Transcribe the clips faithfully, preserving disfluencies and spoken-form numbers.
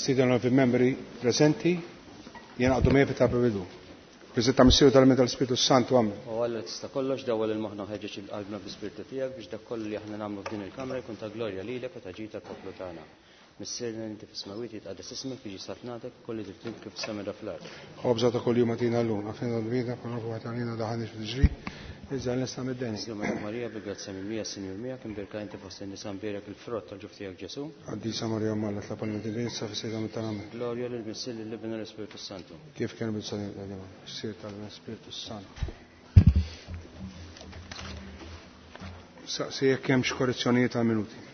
Nistieden l membri preżenti jingħaqdu miegħi fit-talba bidu. Preżenta Missier tal tal-Spiritu Santu, Amen. O Alla tista' kollox, dawwal il-moħħna ħeġġeġ il-qalbna bi-Spirtu tiegħek biex dak kollu li aħna nagħmlu f'din il-kamra jkun ta' glorja lilek u ta' ġid tal-poplu tagħna. Missierna inti fis-smewwiet, jitqaddes ismek, jiġi saltnatek, kulli trid kif fis-sema fl-art. Ħobża ta' kuljum agħtina llum, aħfrilna dnubietna bħalma naħfru għalina daħalniex fit-tiġrib, iżda ħlisna mid-deni. Sliem Marija, bil-grazzja mimlija, Sinjur miegħek, imbierka inti fost in-nisa, mbierek il-frott tal-ġuf tiegħek Ġesu. Qaddisa Marija Omm Alla, itlob għalina midinbin, issa fis-siegħa tal-mewt tagħna. Amen. Glorja lil Missier, lill-Iben u l-Ispirtu Santu. Kif kien bil-salib, Missier tal-Spiritu Santu. Saqsi jekk hemmx korrezzjonijiet għal minuti.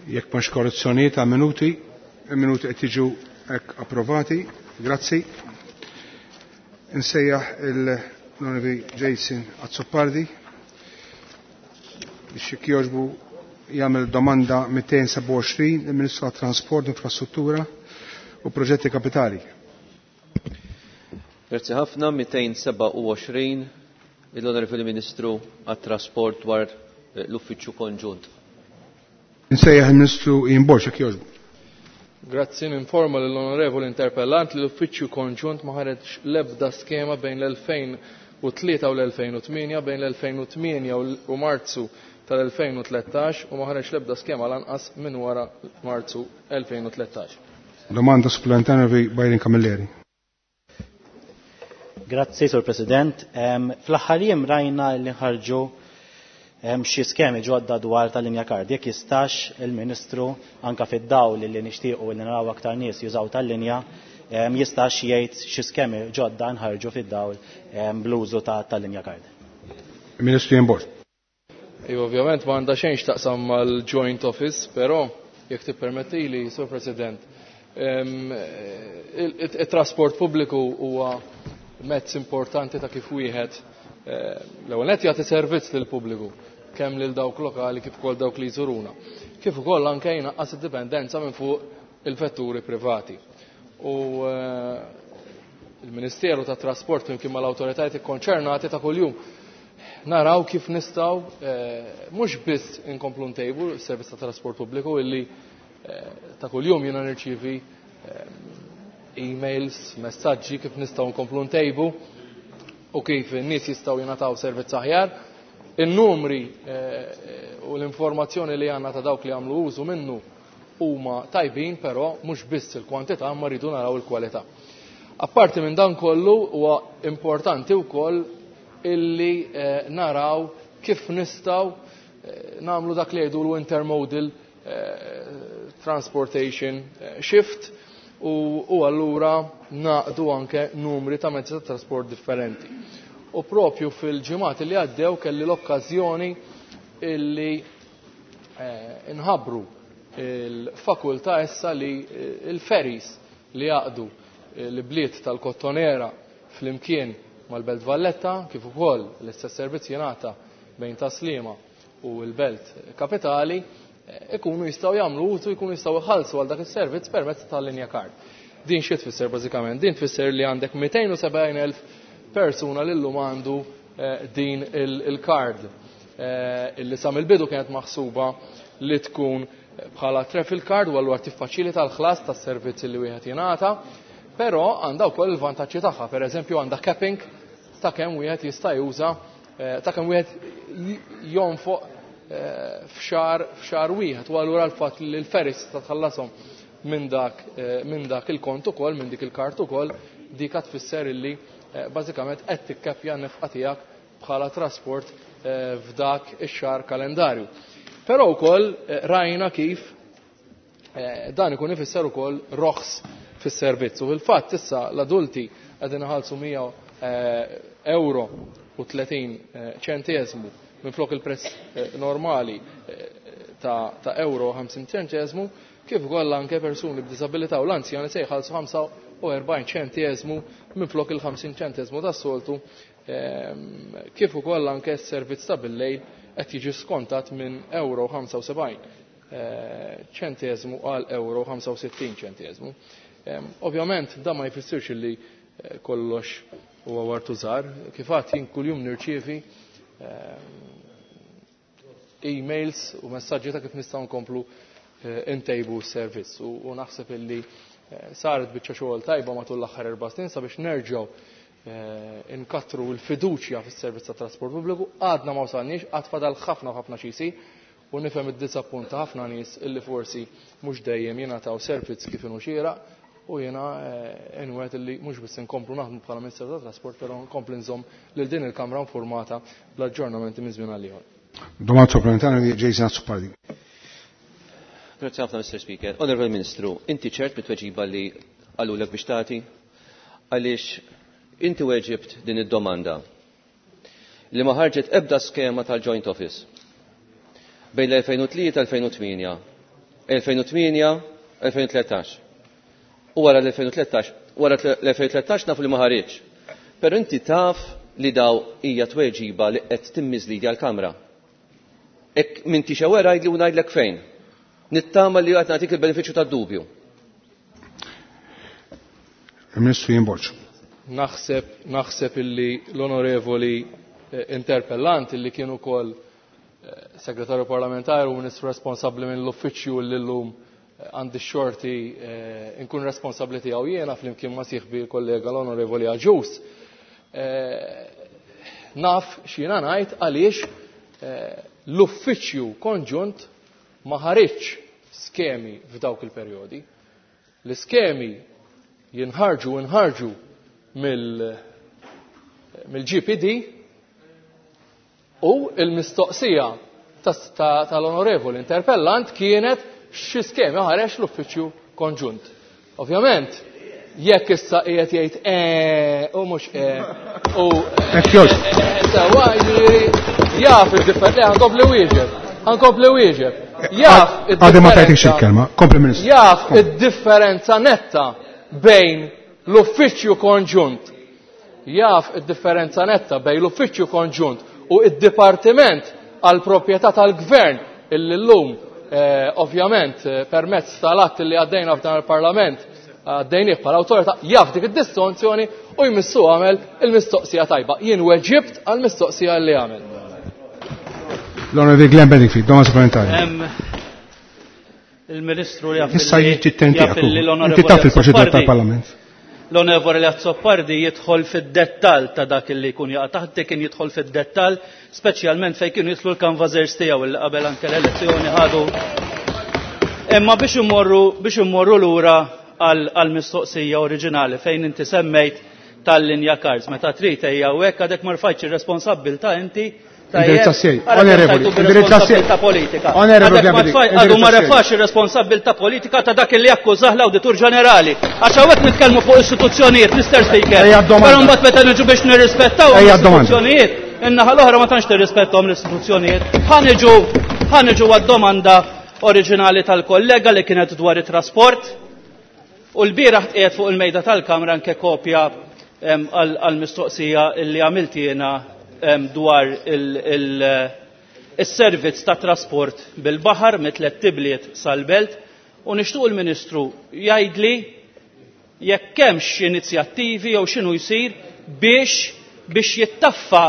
Jekk m'hemmx korrezzjonijiet għal minuti, il-minuti qed jiġu hekk approvati. Grazzi. Insejjaħ il-Onorevoli Jason Azzopardi biex jekk jogħġbu jagħmel domanda mitejn sebgħa u għoxrin lill-Ministru għat-Trasport, Infrastruttura u Proġetti Kapitali. Grazzi ħafna. Mitejn sebgħa u għoxrin l-Onorevoli Ministru għat-Trasport dwar l-Uffiċċju Konġunt. Insejjaħ il-Ministru Ian Borg, jekk jogħġbu. Grazzi, ninforma lill-Onorevoli Interpellant li l-Uffiċċju Konġunt ma ħareġ l-ebda skema bejn l-elfejn u tlieta u l-elfejn u tmienja, bejn l-elfejn u tmienja u Marzu tal-elfejn u tlettax u ma ħareġ l-ebda skema lanqas minn wara Marzu elfejn u tlettax. Domanda supplementari Byron Camilleri. Grazzi, Sur President. Em, fl-aħħar jiem rajna li ħarġu hemm xi skemi ġodda dwar tal-linja kard. Jekk jistax il-Ministru anka fid-dawl li nixtiequ li naraw aktar nies jużaw tal-linja, em, jistax jgħid xi skemi ġodda nħarġu fid-dawl, em, bl-użu ta' tal-linja kard. Ministru Ian Borg. Iva, ovvjament ma għandha xejn x'taqsam mal-Joint Office, però jekk tippermettili, Sur President, em, il-, il-, it-trasport pubbliku huwa mezz importanti ta' kif wieħed, eh, l-ewwel nett jagħti servizz lill-pubbliku, kemm lil dawk lokali kif ukoll dawk li jżuruna. Kif ukoll anke jnaqqas id-dipendenza minn fuq il-vetturi privati. U, eh, il-Ministeru tat-Trasport flimkien mal-awtoritajiet ikkonċernati ta' kuljum naraw kif nistgħu, eh, mhux biss inkomplu ntejbu s-servizz ta' trasport pubbliku illi, eh, ta' kuljum jiena nirċievi, eh, emails, messaġġi kif nistgħu nkomplu ntejbu u kif in-nies jistgħu jingħataw servizz aħjar. In-numri, eh, u l-informazzjoni li għandna ta' dawk li għamlu użu minnu huma tajbin, però mhux biss il-kwantità ma rridu naraw il-kwalità. Apparti minn dan kollu huwa importanti wkoll illi, eh, naraw kif nistgħu, eh, nagħmlu dak li jgħidulu intermodal, eh, transportation, eh, shift u, u allura naqdu anke numri ta' mezzi ta' trasport differenti. U propju fil-ġimgħat li għaddew kelli l-okkażjoni illi, eh, nħabbru il-fakultà issa li, eh, il-ferries li jaqdu l-bliet tal-Kottonera flimkien mal-Belt Valletta, kif ukoll l-istess servizz jingħata bejn Taslima u l-Belt Kapitali, eh, ikunu jistgħu jagħmlu użu, jkunu jistgħu jħallsu għal dak is-servizz permezz tal-linja kard. Din xi tfisser bażikament? Din tfisser li għandek mitejn u sebgħin elf persuna li llum għandu, eh, din il-, il-kard, eh, illi sa mill-bidu kienet maħsuba li tkun bħala travel card u allura tiffaċilita l-ħlas tas-servizzi li wieħed jingħata, però għandha wkoll il-vantaġġi tagħha. Per eżempju għandha capping ta' kemm wieħed jista' juża, eh, ta' kemm wieħed j-, jonfoq, eh, f'xahar, f'xahar wieħed, u allura l-fatt li l-ferries ta' tħallashom minn dak, eh, minn dak il-kont ukoll, minn dik il-kart ukoll, dik tfisser illi, eh, bażikament qed tikkepja n-nefqa tiegħek bħala trasport, eh, f'dak ix-xahar kalendarju. Però wkoll, eh, rajna kif, eh, dan ikun ifisser ukoll roħs fis-servizz. U fil-fatt issa l-adulti qegħdin iħallsu mija, eh, euro u tletin, eh, ċenteżmu minflok il-prezz, eh, normali, eh, ta', ta' euro ħamsin ċenteżmu, kif ukoll anke persuni b'diżabilità u l-anzjani se jħallsu ħamsa u erbgħin ċenteżmu minflok il-ħamsin ċenteżmu tas-soltu, ehm, kif ukoll anke s-servizz ta' bil-lejl qed jiġi skontat minn euro ħamsa u sebgħin, eh, ċenteżmu għal euro ħamsa u sittin ċenteżmu. Ehm, ovvjament dan ma jfissirx li, eh, kollox huwa Wartuzar. Kif għad jien kuljum nirċievi e-mails u messaġġi ta' kif nistgħu nkomplu intejbu s-servizz u naħseb illi saret biċċa xogħol tajba matul l-aħħar erba' snin sabiex nerġgħu inkattru l-fiduċja fis-servizz tat trasport pubbliku. Għadna ma wasalniex, għad fadal ħafna ħafna xi jsir u nifhem id-disappunt ta' ħafna nies illi forsi mhux dejjem jingħataw servizz kif inhu xieraq u jiena inwet illi mhux biss inkomplu naħdmu bħala Ministru tat Trasport, però nkompli nżomm lil din il-Kamra informata bl-aġġornamenti minn żmien għal ieħor. Domanda supplementari Jason Azzopardi. Grazie ħafna, Mister Speaker. Onorevoli Ministru, inti ċert bit-tweġiba li qalulek biex tagħti? Għaliex inti weġibt din id-domanda li ma ħarġet ebda skema tal-Joint Office bejn l-elfejn u tlieta elfejn u tmienja, elfejn u tmienja, elfejn u tlettax. U wara l-elfejn u tlettax, wara l-elfejn u tlettax nafu li ma ħareġ. Però inti taf li daw hija tweġiba li qed timmiżlidi għall-Kamra. Ek minti xewera għidli u ngħidlek fejn. Nittama li qed nagħtik il-benefiċċju tad-dubju. Il-Ministru Ian Borg. Naħseb, naħseb illi l-onorevoli interpellant illi kien ukoll segretarju parlamentari u ministru responsabbli minn l-uffiċċju li llum għandi xorti nkun responsabbli tiegħu jiena flimkien ma' sieħbi kollega l-onorevoli Agius. Naf x'jiena ngħid għaliex l-uffiċċju konġunt ma ħareġx skemi f'dawk il-perjodi. L-iskemi jinħarġu inħarġu mill-G P D u il-mistoqsija tal-onorevoli interpellant kienet xi skemi ħareġ l-uffiċċju konġunt. Ovvjament, jekk issa qiegħed jgħid eh u mhux eh u sewwa jiġifieri jaf id-differenza, ħankompli wieġeb, ħankompli wieġeb. Jaf Għadha ma tajtikx il-kelma, kompli Ministru. Jaf id-differenza netta bejn l-uffiċċju konġunt. Jaf id-differenza netta bejn l-uffiċċju konġunt u id-dipartiment għal proprjetà tal-gvern illi llum ovvjament permezz tal-att li għaddejna f'dan il-Parlament għaddejnieh bħala awtorità jaf dik id-distinzjoni u jmissu għamel il-mistoqsija tajba. Jien weġibt għall-mistoqsija li għamel. L-Onorevoli Glenn Bedingfield, domanda supplementari. Il-Ministru jaf Issa li jiġi t-tenti jaf li l-Onorevoli Inti taf il-proċedura Azzopardi tal-Parlament. L-Onorevoli Azzopardi jidħol fid-dettall ta' dak li jkun jaqa' taħt, kien jidħol fid-dettall, speċjalment fejn kienu jidħlu l-kanvażers tiegħu li qabel anke l-elezzjoni ħadu. Imma biex immorru, biex immorru lura għall-mistoqsija oriġinali fejn inti semmejt tal-linja Cars, meta trid ejja u hekk għadek ma rfajtx ir-responsabbiltà inti. Indirizza sej, onorevoli, indirizza sej. Responsabilità politika. Onorevoli, Għadek ma Gabri, tfaj, għadu ma indirizza sej. refax ir-responsabilità politika ta' dak li akkużah l-Awditur Ġenerali. Għax hawnhekk nitkellmu fuq istituzzjonijiet, Mister Speaker. Ejja d-domanda. Però mbagħad meta niġu biex nirrispettaw Ejja d-domanda. l-istituzzjonijiet, in-naħa l-oħra ma tantx tirrispettahom l-istituzzjonijiet. Ħa niġu, ħa niġu għad-domanda oriġinali tal-kollega li kienet dwar it-trasport. U l-bieraħ tqiegħed fuq il-mejda tal-Kamra anke kopja, em, għal-mistoqsija li għamilt jiena, em, dwar il-, il-, il-servizz ta' trasport bil-baħar mit-tliet tibliet sal-belt u nixtieq il-Ministru jgħidli jekk hemmx inizjattivi jew x'inhu jsir biex, biex jittaffa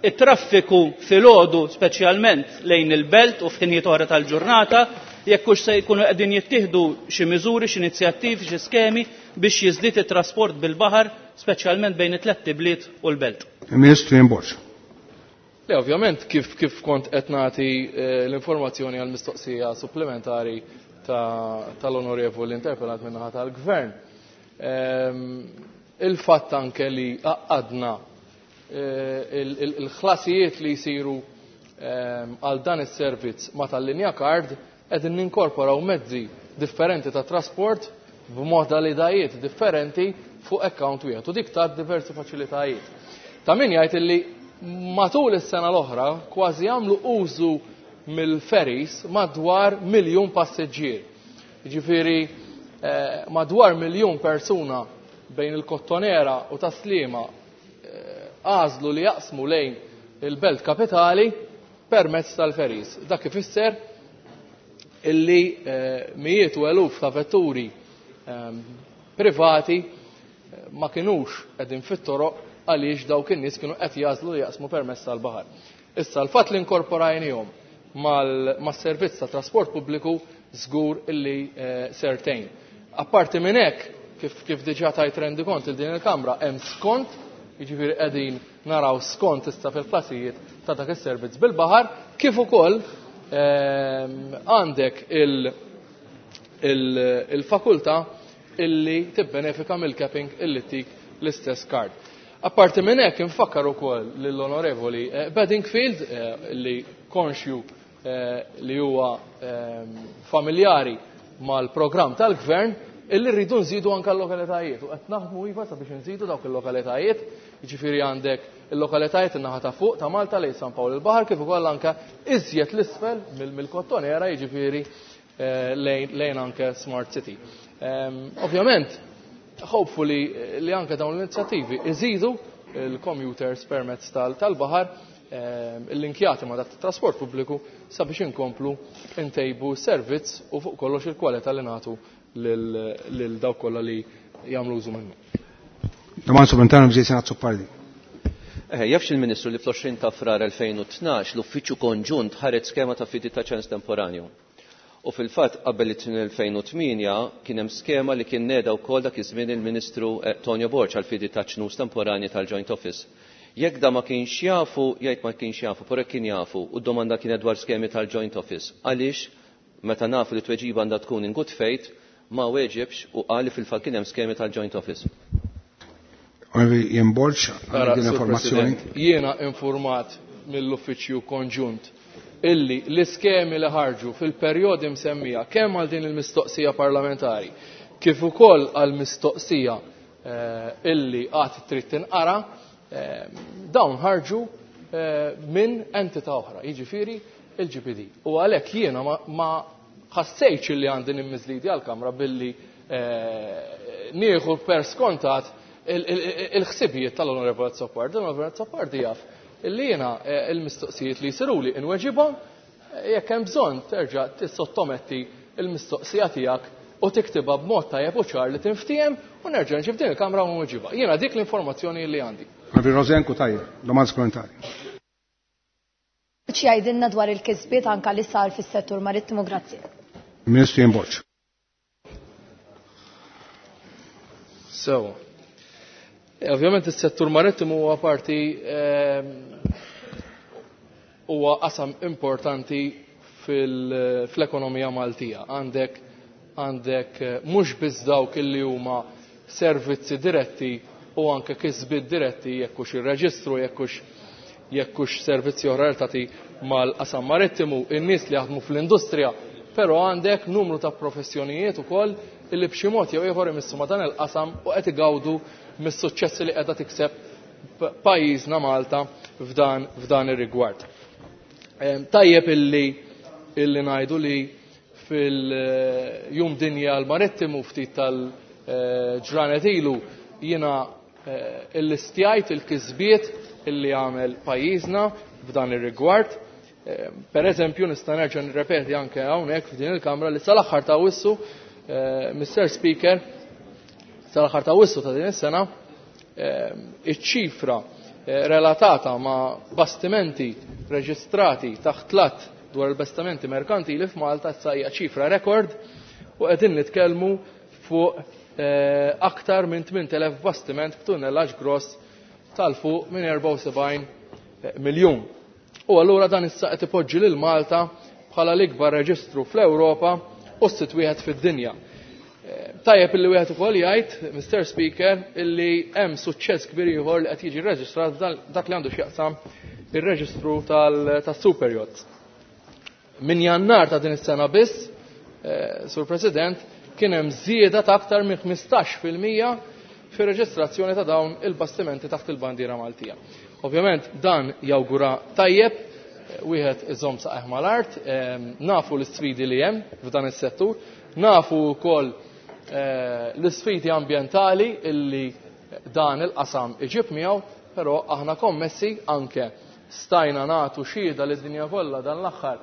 it-traffiku filgħodu speċjalment lejn il-belt u f'ħinijiet oħra tal-ġurnata, jekk hux se jkunu qegħdin jittieħdu xi miżuri, xi inizjattivi, xi skemi biex jiżdied it-trasport bil-baħar speċjalment bejn it-tliet tibliet u l-belt. Il-Ministru Ian Borg. Le, ovvjament, kif, kif kont qed nagħti, eh, l-informazzjoni għall-mistoqsija supplementari ta-, tal-onorevoli interpellant min-naħa tal-Gvern. Ehm, il-fatt anke li għaqqadna, eh, il-, il-, il-ħlasijiet li jsiru, ehm, għal dan is-servizz ma tal-linja card qegħdin ninkorporaw mezzi differenti ta' trasport b'modalitajiet differenti fuq account wieħed u dik ta' diversi faċilitajiet. Ta' min jgħid illi matul is-sena l-oħra kważi għamlu użu mill-ferries madwar miljun passiġġier. Jiġifieri, eh, madwar miljun persuna bejn il-Kottonera u Taslima, eh, għażlu li jaqsmu lejn il-belt kapitali permezz tal-ferries. Dak ifisser illi, eh, mijiet u eluf ta' vetturi, ehm, privati, eh, ma kinux qegħdin fit-toroq għaliex dawk in-nies kienu qed jagħżlu li jaqsmu permezz tal-baħar. Issa l-fatt li nkorporajnihom mas-servizz ta' trasport pubbliku żgur illi sertejn. Apparti minn hekk, kif kif diġà tajt rendikont il din il-Kamra, hemm skont, jiġifieri qegħdin naraw skont issa fil-klasijiet ta' dak is-servizz bil-baħar, kif ukoll għandek il-fakultà illi tibbenefika mill-capping illi tik l-istess card. Apparti minn hekk infakkar ukoll lill-Onorevoli Bedingfield li konxju li huwa familjari mal-programm tal-Gvern illi rridu nżidu anke l-lokalitajiet u qed naħdmu iva sabiex nżidu dawk il-lokalitajiet, jiġifieri għandek il-lokalitajiet in-naħa ta' fuq ta' Malta lejn San Pawl il-Baħar kif ukoll anke iżjed l-isfel mill-Kottonera, jiġifieri lejn anke Smart City. Ovvjament, hopefully li anke dawn l-inizjattivi iżidu il-commuters permezz tal-baħar il-linkjati ma' dak trasport pubbliku sabiex inkomplu ntejbu servizz u fuq kollox il-kwalità li nagħtu lil dawk kollha li jagħmlu użu minnu. Domanda supplementari Mr. Azzopardi. Eh, jafx il-Ministru li fl-għoxrin ta' frar elfejn u tnax l-Uffiċċju Konġunt ħareġ skema ta' fidi ta' ċens temporanju. U fil-fatt qabel it-elfejn u tmienja kien hemm skema li kien neda wkoll dak iż-żmien il-Ministru Tonio Borg għal fidi ta' ċnus temporani tal-Joint Office. Jekk da ma kienx jafu, jgħid ma kienx jafu, però kien jafu, u d-domanda kienet dwar skemi tal-Joint Office. Għaliex meta nafu li tweġiba għandha tkun in good faith, ma weġibx u qal li fil-fatt kien hemm skemi tal-Joint Office. Onorevoli Ian Borg, għandek din informazzjoni? Jiena informat mill-Uffiċċju Konġunt illi l-iskemi li ħarġu fil-perjodi msemmija kemm għal din il-mistoqsija parlamentari kif ukoll għal mistoqsija illi qatt trid tinqara, dawn ħarġu minn entità oħra, jiġifieri il-G P D. U għalhekk jiena ma ħassejtx illi għandi nimmiżlidi għall-Kamra billi nieħu per skontat il-ħsibijiet tal-Onorevoli Azzopardi. L-Onorevoli Azzopardi jaf illi jiena il-mistoqsijiet li jsiruli inweġibhom, jekk hemm bżonn terġa' tissottometti il-mistoqsija tiegħek u tiktibha b'mod tajjeb u ċar li tinftiehem u nerġa' nġib din il-Kamra u nweġibha. Jiena dik l-informazzjoni li għandi. Onorevoli Rosianne Cutajar, domanda supplementari. Xi jgħidilna dwar il-kisbiet anke li sar fis-settur marittimu, grazzi. Ministru Ian Borg. So, ovvjament is-settur marittimu huwa parti huwa qasam importanti fl-ekonomija Maltija. Għandek għandek mhux biss dawk illi huma servizzi diretti u anke kisbiet diretti jekk hux ir-reġistru, jekk hux jekk hux servizzi oħra relatati mal-qasam marittimu, in-nies li jaħdmu fl-industrija, però għandek numru ta' professjonijiet ukoll illi b'xi mod jew ieħor imissu ma' dan il-qasam u qed igawdu mis-suċċessi li qiegħda tikseb pajjiżna Malta f'dan f'dan ir-rigward. Tajjeb illi illi ngħidu li fil-jum dinja l-marittimu ftit tal-ġranet ilu jiena illistjajt il-kisbiet illi għamel pajjiżna f'dan ir-rigward. Per eżempju, nista' nerġa' nirrepeti anke hawnhekk f'din il-Kamra li sal-aħħar ta' Awwissu, Mister Speaker, sal-aħħar ta' Awwissu ta' din is-sena, iċ-ċifra relatata ma' bastimenti reġistrati taħt lat dwar il-bastimenti merkantili f'Malta issa hija ċifra rekord u qegħdin nitkellmu fuq aktar minn tmien elef bastiment b'tunnellaġġ gross tal-fuq minn erbgħa u sebgħin miljun. U allura dan issa qed ipoġġi lil Malta bħala l-ikbar reġistru fl-Ewropa u s-sitt wieħed fid-dinja. Tajjeb illi wieħed ukoll jgħid, Mister Speaker, illi hemm suċċess kbir ieħor li qed jiġi rreġistrat dak li għandu x'jaqsam ir-reġistru tas-super yachts. Min Jannar ta' din is-sena biss, Sur President, kien hemm żieda ta' aktar minn ħmistax fil-mija fir-reġistrazzjoni ta' dawn il-bastimenti taħt il-bandiera Maltija. Ovvjament dan jawgura tajjeb, wieħed iżomm saqajh mal-art, nafu l-isfidi li hemm f'dan is-settur, nafu wkoll l-isfidi ambjentali illi dan il-qasam iġib miegħu, però aħna kommessi anke stajna nagħtu xhieda lid-dinja kollha dan l-aħħar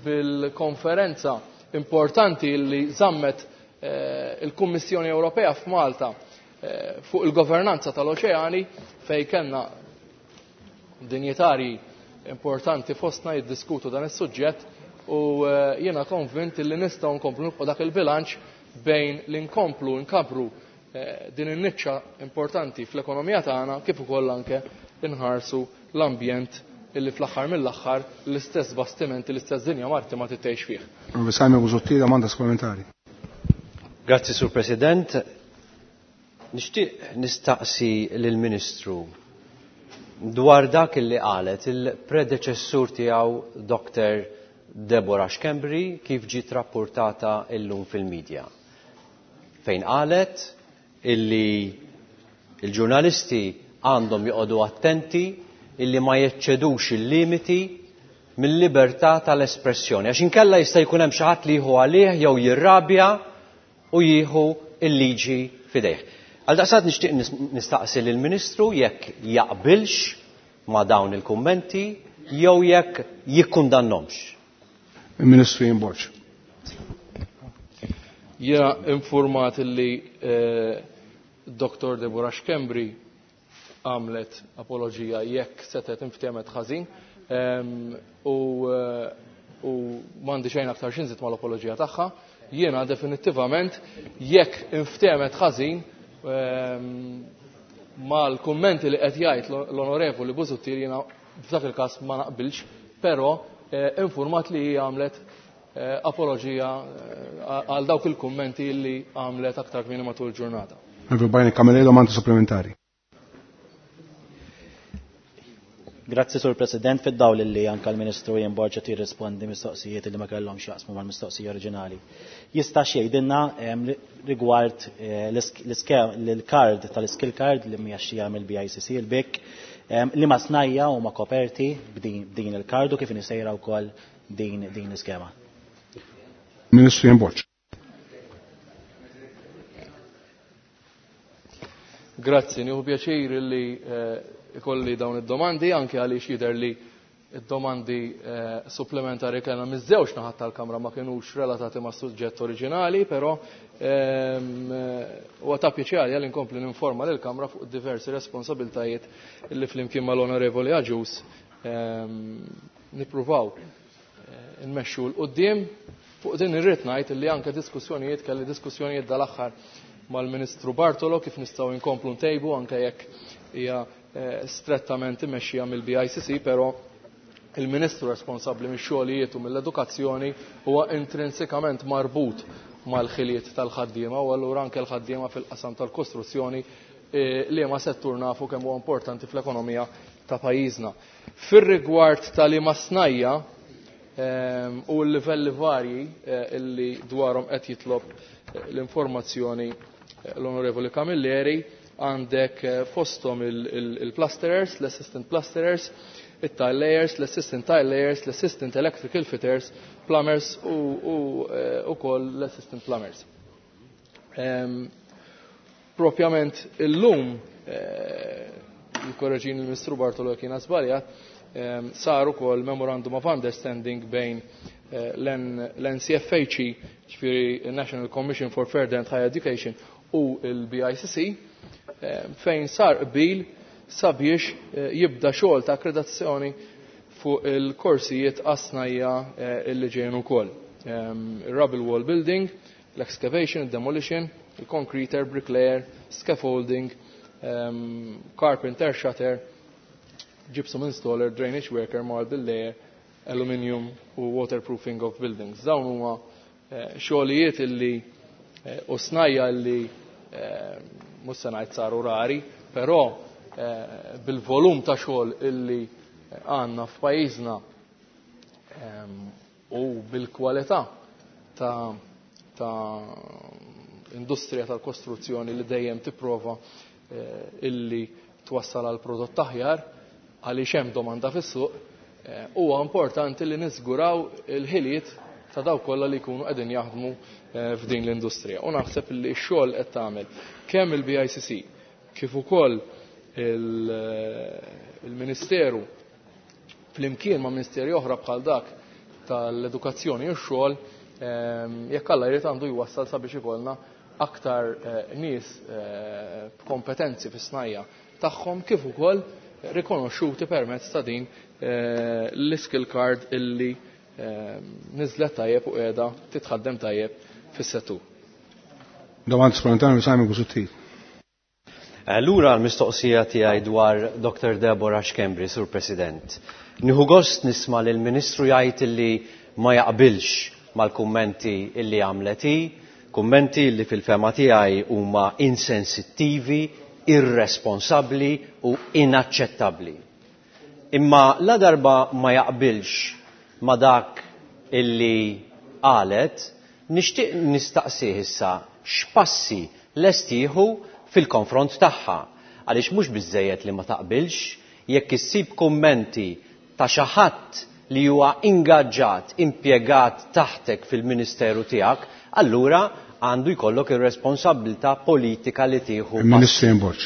bil-konferenza importanti illi żammet il-Kummissjoni Ewropea f'Malta fuq il-governanza tal-oċeani fejn kellna dinjitari importanti fostna jiddiskutu dan is-suġġett u jiena konvint li nistgħu nkomplu nibqgħu dak il-bilanċ bejn li nkomplu nkabru din in-niċċa importanti fl-ekonomija tagħna kif ukoll anke inħarsu l-ambjent illi fl-aħħar mill-aħħar l-istess bastimenti, l-istess dinja marittima tgħix fih. Simon Busuttil, domanda supplementari. Grazzi, Sur President. Nixtieq nistaqsi lill-Ministru dwar dak illi qalet il-predeċessur tiegħu Doctor Deborah Schembri kif ġiet rapportata illum fil-medja. Fejn qalet illi il-ġurnalisti għandhom joqogħdu attenti illi ma jeċċedux il-limiti mill-libertà tal-espressjoni. Għax inkella jista' jkun hemm xi ħadd li jieħu għalih jew jirrabja u jieħu il-liġi f'idejh. Għaldaqstant nixtieq nistaqsi lill-Ministru jekk jaqbilx ma' dawn il-kummenti jew jekk jikkundannomx. Il-Ministru Ian Borg. Jiena informat li Doctor Deborah Schembri għamlet apologija jekk setet inftehmet ħażin u u m'għandi xejn aktar xi nżid mal-apologija tagħha. Jiena definittivament jekk inftehmet ħażin mal-kummenti li qed jgħid l-Onorevoli Busuttil jiena f'dak il-każ ma naqbilx, però informat li hija għamlet apologija għal dawk il-kummenti li għamlet aktar kmieni matul il-ġurnata. Onorevoli Camilleri, domanda supplementari. Grazzi, Sur President, fid-dawl li anka l-Ministru Ian Borg qed jirrispondi mistoqsijiet li ma kellhomx jaqsmu mal-mistoqsija oriġinali. Jista' jgħidilna rigward l-card tal-skill card li mjaxxija mill-B I C C il-B I C, li ma snajja u ma koperti b'din il-card u kif nisejra wkoll din din l-iskema. Ministru Ian Borg. Grazzi, nieħu pjaċir li ikolli dawn id-domandi, anke għaliex jidher li id-domandi supplementari kellna miż-żewġ naħat tal-Kamra ma kinux relatati ma' suġġett oriġinali, però huwa ta' pjaċir għalija li nkompli ninforma lill-Kamra fuq diversi responsabiltajiet li flimkien mal-Onorevoli Agius nippruvaw nmexxu l quddiem. Fuq din irrid ngħid li anke diskussjonijiet kelli diskussjonijiet dal-aħħar mal-Ministru Bartolo kif nistgħu nkomplu ntejbu anke jekk hija strettament imexxija mill-B I C C, però il-Ministru responsabbli mix-xogħlijiet u mill-edukazzjoni huwa intrinsikament marbut mal-ħiliet tal-ħaddiema u allura anke l-ħaddiema fil-qasam tal-kostruzzjoni li ma settur nafu kemm huwa importanti fl-ekonomija ta' pajjiżna. Fir-rigward tal-liema snajja u l-livelli varji illi dwarhom qed jitlob l-informazzjoni l-Onorevoli Camilleri, għandek fosthom il-plasterers, l-assistant plasterers, il-tile layers, l-assistant tile layers, l-assistant electrical fitters, plumbers u ukoll l-assistant plumbers. Propjament illum, jikkorreġini l-Ministru Bartolo kien żbaljat, sar ukoll memorandum of understanding bejn l-N C F H E, ġifieri National Commission for Further and Higher Education, u l-B I C C, fejn sar qbil sabiex jibda xogħol ta' akkreditazzjoni fuq il-korsijiet għas-snajja illi ġejjin ukoll. Rubble wall building, l-excavation, demolition, il-concreter, bricklayer, scaffolding, carpenter shutter, gypsum installer, drainage worker, marble layer, aluminium u waterproofing of buildings. Dawn huma xogħlijiet illi u snajja illi mhux se ngħid saru rari, però bil-volum ta' xogħol illi għandna f'pajjiżna u bil-kwalità ta', ta' industrija tal-kostruzzjoni li dejjem tipprova illi twassal għal prodott aħjar għaliex hemm domanda fis-suq, huwa importanti li niżguraw il-ħiliet ta' dawk kollha li jkunu qegħdin jaħdmu f'din l-industrija. U naħseb li x-xogħol qed tagħmel kemm il-B I C C kif ukoll il-Ministeru flimkien ma' ministeri oħra bħal dak tal-edukazzjoni u x-xogħol, jekk Alla jrid għandu jwassal sabiex ikollna aktar nies b'kompetenzi fis-snajja tagħhom kif ukoll rikonoxxuti permezz ta' din l-skill card illi niżlet tajjeb u qiegħda titħaddem tajjeb fis-settur. Domanda supplementari Simon Busuttil. Lura l-mistoqsija tiegħi dwar Doctor Deborah Schembri, Sur President. Nieħu gost nisma' li l-Ministru jgħid illi ma jaqbilx mal-kummenti illi għamlet hi, kummenti illi fil-fema tiegħi huma insensittivi, irresponsabbli u inaċċettabbli. Imma la darba ma jaqbilx ma dak illi qalet, nixtieq nistaqsih issa x'passi lest jieħu fil-konfront tagħha. Għaliex mhux biżżejjed li ma taqbilx, jekk issib kummenti ta' xi ħadd li huwa ingaġġat, impjegat taħtek fil-ministeru tiegħek, allura għandu jkollok ir-responsabilità politika li tieħu. Il-Ministru Borg.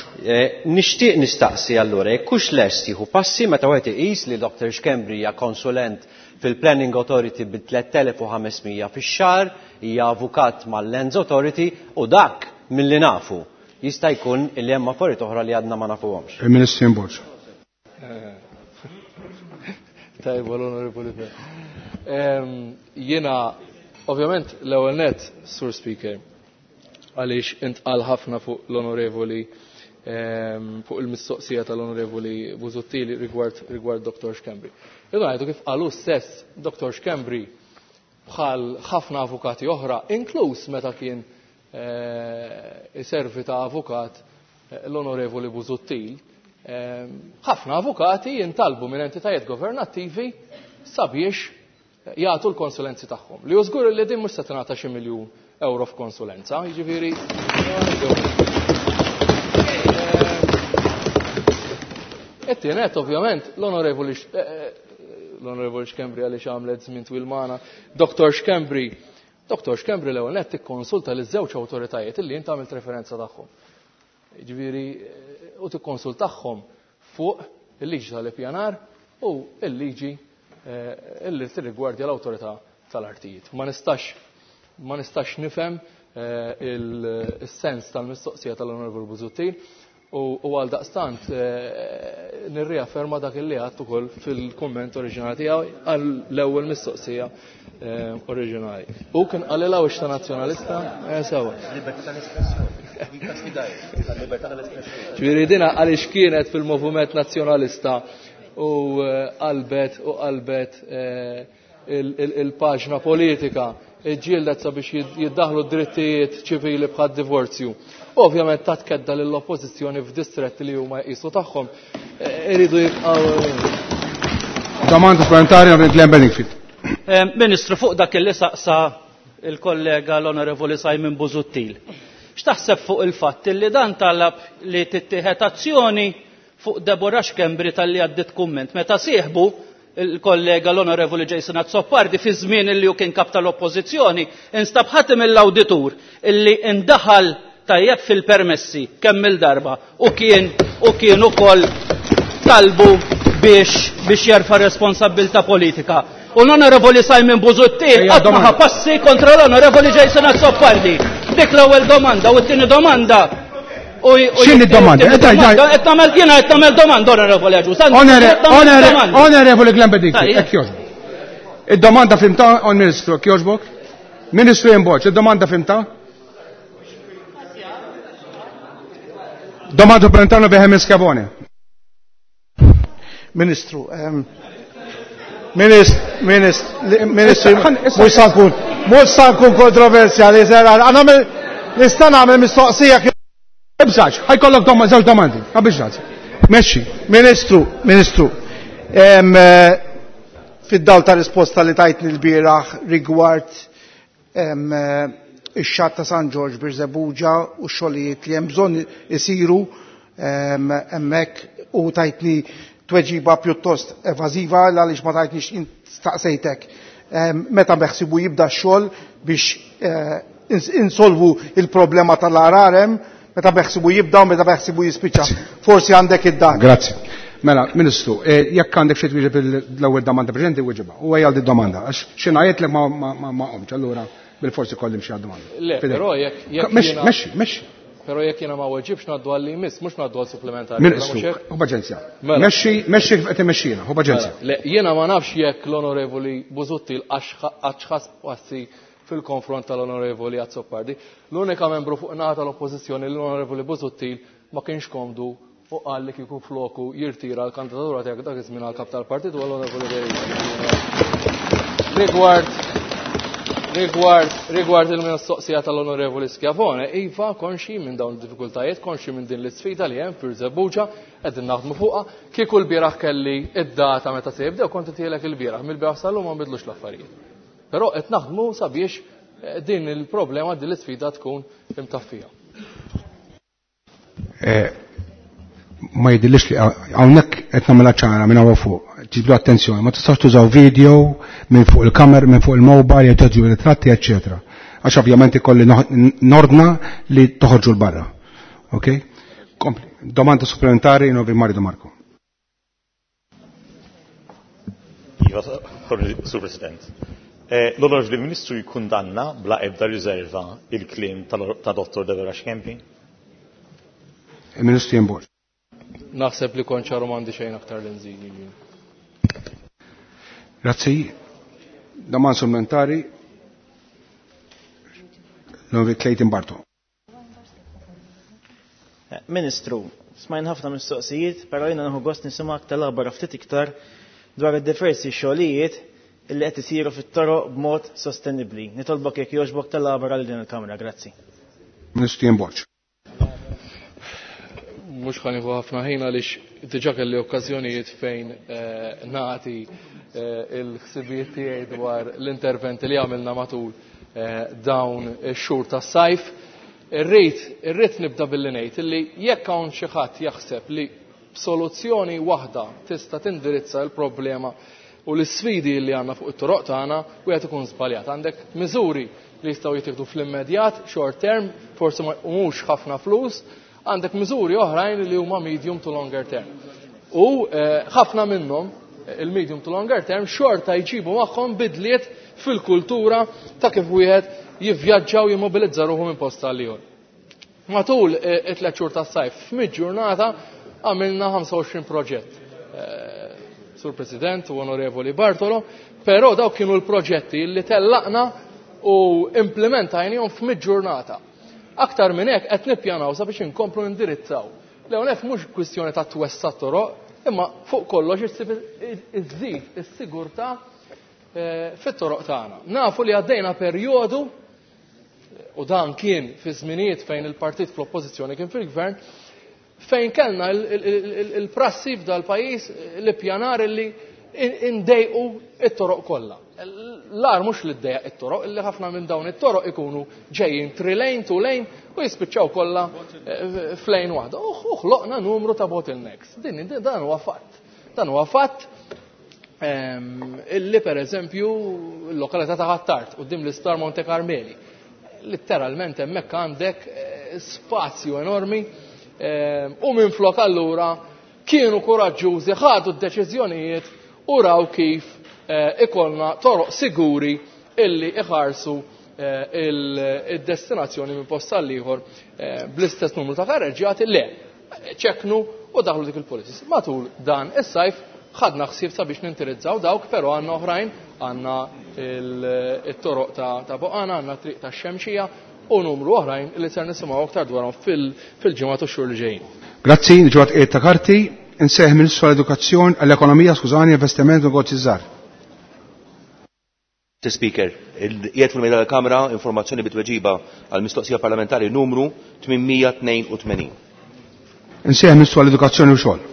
Nixtieq nistaqsi allura jekk hux lest jieħu passi meta wieħed iqis li Doctor Schembri hija konsulent fil-Planning Authority bi tliet elef u ħames mija fix-xahar, hija avukat mal-Lands Authority u dak milli nafu jista' jkun li hemm affarijiet oħra li għadna ma nafuhomx. Il-Ministru Borg. Tajba l-Onorevoli. Jiena ovvjament l-ewwel net, Sur Speaker, għaliex intqal ħafna fuq l-Onorevoli fuq il-mistoqsija tal-Onorevoli Busuttil rigward rigward Doctor Schembri. Irridu ngħidu kif qalu stess Doctor Schembri bħal ħafna avukati oħra, inkluż meta kien iservi ta' avukat l-Onorevoli Busuttil, ħafna avukati jintalbu minn entitajiet governattivi sabiex jagħtu l-konsulenzi tagħhom. Li żgur li din mhux se tingħata xi miljun euro f'konsulenza, jiġifieri. It-tienet ovvjament l-Onorevoli l-Onorevoli Schembri għaliex għamlet żmien twil magħna, Doctor Schembri, Doctor Schembri l-ewwel nett tikkonsulta liż żewġ awtoritajiet illi int għamilt referenza tagħhom. Jiġifieri u tikkonsultahom fuq il-liġi tal-ippjanar u il-liġi illi tirrigwardja l-awtorità tal-artijiet. Ma nistax ma nistax nifhem il-sens tal-mistoqsija tal-Onorevoli Busuttil u għal daqstant nirriafferma dak illi għadt ukoll fil-kumment oriġinali tiegħu għall-ewwel mistoqsija oriġinali. U kien qalilha wix ta' nazzjonalista, sewa. Ġifieri dina għaliex kienet fil-moviment nazzjonalista u qalbet u qalbet il-paġna politika ġġieldet sabiex jiddaħlu drittijiet ċivili bħad divorzju. Ovvjament ta' tkedda lill-oppożizzjoni f'distretti li huma jqisu tagħhom iridu jibqgħu. Domanda supplementari għal Glenn Bedingfield. Ministru, fuq dak li saqsa il-kollega l-Onorevoli Simon Busuttil. X'taħseb fuq il-fatt li dan talab li tittieħed azzjoni fuq Deborah Schembri tal-li għaddit kumment meta sieħbu il-kollega l-Onorevoli Jason Azzopardi fi żmien illi hu kien kap tal-Oppożizzjoni instab ħadd mill-awditur illi indaħal tajjeb fil-permessi kemm il-darba u kien u kien ukoll talbu biex biex jerfa' responsabbilta politika. U l-Onorevoli Simon Busuttil qatt ma ħa passi kontra l-Onorevoli Jason Azzopardi. Dik l-ewwel domanda u t-tieni domanda. X'inhi d-domanda? Qed tagħmel jiena qed tagħmel domanda, Onorevoli Agius. Onorevoli Glenn Bedingfield, hekk jogħġbok. Id-domanda fimta, on Ministru, hekk jogħġbok? Ministru Borg, id-domanda fimta? Domanda supplementari Benjamin Schiavone. Ministru, Ministru, mhux sa nkun, mhux sa nkun kontroversjali, nista' nagħmel mistoqsija. Ibżax, ħajkollok żewġ domandi, ma biex. Mexxi. Ministru, Ministru, fid-dawl ta' risposta li tajtni l-bieraħ rigward ix-xatt ta' San Ġorġ Birżebbuġa u x-xogħlijiet li hemm bżonn isiru hemmhekk u tajtni tweġiba pjuttost evażiva għaliex ma tajtnix staqsejtek meta beħsibu jibda x-xogħol biex insolvu il-problema tal-ararem, meta beħsibu jibda u meta beħsibu jispiċċa. Forsi għandek id-dan. Grazzi. Mela, Ministru, jekk għandek xi twieġeb l-ewwel domanda preżenti wieġibha. U għajja domanda għax xi ngħidlek ma ma ma qomx, allura Bil-forsi kolli mxi għad-domanda. Le, però jekk jekk Mexxi, mexxi, mexxi. Però jekk jiena ma weġibx ngħaddu għal li jmiss, mhux ngħaddu għal supplementari. Ministru, hu paċenzja. Mexxi, mexxi kif qed imexxina, hu paċenzja. Le, jiena ma nafx jekk l-Onorevoli Busuttil għax ħass passi fil-konfront tal-Onorevoli Azzopardi. L-unika membru fuq naħa tal-Oppożizzjoni l-Onorevoli Busuttil ma kienx komdu u qal li kieku floku jirtira l-kandidatura tiegħek dak iż-żmien għall-kap tal-partit u l-Onorevoli Rigward Rigward, rigward il-mistoqsija tal-Onorevoli Schiavone, iva konxi minn dawn id-diffikultajiet, konxi minn din l-isfida li hemm fir-Żebbuġa, qegħdin naħdmu fuqha, kieku l-bieraħ kelli id-data meta se jibdew kont intielek il-bieraħ, mill-bieraħ sal-lum ma nbidlux l-affarijiet. Però qed naħdmu sabiex din il-problema, din l-isfida tkun imtaffija. Ma jidhirlix li hawnhekk qed nagħmilha ċara minn hawn fuq. Ġibdu attenzjoni, ma tistax tużaw video minn fuq il-kamer, minn fuq il-mobile, jew teġu ritratti, eċċetera. Għax ovvjament ikolli nordna li toħorġu l-barra. Ok? Kompli. Domanda supplementari Novi Mario De Marco. Iva, Sur President. L-Onorevoli Ministru jikkundanna bla ebda riserva il-kliem ta' Dottor Deborah Schembri? Il-Ministru Ian Borg. Naħseb li kont ċaru m'għandi xejn aktar li nżid. Grazzi. Domanda supplementari L-Onorevoli Clayton Barto. Ministru, smajn ħafna mistoqsijiet, però jiena nieħu gost nisimgħek tal-aħbar ftit iktar dwar id-diversi xogħlijiet illi qed isiru fit-toroq b'mod sostenibbli. Nitolbok jekk jogħġbok tal-aħbar għal din il-Kamra, grazzi. Ministru Ian Borg. Mhux ħa nieħu ħafna ħin għaliex diġà kelli okkażjonijiet fejn nagħti il-ħsibijiet tiegħi dwar l-interventi li għamilna matul dawn ix-xhur tas-sajf. Irrid irrid nibda billi ngħid illi jekk hawn xi ħadd jaħseb li b'soluzzjoni waħda tista' tindirizza l-problema u l-isfidi li għandna fuq it-toroq tagħna wieħed ikun żbaljat. Għandek miżuri li jistgħu jittieħdu fl-immedjat, short term, forsi mhux ħafna flus, għandek miżuri oħrajn li huma medium to longer term. U ħafna minnhom il-medium to longer term xorta jġibu magħhom bidliet fil-kultura ta' kif wieħed jivvjaġġa u jimmobilizza ruħu minn post għal ieħor. Matul it-tliet xhur tas-sajf f'mid-ġurnata għamilna ħamsa u għoxrin proġett. Sur President u Onorevoli Bartolo, però dawk kienu l-proġetti li tellaqna u implementajnihom f'mid-ġurnata. Aktar minn hekk qed nippjanaw sabiex inkomplu nindirizzaw. L-ewwel mhux kwistjoni ta' twessa' toroq, imma fuq kollox iżżid is-sigurtà fit-toroq tagħna. Nafu li għaddejna perjodu, u dan kien fi żminijiet fejn il-partit fl-oppożizzjoni kien fil-gvern, fejn kellna il-prassi f'dal-pajjiż li pjanar li indejqu it-toroq kollha. L-ar mhux li ddejjaq it-toroq, illi ħafna minn dawn it-toroq ikunu ġejjin three lane, two lane u jispiċċaw kollha f'lane waħda. U ħloqna numru ta' bottlenecks. Din dan huwa fatt. Dan huwa fatt illi pereżempju l-lokalità ta' Ħ'Attard quddiem l-Isptar Monte Carmeli. Litteralment hemmhekk għandek spazju enormi u minflok allura kienu kuraġġużi, ħadu d-deċiżjonijiet u raw kif ikollna toroq siguri illi iħarsu il-destinazzjoni minn post għal ieħor bl-istess numru ta' karreġġjati le ċeknu u daħlu dik il-policies. Matul dan is-sajf ħadna ħsieb sabiex nintirizzaw dawk, però għandna oħrajn, għandna il-toroq ta' Boqana, għandna triq ta' Xemxija u numru oħrajn li ser nisimgħu aktar dwarhom fil-ġimgħat u x-xhur li ġejjin. Grazzi, ġewwa tqiegħed ta' karti, insejħ Ministru għall-Edukazzjoni, għall-Ekonomija, skużani, Investiment u Negozji Żgħar. Mister Speaker, qiegħed fil-mejda tal-Kamra informazzjoni bitweġiba għal mistoqsija parlamentari numru tmien mija tnejn u tmenin. Insejħ Ministru għall-Edukazzjoni u Xogħol.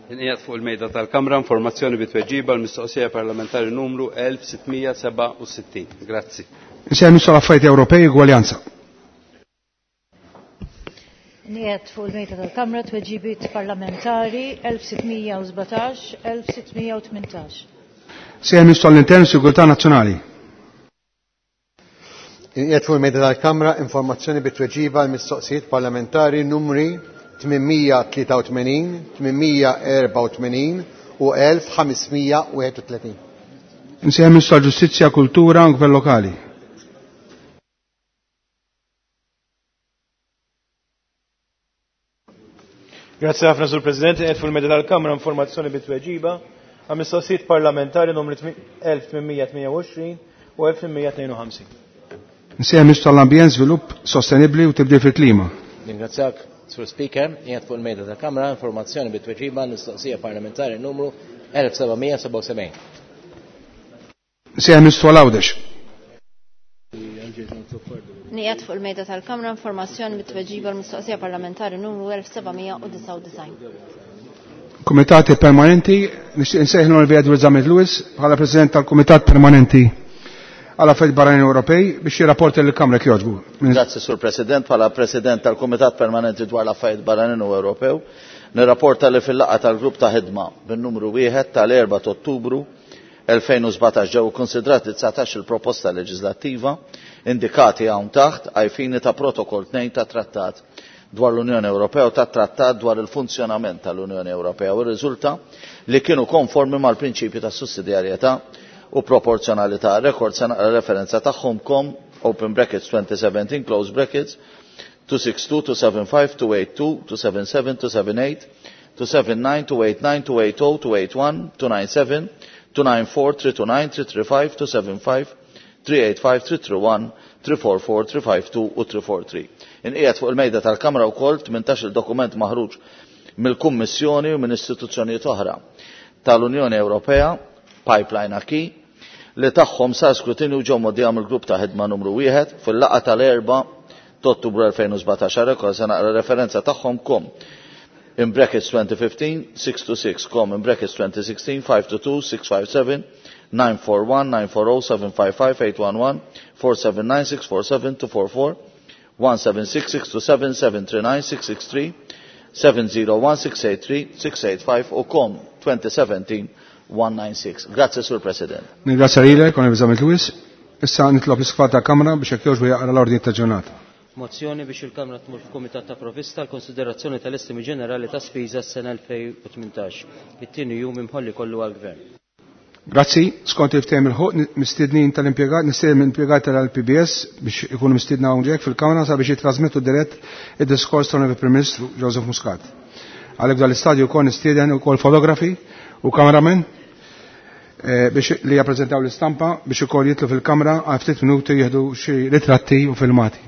Inqiegħed fuq il-mejda tal-Kamra informazzjoni bitweġiba għal mistoqsija parlamentari numru elf sittmija seba' u sittin. Grazzi. Insejħ Ministru għall-Affarijiet Ewropej u Gwaljanza. Inqiegħed fuq il-mejda tal-Kamra tweġibiet parlamentari elf sittmija u sbatax, elf sittmija u tmintax. Sejħ Ministru għall-Intern u Sigurtà Nazzjonali. Inqiegħed fuq il-mejda tal-Kamra informazzjoni bitweġiba għal mistoqsijiet parlamentari numri tmien mija tlieta u tmenin, tmien mija erba' u tmenin u elf ħamesmija wieħed u tletin. Insejħ Ministru għall-Ġustizzja, Kultura u Gvern Lokali. Grazzi ħafna, Sur President. Qed fuq il-mejda tal-Kamra informazzjoni bit-tweġiba għal mistoqsijiet parlamentari numri elf tmien mija tmien u għoxrin u elf tmien mija tnejn u ħamsin. Nsejjaħ Ministru tal-Ambjent, Żvilupp Sostenibbli u Tibdil fil-Klima. Ningrazzjak, Sur Speaker. Qiegħed fuq il-mejda tal-Kamra informazzjoni bit-tweġiba mistoqsija parlamentari numru elf seba' mija sebgħa u sebgħin. Nsejjaħ Ministru Għawdex. Nqiegħed fuq il-mejda tal-Kamra informazzjoni bit-tweġiba l-mistoqsija parlamentari numru elf seba' mija disgħa u disgħin. Komitati Permanenti, nixtieq insejjaħ l-Onorevoli Edward Zammit Lewis bħala President tal-Kumitat Permanenti għal Affarijiet Barranin Ewropej biex jirrapporta lill-Kamra, jogħġbu. Grazzi, Sur President. Bħala President tal-Kumitat Permanenti dwar l-Affarijiet Barranin u Ewropew, nirrapporta li fil-laqgħa tal-grupp ta' ħidma bin-numru wieħed tal-erbgħa ta' Ottubru elfejn u sbatax ġew konsidrati dsatax il-proposta leġislattiva indikati hawn taħt ai fini ta' Protokoll tnejn ta' Trattat dwar l-Unjoni Ewropea u ta' Trattat dwar il-funzjonament tal-Unjoni Ewropea u rriżulta li kienu konformi mal-prinċipju ta' sussidjarjetà u proporzjonalità. Rekord se naqra referenza tagħhom: COM open brackets twenty seventeen close brackets two six two, two seven five, two eight two, two seven seven, two seven eight, two seven nine, two eight nine, two eight zero, two eight one, two nine seven, two nine four, three two nine, three three five, two seven five, three eight five, three three one, three four four, three five two u three four three. Inqiegħed fuq il-mejda tal-Kamra wkoll tmintax il-dokument maħruġ mill-Kummissjoni u minn istituzzjonijiet oħra tal-Unjoni Ewropea, Pipeline Acquis, li tagħhom sar skrutinju ġew mgħoddija mill-grupp ta' ħidma numru wieħed fil-laqgħa tal-erbgħa ta' Ottubru elfejn u sbatax. Rekord se naqra referenza tagħhom: COM in brackets twenty fifteen six two six, COM in brackets twenty sixteen five two two, six five seven, nine four one, nine four zero, seven five five, eight one one, four seven nine, six four seven, two four four, one seven six, six two seven, seven three nine, six six three, seven zero one, six eight three, six eight five u COM twenty seventeen one nine six. Grazie, Sur President. Ningrazzja lilek, Onorevoli Zammit Lewis. Issa nitlob l-Iskfat ta' Kamra biex jekk jogħġbu jaqra l-ordni ta' ġurnata. Mozzjoni biex il-Kamra tmur f'Kumitat ta' Provista l-konsiderazzjoni tal-estimi ġenerali ta' spiża s-sena elfejn u tmintax. It-tieni jum imħolli kollu għall-Gvern. Grazzi, skont il-ftehim il-ħuq mistednin tal-impjegat, nistieden l-impjegat tal-P B S biex ikunu mistiedna hawnhekk fil-Kamra sabiex jitrasmettu dirett id-diskors tal-Prim Ministru Joseph Muscat. Għalhekk dal-istadju wkoll nistieden ukoll fotografi u cameraman eh, biex li jappreżentaw l-istampa biex ukoll jitlu fil-kamra għal ftit minuti jieħdu xi ritratti u filmati.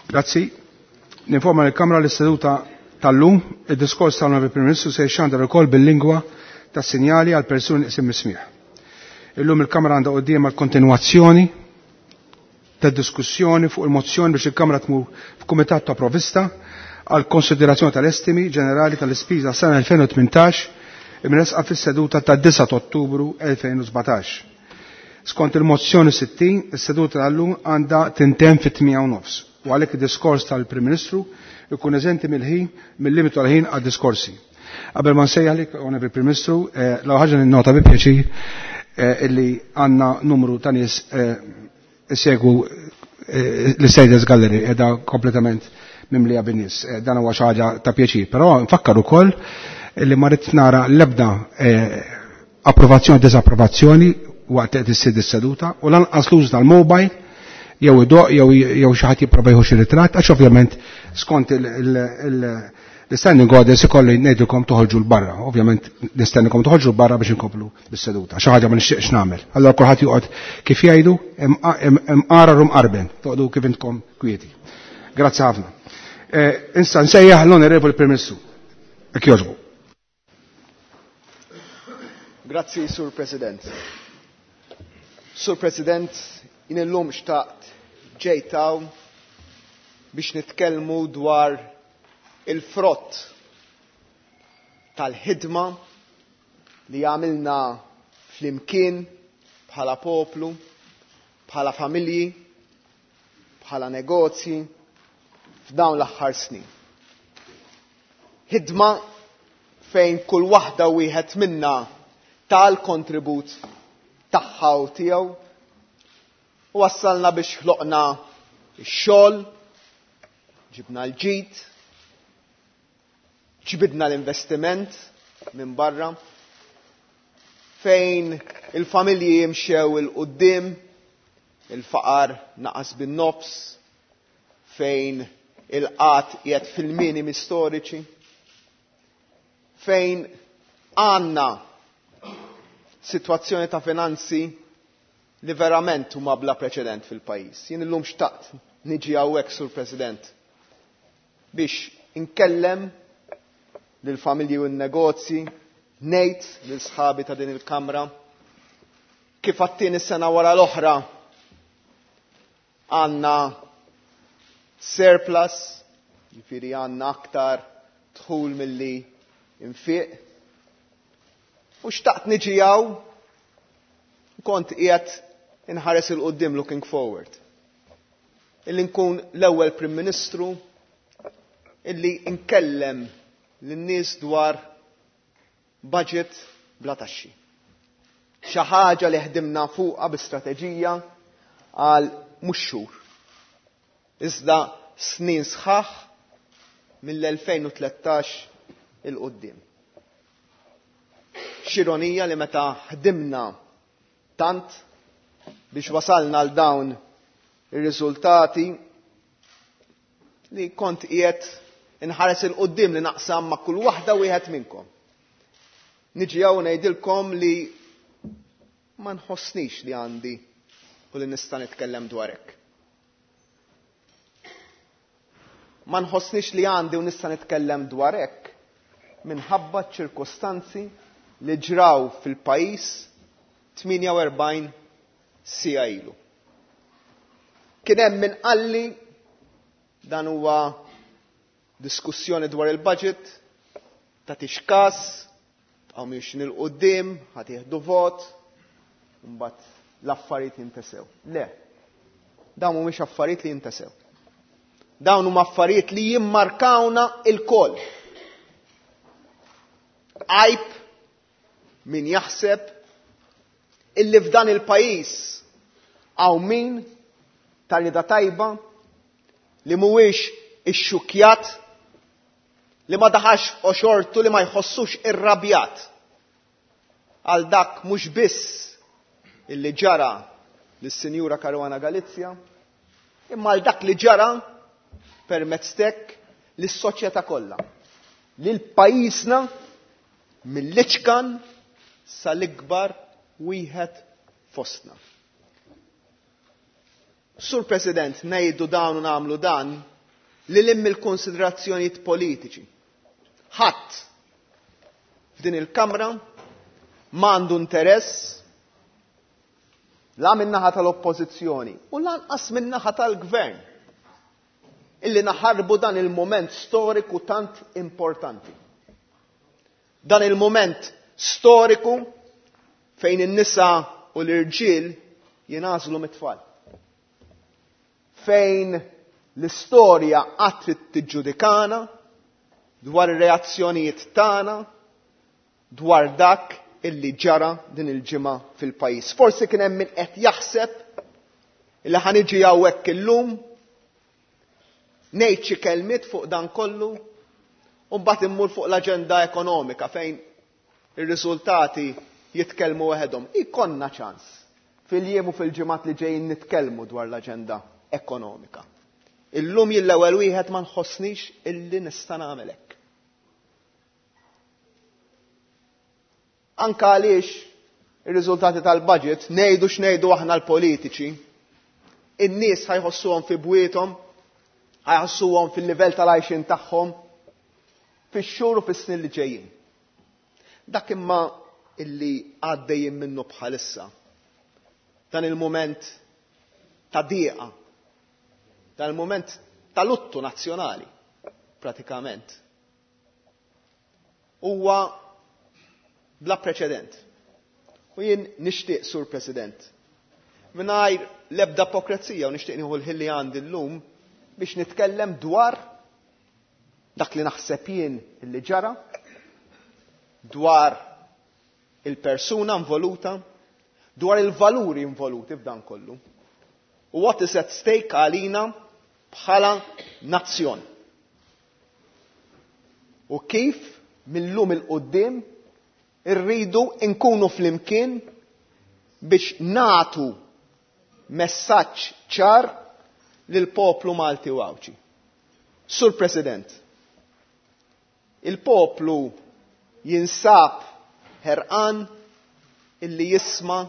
Grazzi. Ninforma l-Kamra l-iseduta tal-lum, id-diskors tal-Onorevoli Prim Ministru se jxandar ukoll bil-lingwa tas sinjali għal persuni isim mismiħ. Illum il-Kamra għandha quddiem għal kontinwazzjoni tad diskussjoni fuq il-mozzjoni biex il-Kamra tmur f'Kumitat ta' Provista għal konsiderazzjoni tal-estimi ġenerali tal-ispiża sena elfejn u tmintax imresqa fis-seduta ta' disgħa Ottubru elfejn u sbatax. Skont il-mozzjoni sittin, is-seduta tal-lum għandha tintemm fit-tmienja u nofs u għalhekk id-diskors tal-Prim Ministru ikun eżenti mill-ħin mill-limitu għal-ħin għad-diskorsi. Qabel ma nsejjaħlek, Onorevoli Prim Ministru, eh, l ħaġa ninnota bi pjaċir eh, illi għandna numru ta' nies eh, isegwu l-Status Gallery edha kompletament mimlija bin-nies. Dan huwa xi ħaġa ta' pjaċir, però nfakkar ukoll illi ma rrid nara l-ebda approvazzjoni disapprovazzjoni waqt qed issir is-seduta u lanqas l-użu tal-mobile jew idoq jew jew xi ħadd jipprova jieħu xi ritratt, għax ovvjament skont l-standing orders ikolli ngħidilkom toħorġu 'l barra. Ovvjament nistennikom toħorġu 'l barra biex inkomplu bis-seduta. Xi ħaġa ma nixtieqx nagħmel. Allora kulħadd joqgħod kif jgħidu imqarar u mqarben, toqgħodu kif intkom kwieti. Grazzi ħafna. Issa nsejjaħ l-Onorevoli Prim Ministru. Jekk jogħġbu. Grazzi, Sur President. Sur President, jien illum xtaqt ġejt hawn biex nitkellmu dwar il-frott tal-ħidma li għamilna flimkien bħala poplu, bħala familji, bħala negozji f'dawn l-aħħar snin. Ħidma fejn kull waħda wieħed minna tal-kontribut tagħha u tiegħu u wassalna biex ħloqna x-xogħol, ġibna l-ġid, ġbidna l-investiment minn barra, fejn il-familji jimxew 'il quddiem, il-faqar naqas bin-nofs, fejn il-qgħad qiegħed fil-minimi storiċi, fejn għandna sitwazzjoni ta' finanzi li verament huma bla preċedent fil-pajjiż. Jien illum xtaqt niġi hawnhekk, Sur President, biex inkellem lill-familji u n-negozji, ngħid lil sħabi ta' din il-Kamra kif għat-tieni sena wara l-oħra għandna surplus, jiġifieri għandna aktar dħul milli infiq. U xtaqt niġi hawn, kont qiegħed inħares 'il quddiem, looking forward. Illi nkun l-ewwel Prim Ministru illi nkellem lin-nies dwar budget bla taxxi. Xi ħaġa li ħdimna fuqha bi strateġija għal mhux xhur. Iżda snin sħaħ mill-elfejn u tlettax 'il quddiem. X'ironija li meta ħdimna tant biex wasalna għal dawn ir-riżultati li kont qiegħed inħares 'il quddiem li naqsam ma' kull waħda wieħed minnkom. Niġi hawn ngħidilkom li ma nħossnix li għandi u li nista' nitkellem dwar hekk. Ma nħossnix li għandi u nista' nitkellem dwar hekk minħabba ċ-ċirkostanzi li ġraw fil-pajjiż tmienja u erbgħin siegħa ilu. Kien hemm min qalli dan huwa diskussjoni dwar il-budget, tagħtix każ, tqgħu miexin il quddiem, ħadd jieħdu vot, mbagħad l-affarijiet jintesew. Le, dawn mhumiex affarijiet li jintesew. Dawn huma affarijiet li jimmarkawna il-koll. Għajb min jaħseb illi f'dan il-pajjiż hawn min ta' rida tajba li mhuwiex ixxukjat, li ma daħax f'qoxortu, li ma jħossux irrabjat għal dak mhux biss illi ġara lis-Sinjura Caruana Galizia, imma għal dak li ġara permezz tek lis-soċjetà kollha, lil pajjiżna mill-iċkan sal-ikbar wieħed fostna. Sur President, ngħidu dawn u nagħmlu dan li lim il-konsiderazzjonijiet politiċi. Ħadd f'din il-Kamra m'għandu interess la min-naħa tal-Oppożizzjoni u lanqas min-naħa tal-Gvern illi naħarbu dan il-moment storiku tant importanti. Dan il-moment storiku fejn in-nisa u l-irġiel jingħażlu mit-tfal. Fejn l-istorja qatt trid tiġġudikana dwar ir-reazzjonijiet tagħna dwar dak illi ġara din il-ġimgħa fil-pajjiż. Forsi kien hemm min qed jaħseb illi ħa niġi hawnhekk illum ngħid xi kelmiet fuq dan kollu u mbagħad immur fuq l-aġenda ekonomika fejn ir-riżultati jitkellmu waħedhom. Ikollna ċans fil-jiem u fil-ġimgħat li ġejjin nitkellmu dwar l-aġenda ekonomika. Illum jien l-ewwel wieħed ma nħossnix illi nista' nagħmel hekk. Anka għaliex ir-riżultati tal-budget ngħidu x'ngħidu aħna l-politiċi, in-nies ħajħossuhom fi bwiethom, ħajħossuhom fil-livell tal-għajxin tagħhom, fix-xhur u fis-snin li ġejjin. Dak imma illi għaddejjin minnu bħalissa, dan il-mument ta' dieqa, dan il-mument ta' luttu nazzjonali, pratikament, huwa bla preċedent. U jien nixtieq, Sur President, mingħajr l-ebda ipokrezija, u nixtieq nieħu l-ħin li għandi llum biex nitkellem dwar dak li naħseb jien illi ġara, dwar il-persuna involuta, dwar il-valuri involuti f'dan kollu. U what is at stake għalina bħala nazzjon. U kif millum il-qoddim irridu nkunu flimkien biex natu messaġġ ċar lill-poplu Malti u Għawdxi. Sur President, il-poplu jinsab ħerqan illi jisma'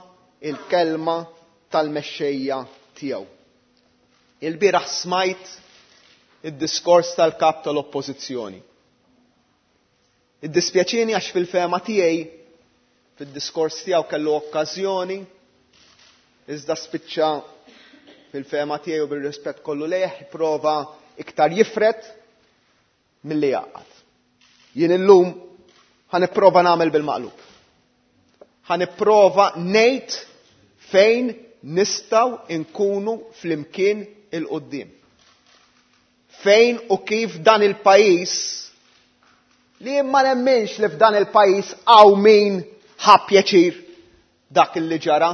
il-kelma tal-mexxejja tiegħu. Il-bieraħ smajt id-diskors tal-kap tal-Oppożizzjoni. Iddispjaċini għax fil-fehma tiegħi fid-diskors tiegħu kellu okkażjoni iżda spiċċa fil-fehma tiegħi u bir-rispett kollu lejh prova iktar jifred milli jgħaqqad. Jien illum ħa nipprova nagħmel bil-maqlub. Ħa nipprova ngħid fejn nistgħu nkunu flimkien il-qudiem. Fejn u kif dan il-pajjiż li ma nemminx li f'dan il-pajjiż hawn min ħa pjaċir dak li ġara.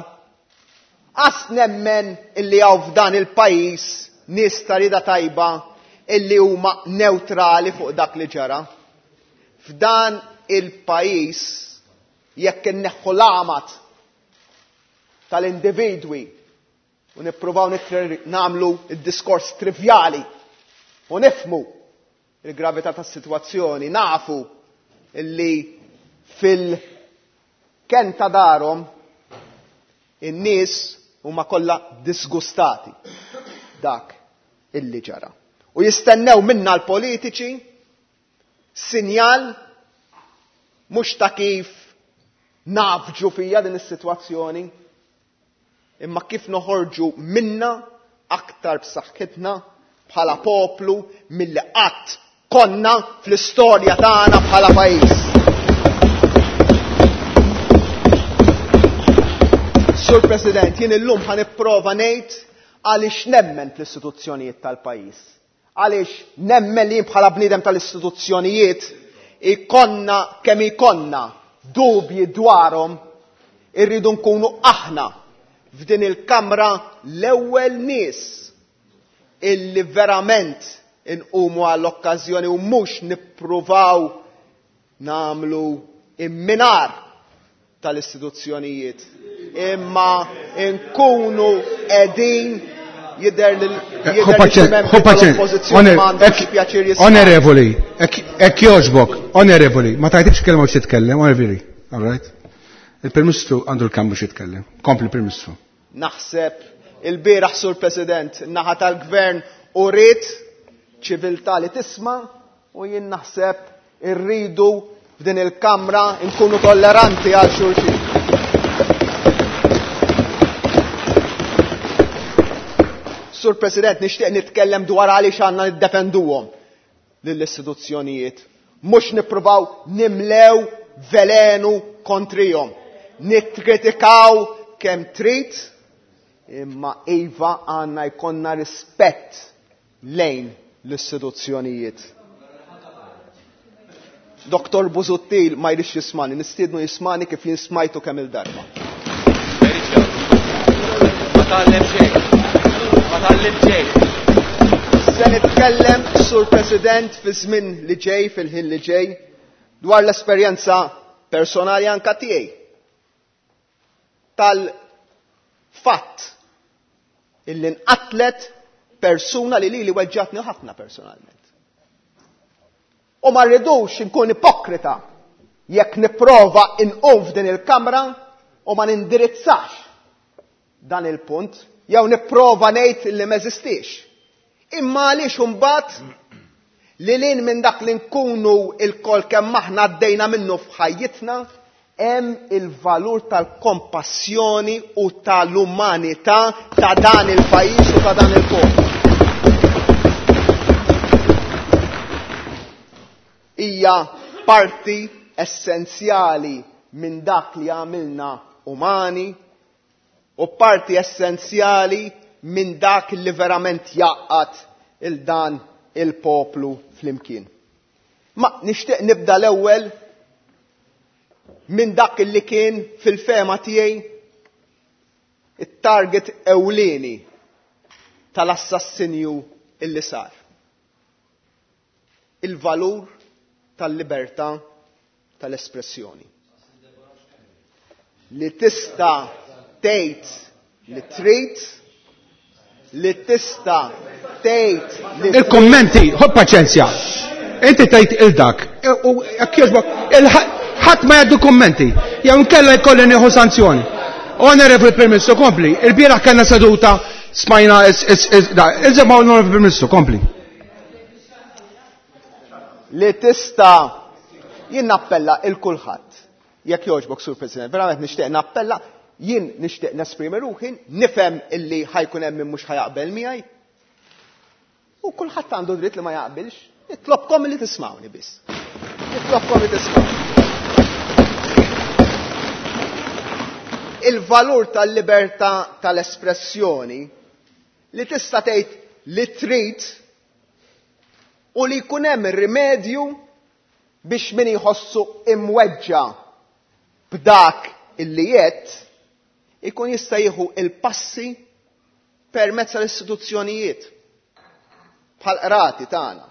Qas nemmen illi hawn f'dan il-pajjiż nies ta' rieda tajba illi huma neutrali fuq dak li ġara. F'dan il-pajjiż jekk inneħħu l-għamad tal-individwi u nippruvaw nagħmlu id-diskors trivjali u nifhmu il-gravità tas-sitwazzjoni, nafu illi fil-ken ta' darhom in-nies huma kollha disgustati dak illi ġara. U jistennew minna l-politiċi sinjal mhux ta' kif nafġu fija din is-sitwazzjoni, imma kif noħorġu minna aktar b'saħħitna bħala poplu milli qatt konna fl-istorja tagħna bħala pajjiż. Sur President, jien illum ħa nipprova ngħid għaliex nemmen fl-istituzzjonijiet tal-pajjiż. Għaliex nemmen li bħala bniedem tal-istituzzjonijiet ikonna kemm ikonna dubji dwarhom, irridu nkunu aħna f'din il-kamra l-ewwel nies illi verament inqumu għall-okkażjoni u mhux nippruvaw nagħmlu imminar tal-istituzzjonijiet, imma nkunu qegħdin jidher li tal-oppożizzjoni m'għandhomx pjaċir jisma'. Onorevoli, hekk jogħġbok, onorevoli, ma tajtibx kelma biex titkellem, onorevoli, all right? Il-Prim Ministru għandu l-kambu biex jitkellem. Kompli Prim Ministru. Naħseb il-bieraħ, Sur President, naħa tal-Gvern u rrid ċiviltà li tisma' u jien naħseb irridu f'din il-kamra nkunu tolleranti għal xulxin. Sur President, nixtieq nitkellem dwar għaliex għandna niddefenduhom lill-istituzzjonijiet. Mhux nippruvaw nimlew velenu kontrihom. Nikkritikaw kemm trid, imma iva għandna jkollna rispett lejn l-istituzzjonijiet. Doktor Busuttil ma jridx jismani, nistiednu jismani kif jien smajtu kemm il-darba. Ma tgħallem xejn. Ma tgħallem xejn. Se nitkellem, Sur President, fi żmien li ġej, fil-ħin li ġej, dwar l-esperjenza personali anka tiegħi tal-fatt illi nqatlet persuna li lili weġġatni ħafna personalment. U ma rridux inkun ipokrita jekk nipprova inqum f'din il-kamra u ma nindirizzax dan il-punt, jew nipprova ngħid li m'eżistix. Imma għaliex imbagħad li lin minn dak li nkunu il-kol kemm aħna għaddejna minnu f'ħajjitna, hemm il-valur tal-kompassjoni u tal-umanità ta' dan il-pajjiż u ta' dan il-poplu. Hija parti essenzjali minn dak li għamilna umani u parti essenzjali minn dak li verament jgħaqqad il dan il-poplu flimkien. Ma nixtieq nibda l-ewwel minn dak li kien fil-fehma tiegħi it-target ewlieni tal-assassinju illi sar. Il-valur tal-libertà tal-espressjoni. Li tista' tgħid li trid Li tista' tgħid li Il-kommenti, ħobb paċenzja. Inti tgħid il-dak. U jekk jogħġbok, ħadd ma jgħaddu kummenti. Jew inkella jkolli nieħu sanzjoni. Onorevoli Prim Ministru, kompli. Il-bieraħ kellna seduta smajna iżma Onorevoli Prim Ministru, kompli. Li tista' jien nappella il kulħadd. Jekk jogħġbok, Sur President, verament nixtieq nappella, jien nixtieq nesprimi ruħi, nifhem illi ħajkun hemm min mhux ħajaqbel miegħi. U kulħadd għandu dritt li ma jaqbilx, nitlobkom li tismawni biss. Nitlobkom li tismawni. Il-valur tal-libertà tal-espressjoni li tista' tgħid li trid u li jkun hemm rimedju biex min jħossu imweġġa b'dak illi jgħid ikun jista' jieħu il-passi permezz tal-istituzzjonijiet bħal qrati tagħna.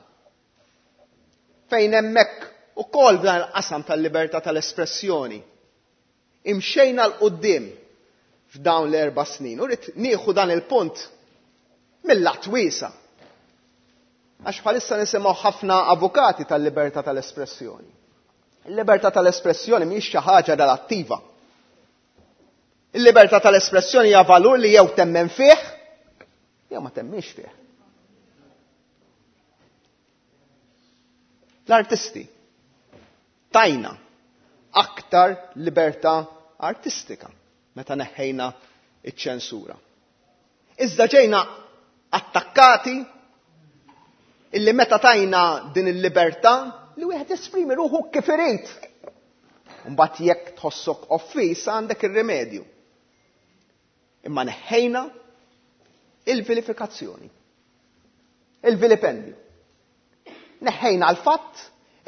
Fejn hemmhekk ukoll f'dan il-qasam tal-libertà tal-espressjoni imxejna 'l quddiem f'dawn l-erba' snin. U rrid nieħu dan il-punt mill-lat wiesa'. Għax bħalissa nisimgħu ħafna avukati tal-libertà tal-espressjoni. Il-libertà tal-espressjoni mhijiex xi ħaġa relattiva. Il-libertà tal-espressjoni hija valur li jew temmen fih jew ma temminx fih. L-artisti tajna aktar libertà artistika meta neħħejna iċ-ċensura. Iżda ġejna attakkati illi meta tajna din il-libertà li wieħed jesprimi ruħu kif irid. Mbagħad jekk tħossok offiż għandek ir-rimedju. Imma neħħejna il-vilifikazzjoni, il-vilipendju. Neħħejna l-fatt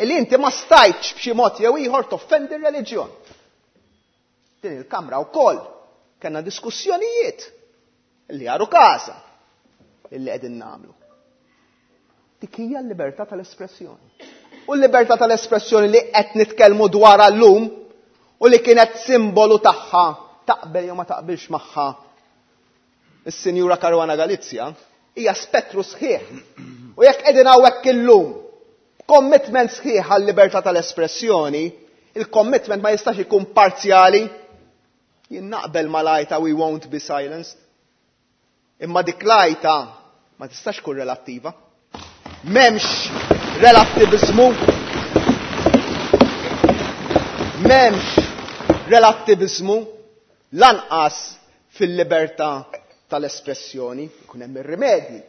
illi inti ma stajtx b'xi mod jew ieħor toffendi r-reliġjon. Din il-Kamra wkoll kellna diskussjonijiet illi għaru każa illi qegħdin nagħmlu. Dik hija l-libertà tal-espressjoni. U l-libertà tal-espressjoni li qed nitkellmu dwarha llum u li kienet simbolu tagħha taqbel jew ma taqbilx magħha is-Sinjura Caruana Galizia hija spettru sħiħ. U jekk qegħdin hawnhekk illum commitment sħiħ għal-libertà tal-espressjoni, il-commitment ma jistax ikun parzjali. Jien naqbel mal-għajta we won't be silenced. Imma dik l-għajta ma tistax tkun relattiva. M'hemmx relattivizmu. M'hemmx relattivizmu lanqas fil-libertà tal-espressjoni, ikun hemm ir-rimedji.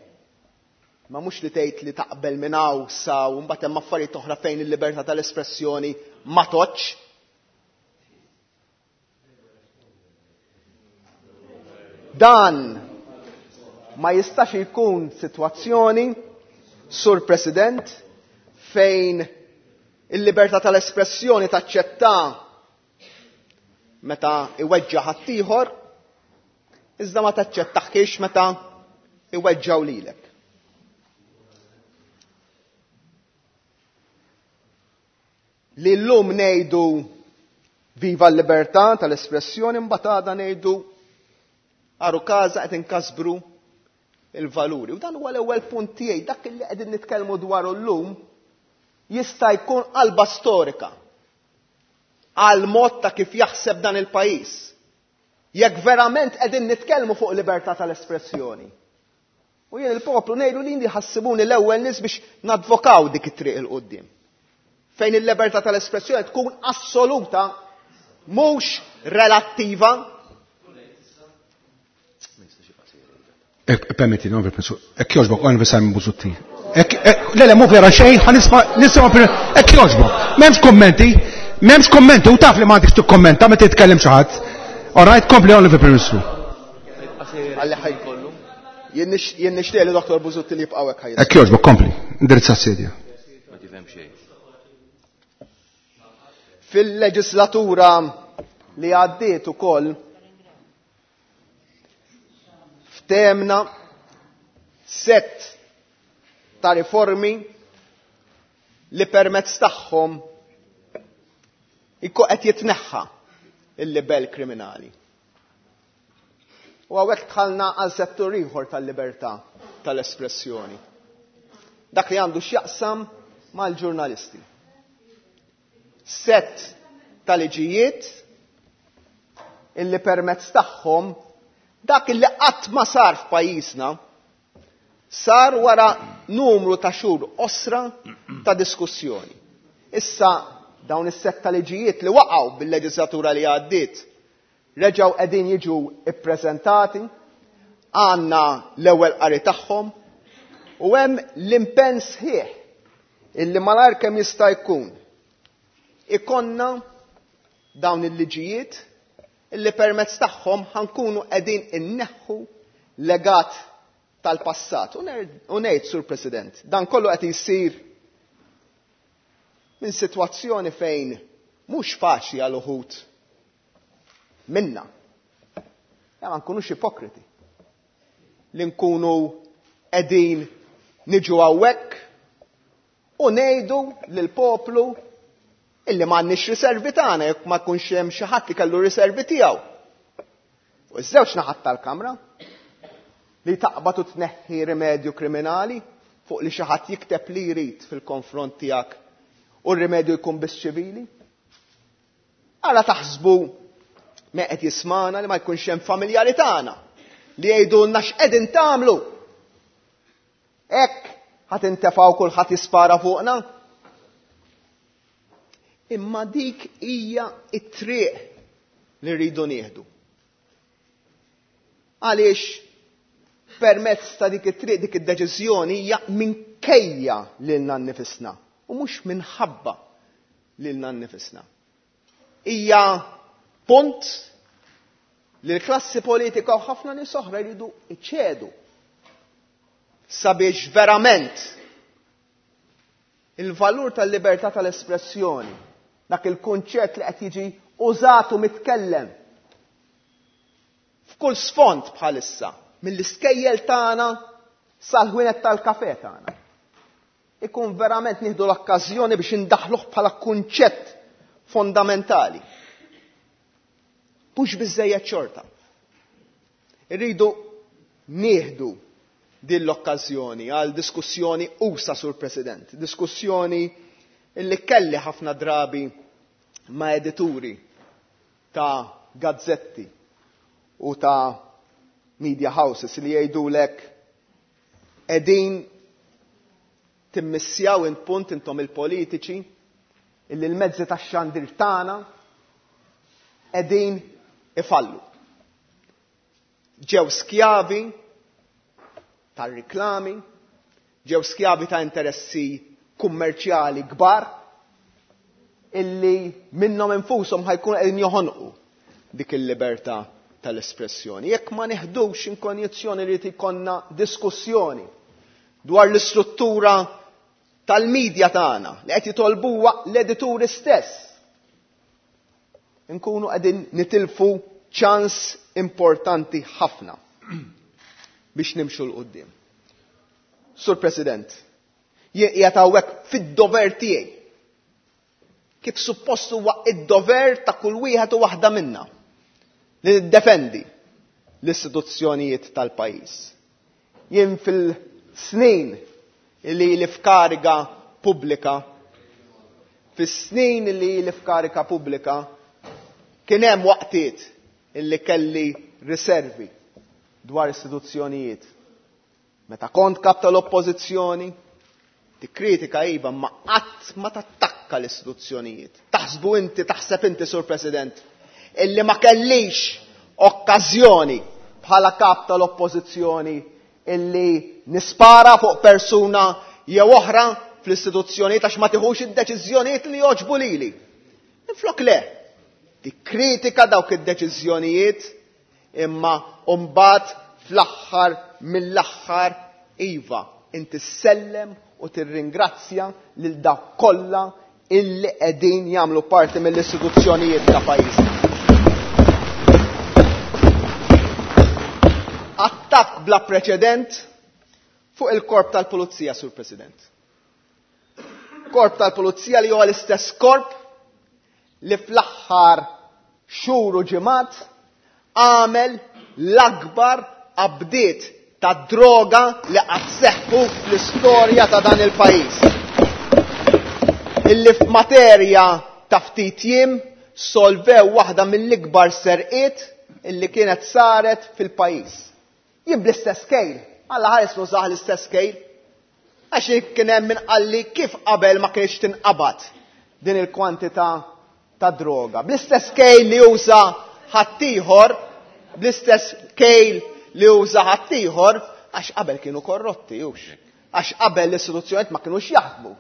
Ma mhux li tgħid li taqbel minn hawn sa u mbagħad hemm affarijiet oħra fejn il-libertà tal-espressjoni ma toċċ. Dan ma jistax ikun sitwazzjoni, Sur President, fejn il-libertà tal-espressjoni taċċetta meta iweġġa' ħaddieħor, iżda ma taċċettaħkiex meta iweġġgħu lilek. Li llum ngħidu viva l-libertà tal-espressjoni, mbagħad għada ngħidu għaru każa qed inkasbru il-valuri. U dan huwa l-ewwel punt tiegħi, dak li qegħdin nitkellmu dwaru llum jista' jkun qalba storika għal mod ta' kif jaħseb dan il-pajjiż. Jekk verament qegħdin nitkellmu fuq libertà tal-espressjoni. U jien il-poplu ngħidu li ħassibuni l-ewwel nies biex nadvokaw dik it-triq il quddiem. Fejn il-libertà tal-espressjoni tkun assoluta, mhux relattiva. Permetti, non vi penso. Hekk jogħġbok, Onorevoli Simon Busuttil. Le, le, mhu vera xejn, ħa nisma' nisma' hekk jogħġbok. M'hemmx kummenti, m'hemmx kummenti, u taf li m'għandekx tikkommenta meta titkellem xi ħadd. All right, kompli Onorevoli Prim Ministru. Għalli ħajkollu. Jien nixtieq li Doktor Busuttil jibqa' hekk ħajja. Hekk jogħġbok, kompli, indirizza s-sedja. Ma tifhem xejn. Fil-leġislatura li għaddiet ukoll ftemna set ta' riformi li permezz tagħhom ikku qed jitneħħa il-libell kriminali. U hawnhekk dħalna għal settur ieħor tal-libertà tal-espressjoni. Dak li għandu x'jaqsam mal-ġurnalisti. Set ta' liġijiet illi permezz tagħhom dak illi qatt ma sar f'pajjiżna sar wara numru ta' xhur qosra ta' diskussjoni. Issa dawn is-set ta' liġijiet li waqgħu bil-leġislatura li għaddiet reġgħu qegħdin jiġu ippreżentati, għandna l-ewwel qari tagħhom u hemm l-impenn sħiħ illi malajr kemm jista' jkun ikonna dawn il-liġijiet illi permezz tagħhom ħankunu qegħdin inneħħu legat tal-passat. U ngħid, Sur President, dan kollu qed jsir minn sitwazzjoni fejn mhux faċli għal uħud minna. Ja, ma nkunux ipokriti. Li nkunu qegħdin niġu hawnhekk u ngħidu lill-poplu illi m'għandniex riservi tagħna jekk ma jkunx hemm xi ħadd li kellu riservi tiegħu. U ż-żewġ naħat tal-kamra li taqbad u tneħħi rimedju kriminali fuq li xi ħadd jikteb li jrid fil-konfront tiegħek u r-rimedju jkun biss ċivili. Ara taħsbu me qed jismana li ma jkunx hemm familjari tagħna li jgħidulna x'qegħdin tagħmlu. Hekk ħadd intefgħu kulħadd jispara fuqna. Imma dik hija t-triq li rridu nieħdu. Għaliex permezz ta' dik it-triq, dik id-deċiżjoni hija minkejja lilna nnifisna u mhux minħabba lilna nnifisna. Hija punt li l-klassi politika u ħafna nies oħra jridu iċedu sabiex verament il-valur tal-libertà tal-espressjoni, dak il-kunċett li qed jiġi użat u mitkellem f'kull sfond bħalissa, mill-iskejjel tagħna sal-ħwienet tal-kafè tagħna, ikun verament nieħdu l-okkażjoni biex indaħluh bħala kunċett fondamentali. Mhux biżżejjed xorta. Irridu nieħdu din l-okkażjoni għal diskussjoni usa, Sur President, diskussjoni illi kelli ħafna drabi ma' edituri ta' gazzetti u ta' media houses li jgħidulek qegħdin timmissjaw int punt intom il-politiċi illi l-mezzi tax-xandir tagħna qegħdin ifallu. Ġew skjavi tar-riklami, ġew skjavi ta' interessi kummerċjali kbar illi minnhom infushom ħajkun qegħdin joħonqu dik il-libertà tal-espressjoni. Jekk ma neħdux inkonjizzjoni li jkollna diskussjoni dwar l-istruttura tal-medja tagħna li qed jitolbuha l-edituri stess, nkunu qegħdin nitilfu ċans importanti ħafna biex nimxu 'l quddiem. Sur President, jien qiegħed hawnhekk fid-dover tiegħi. Kif suppost huwa id-dover ta' kull wieħed u waħda minna li niddefendi l-istituzzjonijiet tal-pajjiż. Jien fil-snin li li f'kariga pubblika, fis-snin li li f'kariga pubblika, kien hemm waqtiet illi kelli riservi dwar istituzzjonijiet. Meta kont kap tal-oppożizzjoni, tikkritika iva, ma qatt ma tattakka l-istituzzjonijiet. Taħsbu inti, taħseb inti, Sur President, illi ma kellix okkażjoni bħala kap tal-oppożizzjoni illi nispara fuq persuna jew oħra fl-istituzzjonijiet għax ma tiħux id-deċiżjonijiet li jogħġbu lili. Minflok le, tikkritika dawk id-deċiżjonijiet imma mbagħad fl-aħħar mill-aħħar iva inti ssellem u tirringrazzja lil dawk kollha illi qegħdin jagħmlu parti mill-istituzzjonijiet ta' pajjiżna. Attakk bla preċedent fuq il-korp tal-Pulizija, Sur President. Korp tal-Pulizija li huwa l-istess korp li fl-aħħar xhur u ġimgħat għamel l-akbar qabdiet ta' droga li qatt seħħu fl-istorja ta' dan il-pajjiż. Illi f'materja ta' ftit jiem solvew waħda mill-ikbar serqiet illi kienet saret fil-pajjiż. Jien bl-istess kejl, Alla ħares nużah l-istess kejl. Għax kien hemm min qalli kif qabel ma kienx tinqabad din il-kwantità ta' droga. Bl-istess kejl li uża ħaddieħor, bl-istess kejl li uża ħaddieħor, għax qabel kienu korrotti, hux. Għax qabel l-istituzzjonijiet ma kinux jaħdmu.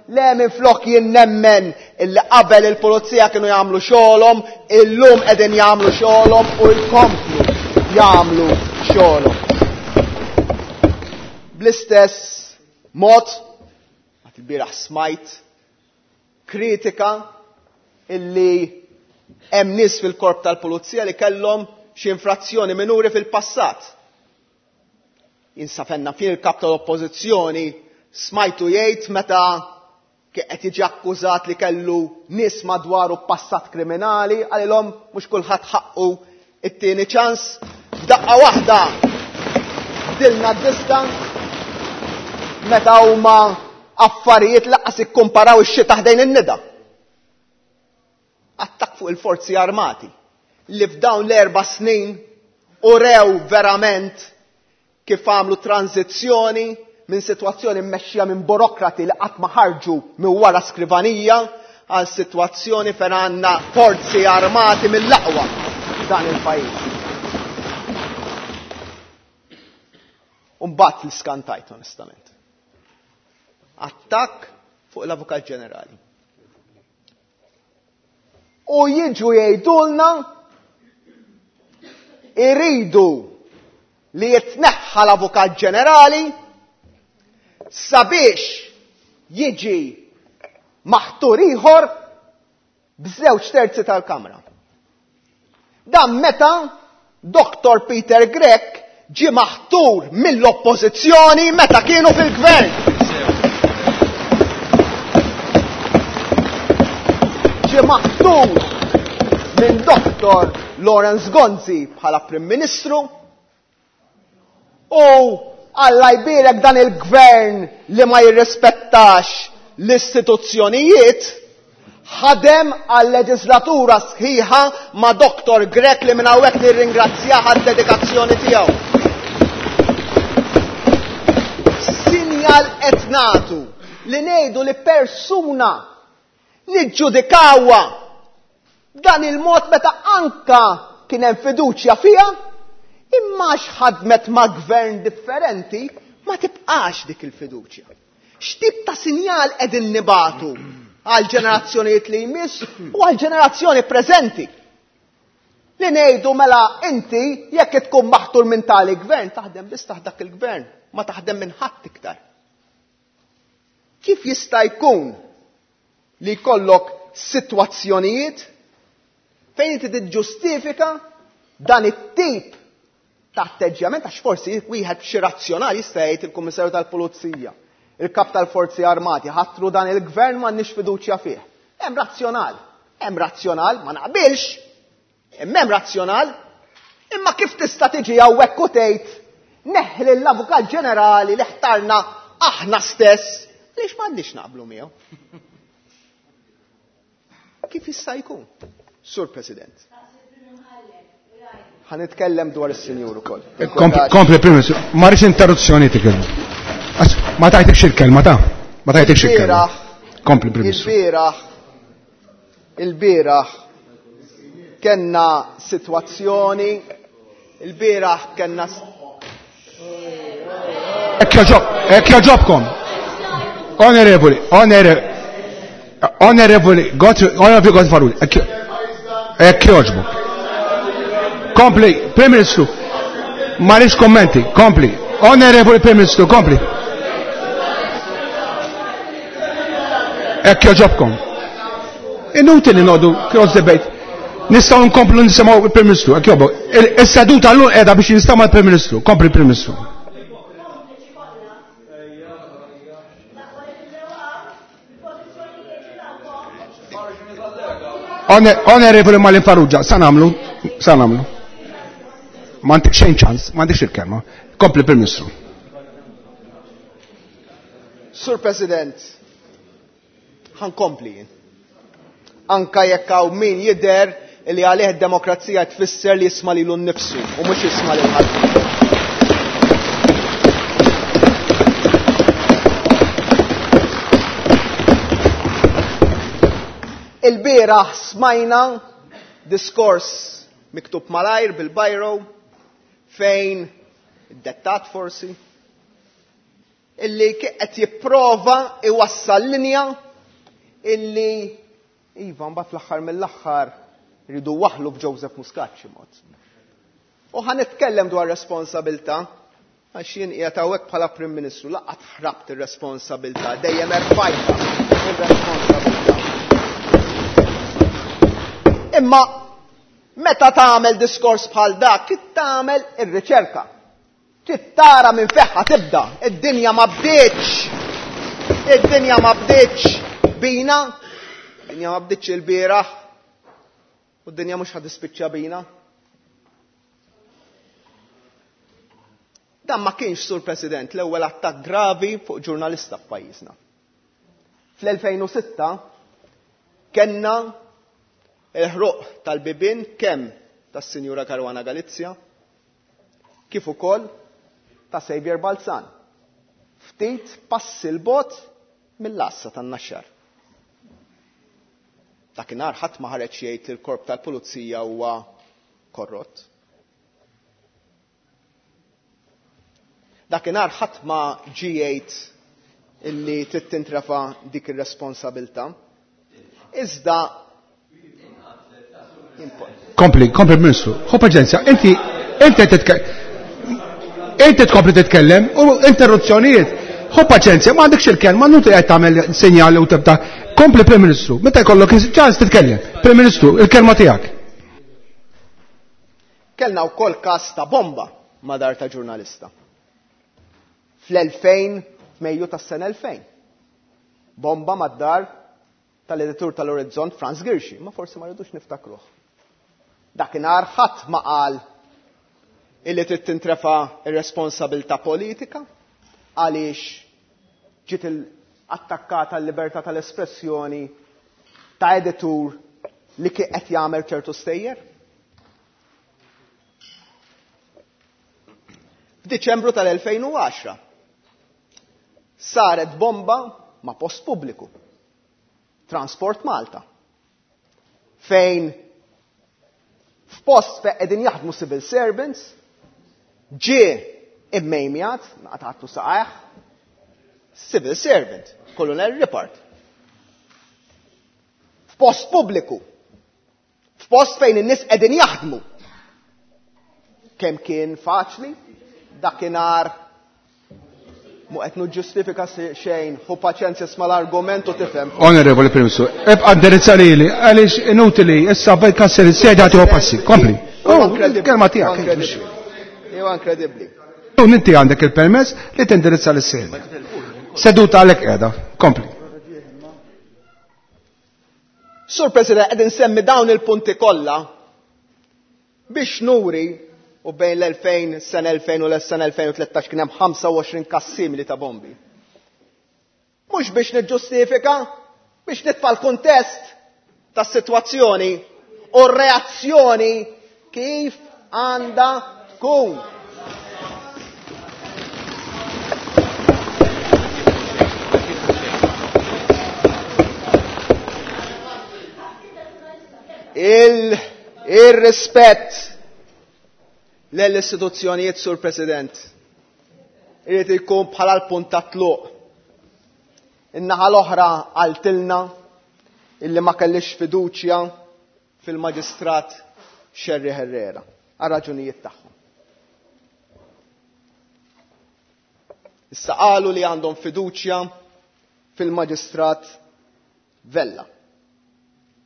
Le minn flok jien nemmen illi qabel il-pulizija kienu jagħmlu xogħolhom, illum qegħdin jagħmlu xogħolhom u jkomplu jagħmlu xogħolhom. Bl-istess mod, għat il-bieraħ smajt kritika illi hemm nies fil-korp tal-pulizija li kellhom xi infrazzjoni minuri fil-passat. Jinsafenna fin il-kap tal-oppożizzjoni smajtu jgħid meta qed jiġi akkużat li kellu nies madwaru passat kriminali, qalilhom mhux kulħadd ħaqqu it-tieni ċans. F'daqqa waħda bdilna d-diska meta huma affarijiet lanqas ikkumparaw ix-xita ħdejn in-nida. Attakk fuq il-forzi armati li f'dawn l-erba' snin urew verament kif għamlu tranzizzjoni minn sitwazzjoni mmexxija minn burokrati li qatt ma ħarġu minn wara skrivanija għal sitwazzjoni fejn għandna forzi armati mill-aqwa f'dan il-pajjiż. U mbagħad li skantajt onestament. Attakk fuq l-Avukat Ġenerali. U jiġu jgħidulna iridu li jitneħħa l-Avukat Ġenerali sabiex jiġi maħtur ieħor b'żewġ terzi tal-Kamra. Dan meta Doktor Peter Grech ġie maħtur mill-oppożizzjoni meta kienu fil-gvern. Ġie maħtur minn Doktor Lawrence Gonzi bħala Prim Ministru u Alla jbierek dan il-gvern li ma jirrispettax l-istituzzjonijiet ħadem għal leġislatura sħiħa ma' Doktor Grech li minn hawnhekk nirringrazzjah għad-dedikazzjoni tiegħu. Sinjal qed nagħtu li ngħidu li persuna niġġudikawha dan il-mod meta anka kien hemm fiduċja fiha, imma x'ħadmet ma' gvern differenti ma tibqax dik il-fiduċja. X'tip ta' sinjal qegħdin nibatu għal ġenerazzjonijiet li jmiss u għal ġenerazzjoni preżenti? Li ngħidu mela inti jekk tkun maħtur minn tali gvern taħdem biss taħt dak il-gvern, ma taħdem minn ħadd iktar. Kif jista' jkun li jkollok sitwazzjonijiet fejn inti tiġġustifika dan it-tip ta' atteġġjament, għax forsi wieħed b'xi razzjonali jista' jgħid il-Kummissarju tal-Pulizija, il-Kap tal-Forzi Armati, ħatru dan il-gvern m'għandniex fiduċja fih. Hemm razzjonal, hemm razzjonal, ma naqbilx, imma hemm razzjonal, imma kif tista' tiġi hawnhekk u tgħid neħli l-Avukat Ġenerali li ħtarna aħna stess, għaliex m'għandniex naqblu miegħu. Kif jista' jkun, Sur President? Ħa nitkellem dwar is-sinjur ukoll. Kompli, Prim Ministru, ma rridx interruzzjoni tikelmu. Ma tajtekx il-kelma ta' ma tajtekx il-kelma. Kompli, Prim Ministru. Il-bieraħ, il-bieraħ kellna sitwazzjoni, il-bieraħ kellna Hekk joġobkom. Onorevoli, onorevoli, onorevoli, onorevoli Godfrey, hekk joġbok. Kompli, Prim Ministru, ma rridx kommenti, kompli. Onorevoli Prim Ministru, kompli. Hekk joġobkom. Inutili noqogħdu cross debate. Nistgħu nkomplu nisimgħu il-Prim Ministru, hekk jogħbok. Is-seduta llum qiegħda biex jinstema' l-Prim Ministru. Kompli Prim Ministru. Onorevoli Marlene Farrugia, sa nagħmlu, sa nagħmlu. M'għandek xejn ċans, m'għandekx il-kelma. Kompli Prim Ministru. Sur President, ħankompli jien. Anka jekk hawn min jidher li għalih id-demokrazija tfisser li jisma' lilu nnifsu u mhux jisma' lil ħadd. Il-bieraħ smajna diskors miktub malajr bil-bajro fejn id-dettat forsi illi qed jipprova iwassal linja illi iva mbagħad fl-aħħar mill-aħħar rridu waħlu b'Joseph Muscat xi mod. U ħa nitkellem dwar responsabilità għax jien qiegħed hawnhekk bħala Prim Ministru laqgħad ħrabt ir-responsabilità, dejjem erfajtha ir-responsabilità. Imma meta tagħmel diskors bħal dak, trid tagħmel ir-riċerka. Trid tara minn feħħa tibda. Id-dinja ma bdietx. Id-dinja ma bdietx bina. Id-dinja ma bdietx il-bieraħ. U d-dinja mhux ħad tispiċċa bina. Dan ma kienx, Sur President, l-ewwel attakk gravi fuq ġurnalista f'pajjiżna. Fl-elfejn u sitta kellna il-ħruq tal-bibien kemm tas-Sinjura Caruana Galizia kif ukoll ta' Xavier Balzan. Ftit passi l-bot mill-assa tan-Naxxar. Dakinhar ħadd ma ħareġ jgħid li l-korp tal-pulizija huwa korrott. Dakinhar ħadd ma ġie jgħid illi trid tintrefa' dik ir-responsabilità. Iżda Kompli, kompli Ministru. Ħu paċenzja, inti, inti titke-, inti tkompli titkellem u interruzzjonijiet. Ħu paċenzja, ma għandekx il-kelma, nuti qed tagħmel sinjali u tibda. Kompli Prim Ministru, meta jkollok ċans titkellem. Prim Ministru, il-kelma tiegħek. Kellna wkoll każ ta' bomba ma' dar ta' ġurnalista. Fl-elfejn, f'Mejju tas-sena elfejn. Bomba mad-dar tal-editur tal-Orizzont Frans Ghirxi, ma forsi ma rridux niftakruh. Dakinhar ħadd ma qal illi trid tintrefa' ir-responsabilità politika għaliex ġiet attakkata l-libertà tal-espressjoni ta' editur li kien qed jagħmel ċertu stejjer. F'Diċembru tal-elfejn u għaxra saret bomba ma' post pubbliku, Transport Malta, fejn f'post fejn qegħdin jaħdmu civil servants ġie immejmjat, naqatgħatu saqajh, civil servant, Colonel Ripard. F'post pubbliku, f'post fejn in-nies qegħdin jaħdmu. Kemm kien faċli dakinhar mu qed niġġustifika xejn, ħu paċenzja sma' l-argument u tifhem. Onorevoli Prim Ministru, ebqa' indirizza lili għaliex inutili issa bejt kasser is-sedja tieħu passi. Kompli. Huwa Oh, inkredibbli. kelma tiegħek. Huwa inkredibbli. Huwa inkredibbli. U inti għandek il-permess li tindirizza lis-sedja. Seduta għalhekk qiegħda. Kompli. Sur President, qed insemmi dawn il-punti kollha biex nuri u bejn l-elfejn, sena elfejn u l-sena elfejn u tlettax kien hemm ħamsa u għoxrin każ simili ta' bombi. Mhux biex niġġustifika, biex nitfa' l-kuntest tas-sitwazzjoni u r-reazzjoni kif għandha tkun. Il-, il-rispett l-istituzzjonijiet, Sur President, irid ikun bħala l-punt ta' tluq. In-naħa l-oħra qaltilna illi ma kellix fiduċja fil-Maġistrat Scerri Herrera għal raġunijiet tagħhom. Issa qalu li għandhom fiduċja fil-Maġistrat Vella.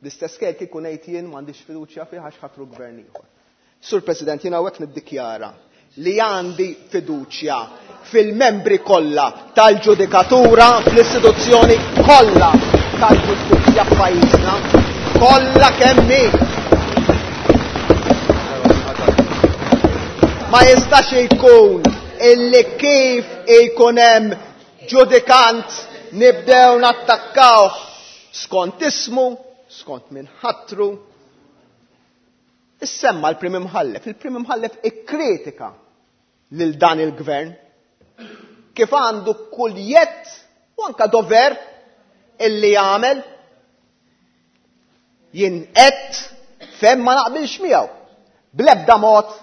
L-istess kien kieku ngħid jien m'għandix fiduċja fih għax ħatru gvern ieħor. Sur President, jiena hawnhekk niddikjara li għandi fiduċja fil-membri kollha tal-ġudikatura, fl-istituzzjoni kollha tal-ġustizzja f'pajjiżna, kollha kemm hi. Ma jistax ikun illi kif ikun hemm ġudikant nibdew nattakkawh skont ismu, skont min ħatru. Issemma l-Prim Imħallef, il-Prim Imħallef ikkritika lil dan il-gvern kif għandu kull jett u anka dover illi jagħmel. Jien qed fejn ma naqbilx miegħu. Bl-ebda mod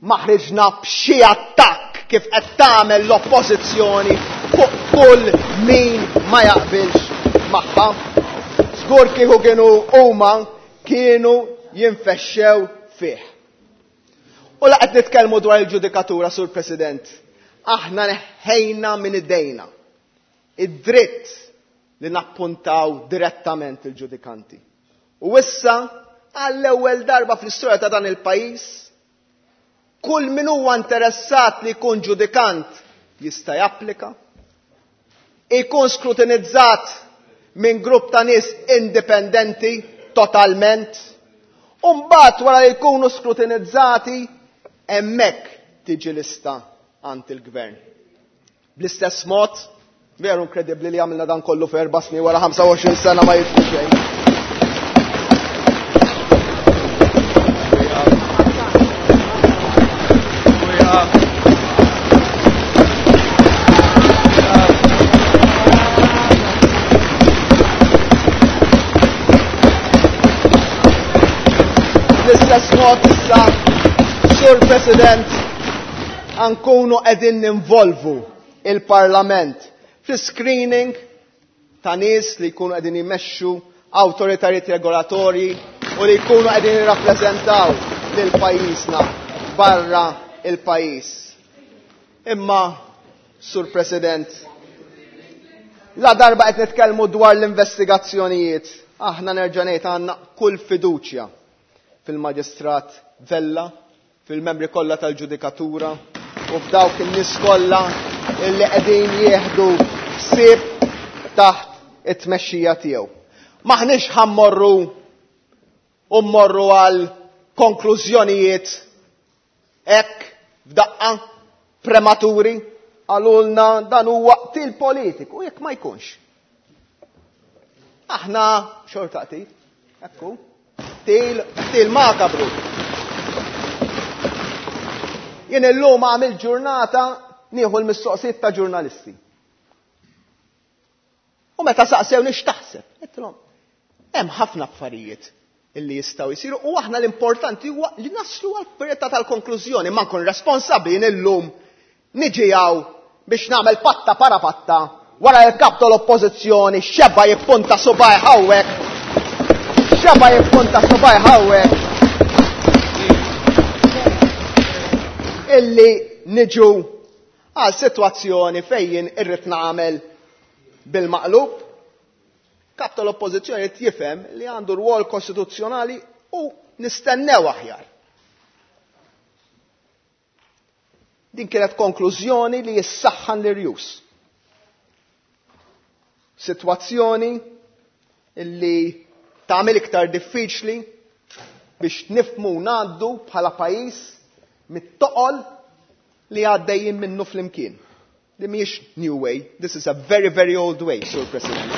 ma ħriġna b'xi attakk kif qed tagħmel l-oppożizzjoni fuq kull min ma jaqbilx magħha. Żgur kieku kienu huma kienu jinfexxew fih. U la qed nitkellmu dwar il-ġudikatura, Sur President, aħna neħħejna minn idejna id-dritt li nappuntaw direttament il-ġudikanti. U issa, għall-ewwel darba fl-istorja ta' dan il-pajjiż, kull min huwa interessat li jkun ġudikant jista' japplika, ikun skrutinizzat minn grupp ta' nies indipendenti totalment, u mbagħad wara li jkunu skrutinizzati hemmhekk tiġi lista għand il-gvern. Bl-istess mod, veru inkredibbli li għamilna dan kollu f'erba' snin wara ħamsa u għoxrin sena ma jidħlu xejn. Bl-istess mod issa, Sur President, ankunu qegħdin ninvolvu il-Parlament fl-screening ta' nies li jkunu qegħdin jmexxu awtoritajiet regolatorji u li jkunu qegħdin jirrappreżentaw lil pajjiżna barra il-pajjiż. Imma, Sur President, la darba qed nitkellmu dwar l-investigazzjonijiet, aħna nerġa' ngħid għandna kull fiduċja fil-Maġistrat Vella, fil-membri kollha tal-ġudikatura u f'dawk in-nies kollha illi qegħdin jieħdu ħsieb taħt it-tmexxija tiegħu. Maħniex ħammorru u mmorru għal konklużjonijiet hekk f'daqqa prematuri, għalulna dan huwa qtil politiku, jekk ma jkunx. Aħna xorta qtil, ekku, qtil, qtil makabru. Jien illum għamil ġurnata nieħu l-mistoqsijiet ta' ġurnalisti. U meta saqsewni x'taħseb, għedtilhom, hemm ħafna affarijiet illi jistgħu jsiru u aħna l-importanti huwa li naslu għall-verità tal-konklużjoni, ma nkun responsabbli jien illum niġi hawn biex nagħmel patta para patta wara l-kap tal-oppożizzjoni xebba jippunta subaj hawnhekk, xebba jippunta subaj hawnhekk illi niġu għal sitwazzjoni fejn irrid nagħmel bil-maqlub. Kap tal-oppożizzjoni qed jifhem li għandu rwol kostituzzjonali u nistennew aħjar. Din kienet konklużjoni li jissaħħan l-irjus. Sitwazzjoni illi tagħmel iktar diffiċli biex nifhmu ngħaddu bħala pajjiż mit-toqol li għaddejjin minnu flimkien. Li mhijiex new way, this is a very, very old way, Sur President.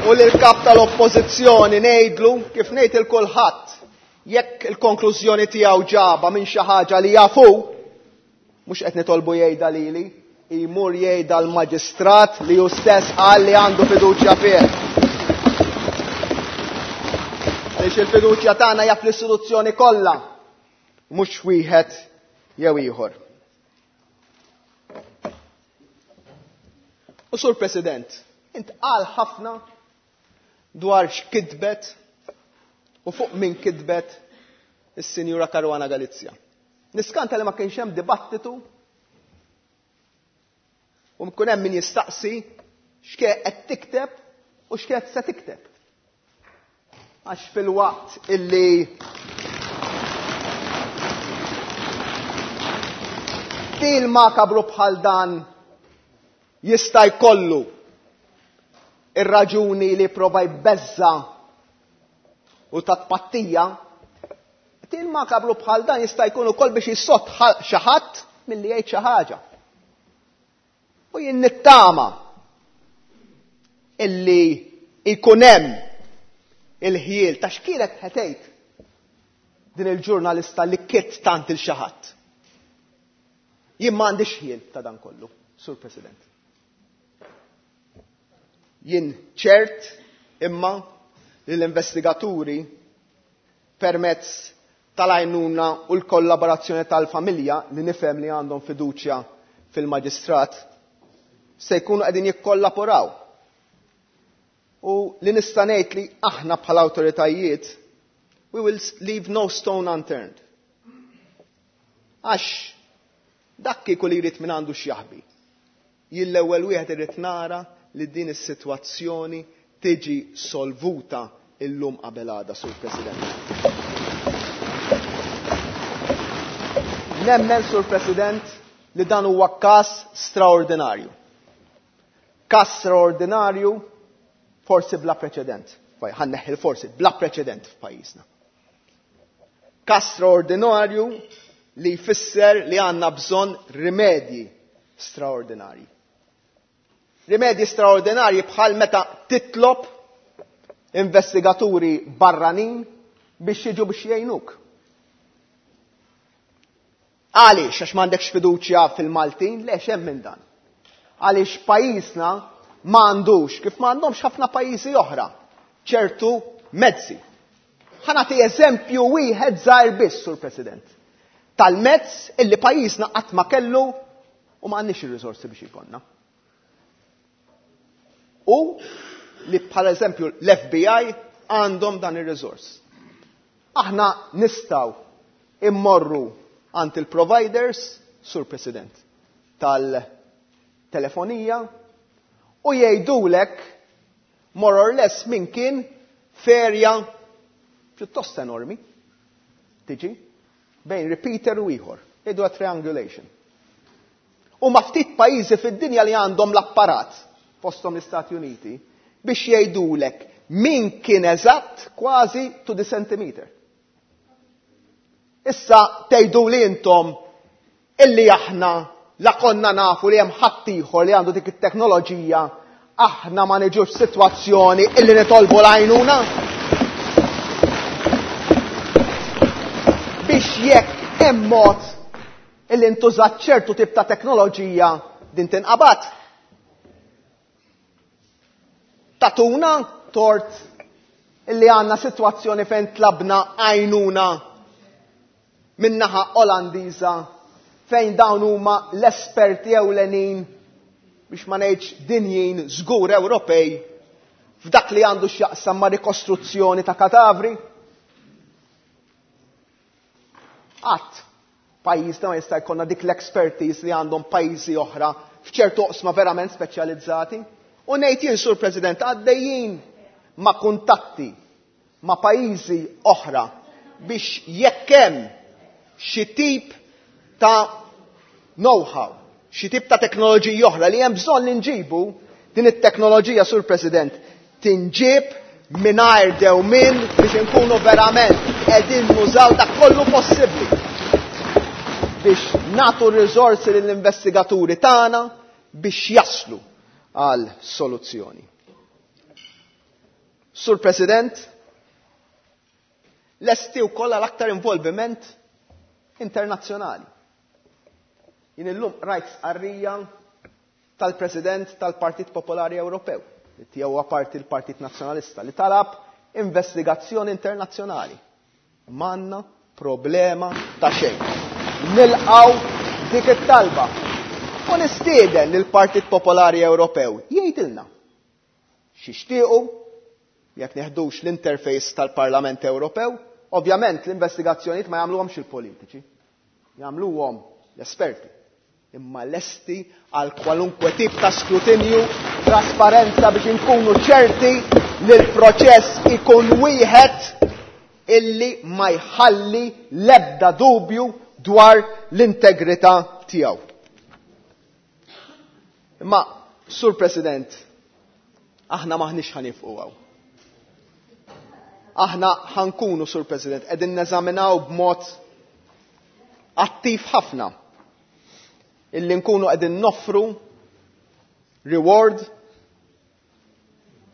U lil-kap tal-oppożizzjoni ngħidlu kif ngħid il kulħadd, jekk il-konklużjoni tiegħu ġaba minn xi ħaġa li jafu, mhux qed nitolbu jgħidha lili, jmur jgħidha l-maġistrat li hu stess qal li għandu fiduċja fih. Għaliex il-fiduċja tagħna hija fl-istituzzjoni kollha, mhux wieħed jew ieħor. U Sur President, intqal ħafna dwar x'kitbet u fuq min kitbet is-Sinjura Caruana Galizia. Niskanta li ma kienx hemm dibattitu u mkun hemm min jistaqsi x'kien qed tikteb u x'kienet se tikteb. Għax fil-waqt illi til makabru bħal dan jista' jkollu ir-raġuni li prova jbeżza u ta' tpattija, Qtil makabru bħal dan jista' jkun ukoll biex jissott xi ħadd milli jgħid xi ħaġa. U jien nittama illi jkun hemm il-ħjiel ta' x'kienet ħetejt din il-ġurnalista li kitt tant il xi ħadd. Jien m'għandix ħjiel ta' dan kollu, Sur President. Jien ċert imma li l-investigaturi permezz tal-għajnuna u l-kollaborazzjoni tal-familja li nifhem li għandhom fiduċja fil-maġistrat se jkunu qegħdin jikkollaboraw. U li nista' ngħid li aħna bħala awtoritajiet we will leave no stone unturned. Għax dak kieku li jrid minn għandu x'jaħbi. Jien l-ewwel wieħed irid nara li din is-sitwazzjoni tiġi solvuta illum qabel għada, Sur President. Nemmen, Sur President, li dan huwa każ straordinarju. Każ straordinarju forsi bla preċedent. Ħa nneħħi forsi bla preċedent f'pajjiżna. Każ straordinarju li jfisser li għandna bżonn rimedji straordinarji. Rimedji straordinarji bħal meta titlob investigaturi barranin biex jiġu biex jgħinuk. Għaliex, għax m'għandekx fiduċja fil-Maltin, le hemm minn dan. Għaliex pajjiżna m'għandux, kif m'għandhomx ħafna pajjiżi oħra, ċertu mezzi. Ħa nagħti eżempju wieħed żgħir biss, Sur President, tal-mezz illi pajjiżna qatt ma kellu u m'għandniex ir-riżorsi biex ikollna. U li bħal eżempju l-F B I għandhom dan ir-riżors. Aħna nistgħu immorru għand il-providers, Sur President, tal-telefonija u jgħidulek more or less min kien ferja pjuttost enormi tiġi bejn repeater u ieħor, jgħidu triangulation. U ma ftit pajjiżi fid-dinja li għandhom l-apparat, fosthom l-Istati Uniti, biex jgħidulek min kien eżatt kważi to the centimeter. Issa tgħidu li intom illi aħna la konna nafu li hemm ħaddieħor li għandu dik it-teknoloġija, aħna ma niġux sitwazzjoni illi nitolbu l-għajnuna. Biex jekk hemm mod illi ntużat ċertu tip ta' teknoloġija din tinqabad. Tatuna tort illi għandna sitwazzjoni fejn tlabna għajnuna min-naħa Olandiża fejn dawn huma l-esperti ewlenin biex ma ngħidx dinjin żgur Ewropej f'dak li għandu x'jaqsam ma' rikostruzzjoni ta' katavri. Qatt pajjiżna ma jista' jkollna dik l-expertise li għandhom pajjiżi oħra f'ċertu oqsma verament speċjalizzati. U ngħid jien, Sur President, għaddejjin ma' kuntatti ma' pajjiżi oħra biex jekk hemm xi tip ta' know-how, xi tip ta' teknoloġija oħra li hemm bżonn li nġibu, din it-teknoloġija, Sur President, tinġib mingħajr dewmien biex inkunu verament qegħdin nużaw dak kollu possibbli biex nagħtu r-riżorsi lill-investigaturi tagħna biex jaslu għal soluzzjoni. Sur President, lesti wkoll għal aktar involviment internazzjonali. Jien illum rajt stqarrija tal-President tal-Partit Popolari Ewropew, li tiegħu huwa parti l-Partit Nazzjonalista, li talab investigazzjoni internazzjonali. M'għandna problema ta' xejn. Nilqgħu dik it-talba. U nistieden lill-Partit Popolari Ewropew jgħidilna x'ixtiequ jekk neħdux l-interface tal-Parlament Ewropew. Ovvjament l-investigazzjonijiet ma jagħmluhomx il-politiċi, jagħmluhom l-esperti. Imma lesti għal kwalunkwe tip ta' skrutinju, trasparenza biex inkunu ċerti li l-proċess ikun wieħed illi ma jħalli l-ebda dubju dwar l-integrità tiegħu. Imma, Sur President, aħna maħniex ħanifqu hawn. Aħna ħa nkunu, Sur President, qegħdin neżaminaw b'mod attiv ħafna illi nkunu qegħdin noffru reward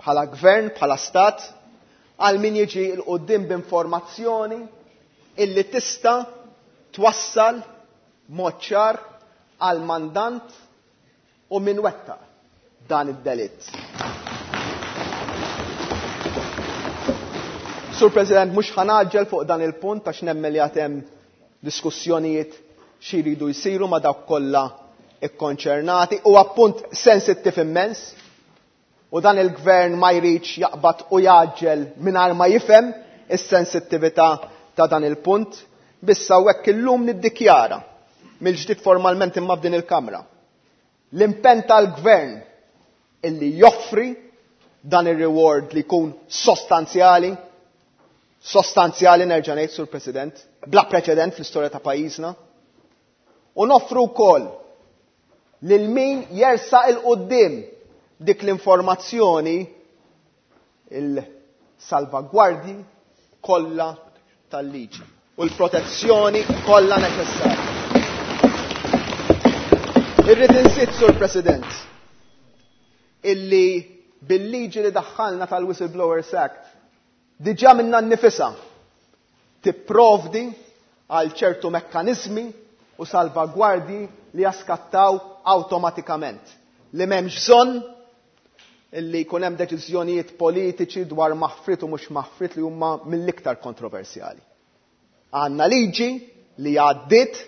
bħala gvern, bħala stat, għal min jiġi 'l quddiem b'informazzjoni illi tista' twassal mod ċar għal mandant u min wettaq dan id-delitt. Sur President, mhux ħa ngħaġġel fuq dan il-punt għax nemmen li għad hemm diskussjonijiet xi jridu jsiru ma' dawk kollha ikkonċernati. Huwa punt sensittiv immens u dan il-gvern ma jridx jaqbad u jgħaġġel mingħajr ma jifhem is-sensittività ta' dan il-punt. Biss hawnhekk illum niddikjara mill-ġdid formalment imma f'din il-Kamra l-impenn tal-gvern illi joffri dan ir-reward li jkun sostanzjali, sostanzjali nerġa' ngħid, Sur President, bla preċedent fl-istorja ta' pajjiżna, u noffru wkoll lil min jersaq 'il quddiem dik l-informazzjoni il-salvagwardji kollha tal-liġi u l-protezzjoni kollha neċessarja. Irrid inżid, Sur President, illi bil-liġi li daħħalna tal-Whistleblowers Act diġà minna nnifisha tipprovdi għal ċertu mekkaniżmi u salvagwardji li jaskattaw awtomatikament. Li m'hemmx bżonn illi jkun hemm deċiżjonijiet politiċi dwar maħfrit u mhux maħfrit li huma mill-iktar kontroversjali. Għandna liġi li għaddiet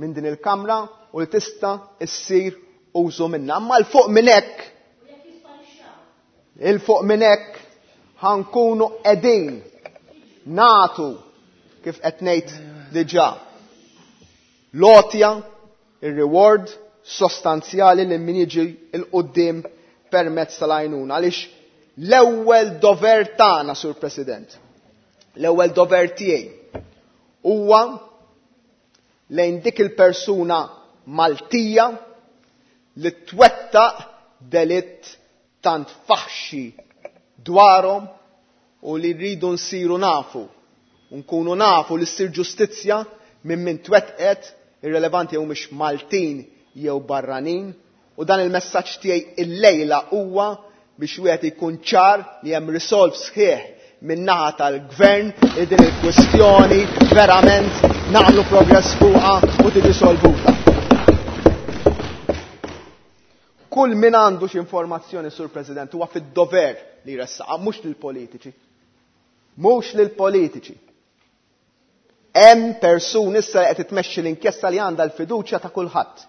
minn din il-Kamra u li tista' issir użu minnha. Imma l fuq minn hekk, il fuq minn hekk ħa nkunu qegħdin nagħtu kif qed ngħid diġà l-għotja, ir-reward sostanzjali li min jiġi 'l quddiem permezz tal-għajnuna. Għaliex l-ewwel dover tagħna, Sur President, l-ewwel dover tiegħi huwa lejn dik il-persuna Maltija li twettaq delitt tant faħxi dwarhom u li rridu nsiru nafu, nkunu nafu li ssir ġustizzja minn min twettqet, irrelevanti jew mhix Maltin jew barranin. U dan il-messaġġ tiegħi illejla huwa biex wieħed ikun ċar li hemm resolve sħiħ min-naħa tal-gvern li din il-kwistjoni verament nagħmlu progress fuqha u tiġi solvuta. Kull min għandu xi informazzjoni, Sur President, huwa fid-dover li jressaqha, mhux lill-politiċi. Mhux lill-politiċi. Hemm persuni issa li qed tmexxi l-inkjesta li għandha l-fiduċja ta' kulħadd.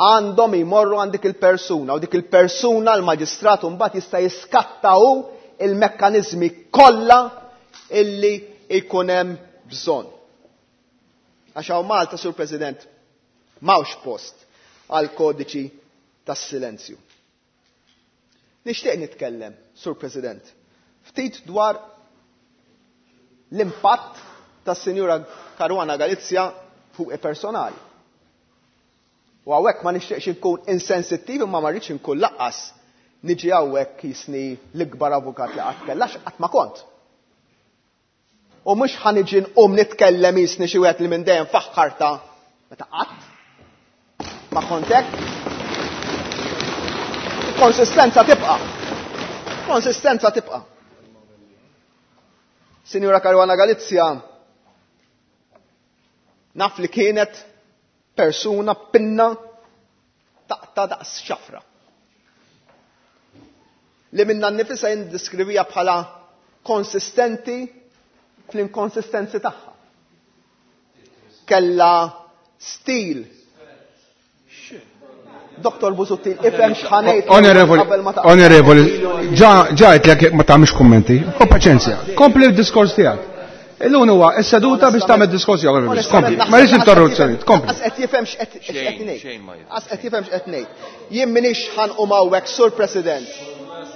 Għandhom jmorru għand dik il-persuna u dik il-persuna l-maġistrat mbagħad jista' jiskatta hu il-mekkaniżmi kollha illi jkun hemm bżonn. Għax hawn Malta, Sur President, m'hawnx post għal kodiċi tas-silenzju. Nixtieq nitkellem, Sur President, ftit dwar l-impatt tas-Sinjura Caruana Galizia fuq personali. U hawnhekk ma nixtieqx inkun insensittiv imma ma rridx inkun laqqas niġi hawnhekk jisni l-ikbar avukat li qatt kellax qatt ma kont. U mhux ħa niġi nqum nitkellem jisni xi wieħed li minn dejjem faħħarta meta qatt ma kont hekk. Konsistenza tibqa'. Konsistenza tibqa'. Sinjura Caruana Galizia naf li kienet persuna pinna taqta daqs xafra. Li minna nnifisha jindiskrivija bħala konsistenti fl-inkonsistenzi tagħha. Kella stil. Doktor Busuttil, ifhem x'ħanejt Onorevoli, qabel ma taqbel. onorevoli, ġa ġa għedtlek ma tagħmilx kummenti. Ko paċenzja, kompli l-diskors tiegħek. Illum huwa s-seduta biex tagħmel diskors tiegħek, onorevoli, kompli. Ma rridx interruzzjoni, kompli. Qas qed jifhem x'qed x'qed ngħid. Xejn ma jifhem. Qas qed jifhem x'qed ngħid. Jien m'iniex ħanqum hawnhekk, Sur President.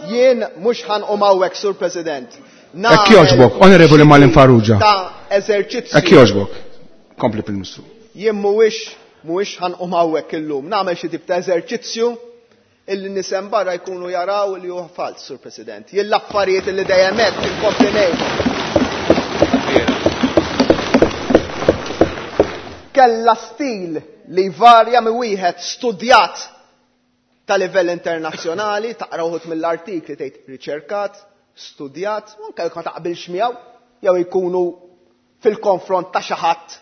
Jien mhux ħanqum hawnhekk, Sur President. Hekk jogħġbok, Onorevoli Marlene Farrugia. Ta' eżerċizzju. Hekk jogħġbok. Kompli pil-Ministru. Jien mhuwiex mhuwiex ħanqum hawnhekk illum. Nagħmel xi tip ta' eżerċizzju Illi nisem barra jkunu jaraw li huwa fals, Sur President. Jien l-affarijiet li dejjem hekk inkompli ngħid. Kella stil li varja minn wieħed studjat ta' livell internazzjonali, taqra wħud mill-artikli tgħid riċerkat, studjat, u anke jekk ma taqbilx miegħu, jew jkunu fil-konfront ta' xi ħadd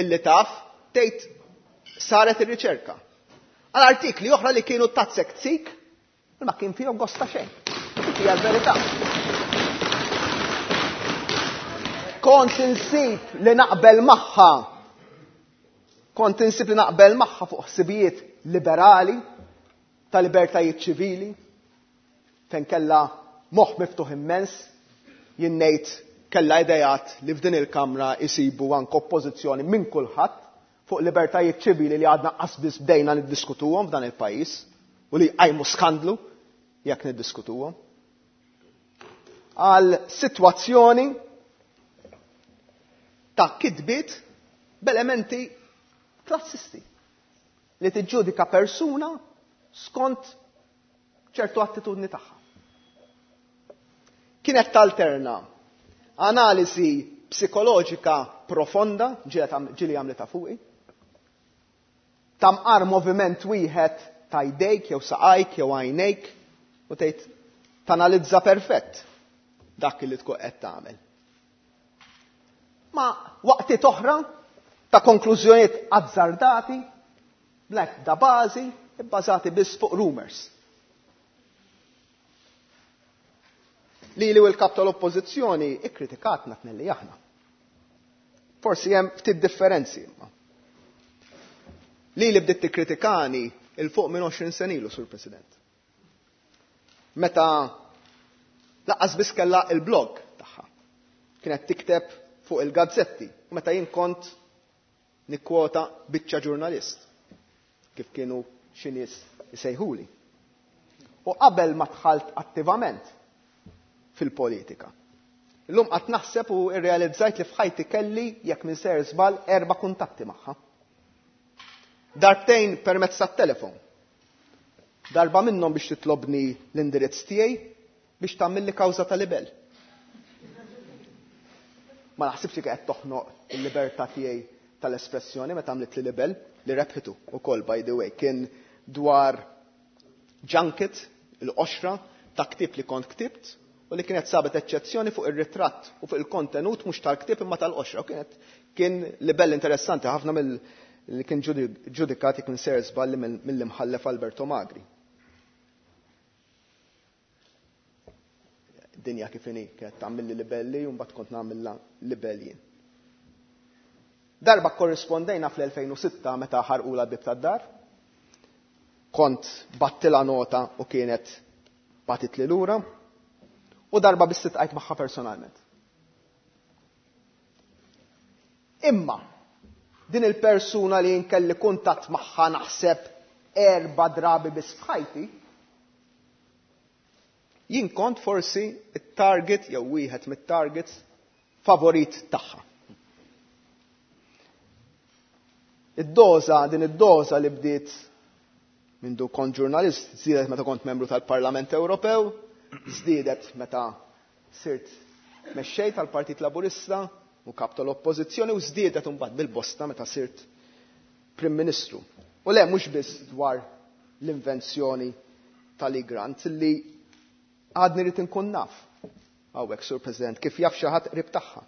illi taf, tgħid saret ir-riċerka. Għal artikli oħra li kienu tazzek tzik, ma kien fihom gosta xejn. Dik hija l-verità. Kont insib li naqbel magħha. Kont insib li naqbel magħha fuq ħsibijiet liberali, ta' libertajiet ċivili, fejn kellha moħħ miftuħ immens, jien ngħid kellha idejat li f'din il-kamra jsibu anke oppożizzjoni minn kulħadd fuq libertajiet ċivili li għadna qas biss bdejna niddiskutuhom f'dan il-pajjiż u li jqajmu skandlu jekk niddiskutuhom. Għal sitwazzjoni ta' kitbiet b'elementi klassisti li tiġġudika persuna skont ċertu attitudni tagħha. Kienet talterna analiżi psikoloġika profonda, ġieli għamlitha fuqi, tamqar moviment wieħed ta' jdejk jew saqajk jew għajnejk u tgħid tanalizza perfett dak li tkun qed tagħmel. Ma waqtiet oħra ta' konklużjonijiet azzardati, bl-ebda bażi, bbażati biss fuq rumors. Lili u l-kap tal-oppożizzjoni ikkritikatna tnelli aħna. Forsi hemm ftit differenzi imma. Lili bdiet tikkritikani il fuq minn għoxrin sena ilu, Sur President. Meta laqqas biss kellha il-blog tagħha. Kienet tikteb fuq il-gazzetti u meta jien kont nikkwota biċċa ġurnalist kif kienu xi nies isejħuli. U qabel ma dħalt attivament fil-politika. Illum qatt naħseb u rrealizzajt li f'ħajti kelli, jekk minn ser żball, erba' kuntatti magħha. Darbtejn permezz tat-telefon. Darba minnhom biex titlobni l-indirizz tiegħi biex tagħmilli kawża ta' libel. Ma naħsibx li qed toħnoq il-libertà tiegħi tal-espressjoni meta għamlet li libel li rebħitu ukoll, by the way, kien dwar junket, il-qoxra ta' ktieb li kont ktibt u li kienet sabet eċċezzjoni fuq ir-ritratt u fuq il-kontenut mhux tal-ktieb imma tal-qoxra. U kienet kien libel interessanti ħafna mill li kien ġudikati kien ser żballi mill-imħallef Alberto Magri. Dinja kif inhi, kienet tagħmilli libelli u mbagħad kont nagħmilha libel jien. Darba korrispondejna fl-elfejn u sitta meta ħarqula l-bib tad-dar. Kont battila nota u kienet batitli lura. U darba biss titqajt magħha personalment. Imma din il-persuna li nkelli kuntatt magħha naħseb erba' drabi biss f'ħajti, jien kont forsi it-target jew wieħed mit-targets favorit tagħha. Id-doża, din id-doża li bdiet mindu kont ġurnalist, żdiedet meta kont membru tal-Parlament Ewropew, żdiedet meta sirt mexxej tal-Partit Laburista u kap tal-Oppożizzjoni u żdiedet imbagħad bil-bosta meta sirt Prim Ministru. U le mhux biss dwar l-invenzjoni tal-Egrant li għadni rrid inkun naf. Hawnhekk, Sur President, kif jaf xi ħadd qrib tagħha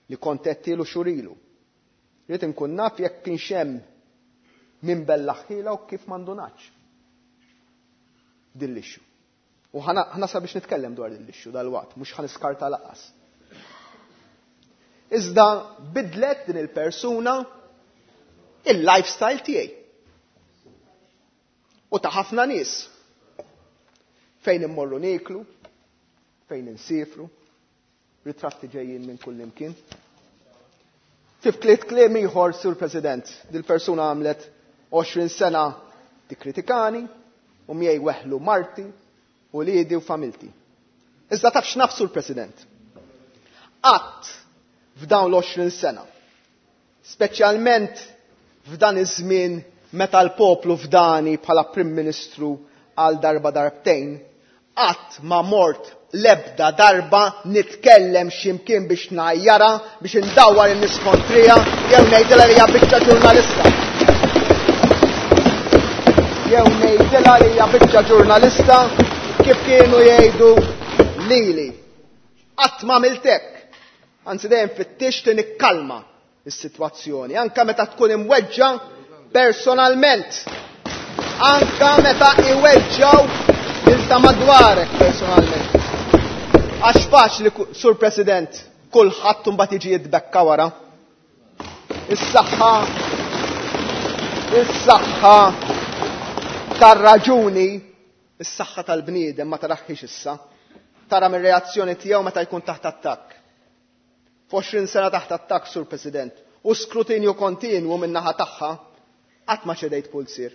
li kont qed xurilu. Rrid inkun naf jekk kienx hemm min bellaħħila u kif m'għandunax. Din l-issue. U ħana, ħana sabiex nitkellem dwar din l-issue dal-waqt, mhux ħaniskarta lanqas. Iżda bidlet din il-persuna il-lifestyle tiegħi. U ta' ħafna nies. Fejn immorru nieklu, fejn insifru, ritratti ġejjin minn kull imkien. Fi ftit kliem ieħor, Sur President, dil-persuna għamlet għoxrin sena tikkritikani u miegħi weħlu marti u liedi u familti. Iżda taf x'naf, Sur President? Qatt f'dawn l-għoxrin sena, speċjalment f'dan iż-żmien meta l-poplu fdani bħala Prim Ministru għal darba darbtejn, qatt ma mort lebda darba nitkellem x'imkien biex ngħajjarha, biex indawwar in-nies kontrija, jew ngħidilha li hija biċċa ġurnalista. Jew ngħidilha li hija biċċa ġurnalista kif kienu jgħidu lili. Qatt ma għamilt hekk. Anzi dejjem fittixt li nikkalma is-sitwazzjoni, anke meta tkun imweġġa personalment. Anke meta iweġġaw lil ta' madwarek personalment. Għax faċli, Sur President, kulħadd imbagħad jiġi jitbekka wara. Is-saħħa, is-saħħa tar-raġuni, is-saħħa tal-bniedem ma taraħħiex issa. Tara mir-reazzjoni tiegħu meta jkun taħt attakk. F'għoxrin sena taħt attakk, Sur President, u skrutinju kontinwu min-naħa tagħha, qatt ma ċedejt pulsir.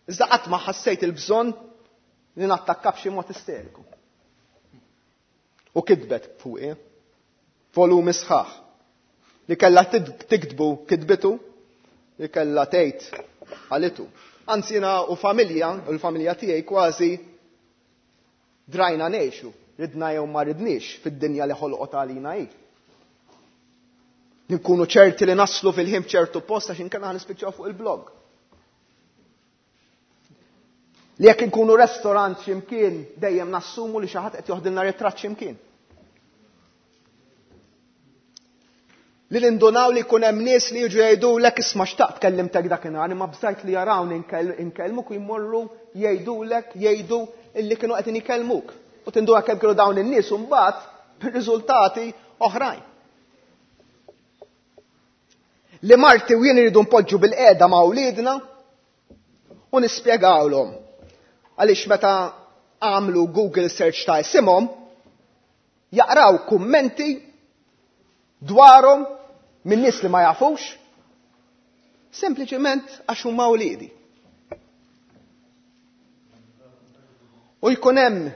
Iżda qatt ma ħassejt il-bżonn li nattakka b'xi mod isteriku. U kitbet fuqi, volumi sħaħ, li kellha tiktbu kitbitu, li kellha tgħid għalitu. Anzi jiena u familja, u l-familja tiegħi kważi drajna ngħixu, ridna jew ma ridniex fid-dinja li ħolqot għalina hi. Nkunu ċerti li naslu fil-ħin f'ċertu post għax inkella nispiċċaw fuq il-blog. Li jekk inkunu restaurant x'imkien dejjem nassumu li xi ħadd qed joħdilna ritratt x'imkien. Li nindunaw li jkun hemm nies li jiġu jgħidulek isma' xtaqt kellimtek dakinhar imma bżajt li jarawni inkellmuk u jmorru jgħidulek jgħidu illi kienu qed ikellmuk. U tinduna kemm kienu dawn in-nies u mbagħad bir-riżultati oħrajn. Li marti u jien iridu npoġġu bil-qiegħda ma' wliedna u nispjegawlhom għaliex meta għamlu Google search ta' isimhom jaqraw kummenti dwarhom minn nies li ma jafux sempliċement għax huma wliedi. U jkun hemm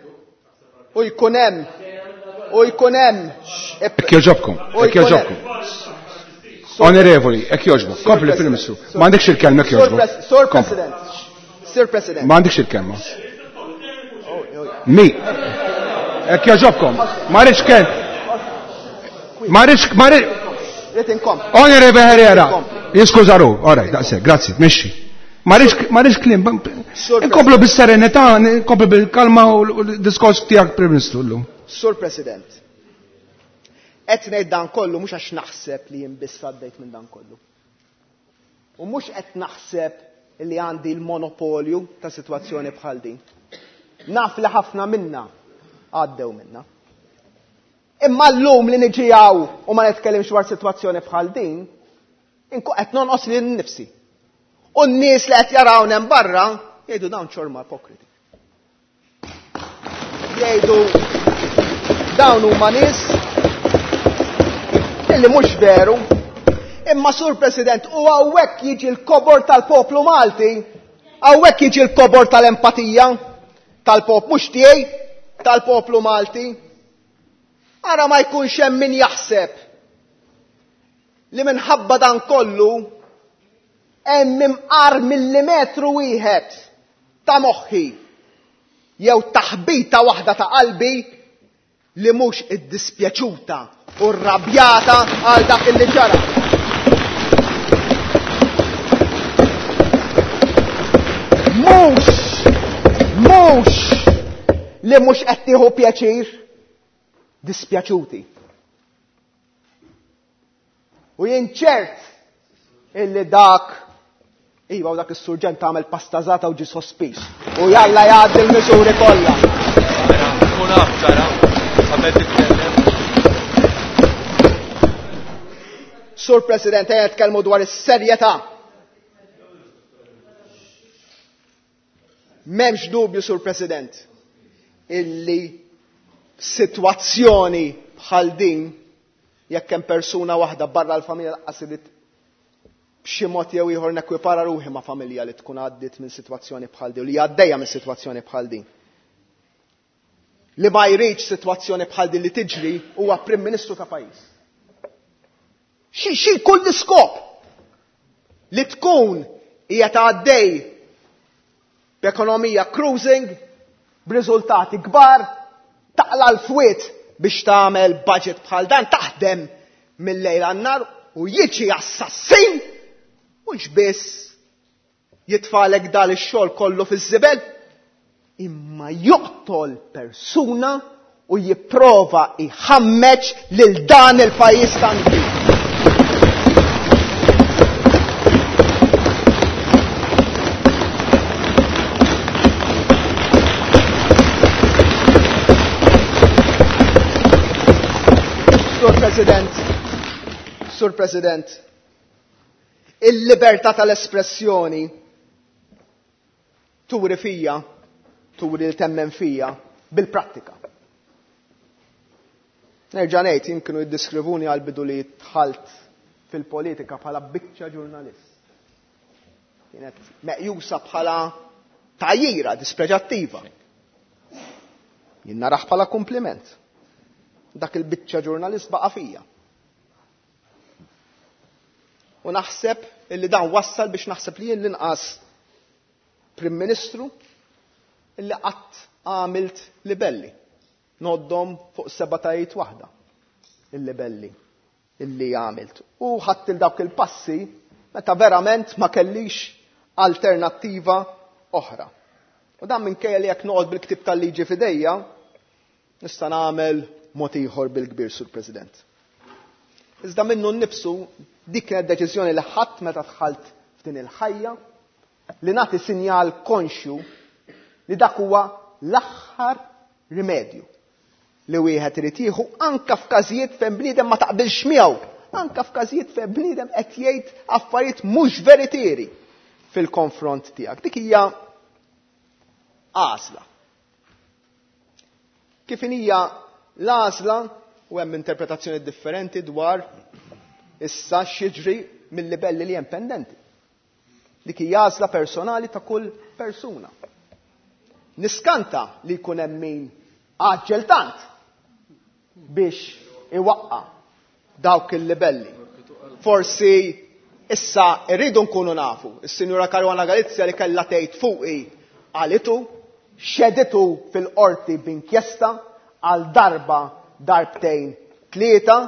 u jkun hemm u jkun hemm Hekk jogħġobkom, hekk jogħġobkom. Onorevoli, hekk jogħġbok, kompli fil-Ministru. M'għandekx il-kelma hekk jogħġbok. Sur President, Sir President. M'għandekx il-kelma. Mi. Hekk jogħġobkom. Ma rridx kelm. Ma rridx, ma rridx. Rrid inkompli. Onorevoli Herrera, jiskuża ruħu. All right, daqshekk, grazzi, mexxi. Ma rridx, ma rridx kliem. Inkomplu bis-serenità, inkomplu bil-kalma u l-diskors tiegħek Prim Ministru llum. Sur President, qed ngħid dan kollu mhux għax naħseb li jien biss għaddejt minn dan kollu. U mhux qed naħseb li għandi l-monopolju ta' sitwazzjoni bħal din. Naf li ħafna minna għaddew minna. Imma llum li niġi hawn u ma nitkellimx dwar sitwazzjoni bħal din, inkun qed nonqos lil nnifsi. U n-nies li qed jarawna hemm barra jgħidu dawn ċorma ipokriti. Jgħidu dawn huma nies illi mhux veru. Imma Sur President, u hawnhekk jiġi l-kobor tal-poplu Malti, hawnhekk jiġi l-kobor tal-empatija tal-poplu, mhux tiegħi, tal-poplu Malti. Ara ma jkunx hemm min jaħseb li minħabba dan kollu hemm imqar millimetru wieħed ta' moħħi jew taħbita waħda ta' qalbi li mhux iddispjaċuta u rrabjata għal dak li ġara. Mhux, mhux li mhux qed tieħu pjaċir, dispjaċuti. U jien ċert illi dak, iva, u dak is-surġent għamel pastażata u ġie sospiż. U jalla jgħaddi l-miżuri kollha. Kun af ġara, qabel titkellem. Sur President, ejja nitkellmu dwar is-serjetà. M'hemmx dubju, Sur President, illi sitwazzjoni bħal din, jekk hemm persuna waħda barra l-familja lanqas irid b'xi mod jew ieħor nekwipara ruħi ma' familja li tkun għaddiet minn sitwazzjoni bħal din, u li għaddejja minn sitwazzjoni bħal din. Li ma jridx sitwazzjoni bħal din li tiġri huwa Prim Ministru ta' pajjiż. Xi, xi jkun l-iskop li tkun Hija għaddej b'ekonomija cruising, b'riżultati kbar, taqla l-fwiet biex tagħmel budget bħal dan, taħdem mill-lejl għan-nar u jiġi assassin mhux biss jitfalek dal ix-xogħol kollu fiż-żibel, imma joqtol persuna u jipprova jħammeġ lil dan il-pajjiż tant. Sur President, Sur President, il-libertà tal-espressjoni turi fija, turi l-temmen fija bil-prattika. Nerġa' ngħid jien kienu jiddiskrivuni għal bidu li dħalt fil-politika bħala biċċa ġurnalist. Kienet meqjusa bħala tgħajjira dispreġattiva. Jien naraħ bħala kompliment. Dak il-biċċa ġurnalist baqa' fija. U naħseb illi dan wassal biex naħseb li jien l-inqas Prim Ministru illi qatt għamilt libelli. Noddhom fuq seba' tajiet waħda il-libelli illi għamilt. U ħadd il dawk il-passi meta verament ma kellix alternattiva oħra. U dan minkejja li jekk noqgħod bil-ktib tal-liġi f'idejja, nista' nagħmel mod ieħor bil-kbir, Sur President. Iżda minnu nnifsu dik kienet deċiżjoni li ħadd meta dħalt f'din il-ħajja li nagħti sinjal konxju li dak huwa l-aħħar rimedju li wieħed irid jieħu anke f'każijiet fejn bniedem ma taqbilx miegħu, anke f'każijiet fejn bniedem qed jgħid affarijiet mhux veritieri fil-konfront tiegħek. Dik hija għażla. Kif hija l-għażla u hemm interpretazzjoni differenti dwar issa x'jiġri mill-libelli li hemm pendenti. Dik hija għażla personali ta' kull persuna. Niskanta li jkun hemm min għaġġel tant biex iwaqqa' dawk il-libelli. Forsi issa rridu nkunu nafu. Is-Sinjura Caruana Galizia li kellha tgħid fuqi qalitu, xeditu fil-qorti b'inkjesta għal darba darbtejn tlieta,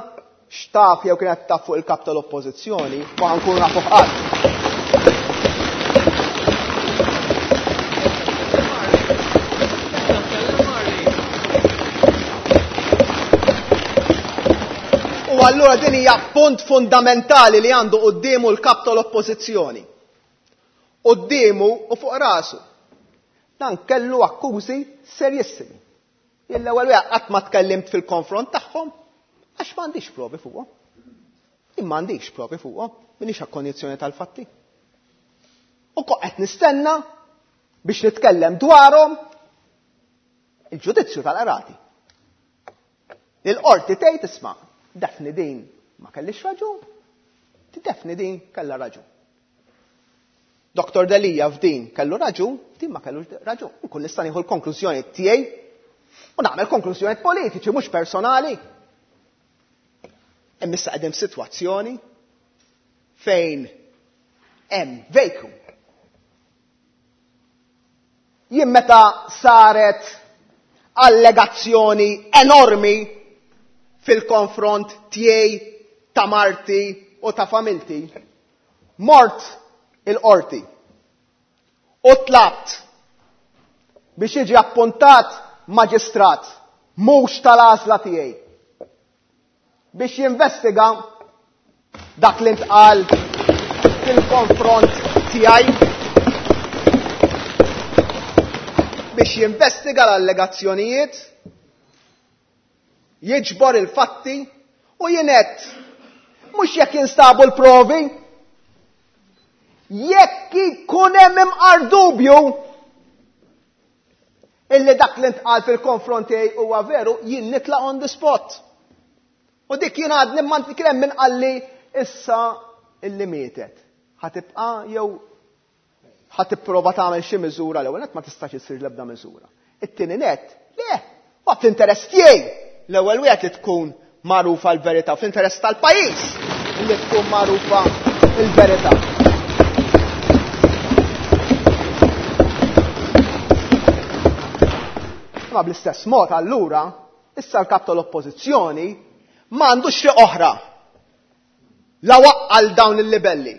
x'taf jew kienet taf fuq il-kap tal-Oppożizzjoni, ma nkunu nafu f'qatt. U allura din hija punt fundamentali li għandu quddiemu l-kap tal-Oppożizzjoni. Quddiemu u fuq rasu. Dan kellu akkużi serjissimi. Jien l-ewwel wieħed qatt ma tkellimt fil-konfront tagħhom għax m'għandix provi fuqhom. Jien m'għandix provi fuqhom, m'iniex akkonjizzjoni tal-fatti. U kont qed nistenna biex nitkellem dwarhom il-ġudizzju tal-qrati. Il-qorti tgħid isma' Daphne din ma kellix raġun, Daphne din kellha raġun. Doktor Delia f'din kellu raġun, din ma kellux raġun. Nkun nista' nieħu l-konklużjoni tiegħi u nagħmel konklużjoni politiċi mhux personali. Hemm issa qegħdin f'sitwazzjoni fejn hemm vacuum. Jien meta saret allegazzjoni enormi fil-konfront tiegħi, ta' marti u ta' familti, mort il-qorti u tlabt biex jiġi appuntat maġistrat mhux tal-għażla tiegħi biex jinvestiga dak li ntqal fil-konfront tiegħi, biex jinvestiga l-allegazzjonijiet, jiġbor il-fatti u jienet mhux jekk jinstabu l-provi, jekk ikun hemm imqar dubju illi dak li ntqal fil-konfront tiegħi huwa veru, jien nitlaq on the spot. U dik jien għadni ma kien hemm min qalli issa illi mietet. Ħa tibqa' jew ħa tipprova tagħmel xi miżura l-ewwel nett ma tistax issir l-ebda miżura. It-tieni nett, le, waqt l-interess tiegħi l-ewwel wieħed li tkun magħrufa l-verità, fl-interess tal-pajjiż li tkun magħrufa l-verità. Ma bl-istess mod allura, issa l-kap tal-oppożizzjoni m'għandux triq oħra la waqqal dawn il-libelli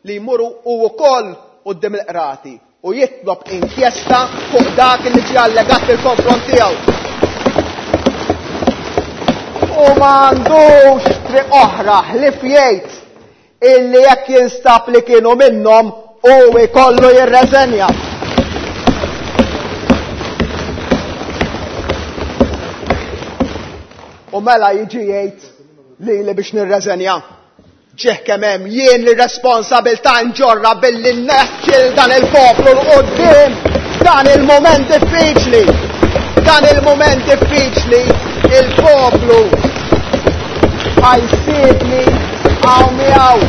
li jmuru u wkoll quddiem il-qrati u jitlob inkjesta fuq dak li ġie allegat fil-konfront tiegħu. U m'għandux triq oħra ħlief jgħid illi jekk jinstab li kienu minnhom u jkollu jirreżenja. U mela jiġi jgħid li li biex nirreżenja. Ġieħ kemm hemm jien li responsabilità nġorra billi nneħħi dan il-poplu 'l quddiem dan il-mument diffiċli. Dan il-mument diffiċli il-poplu ħajsibni hawn miegħu.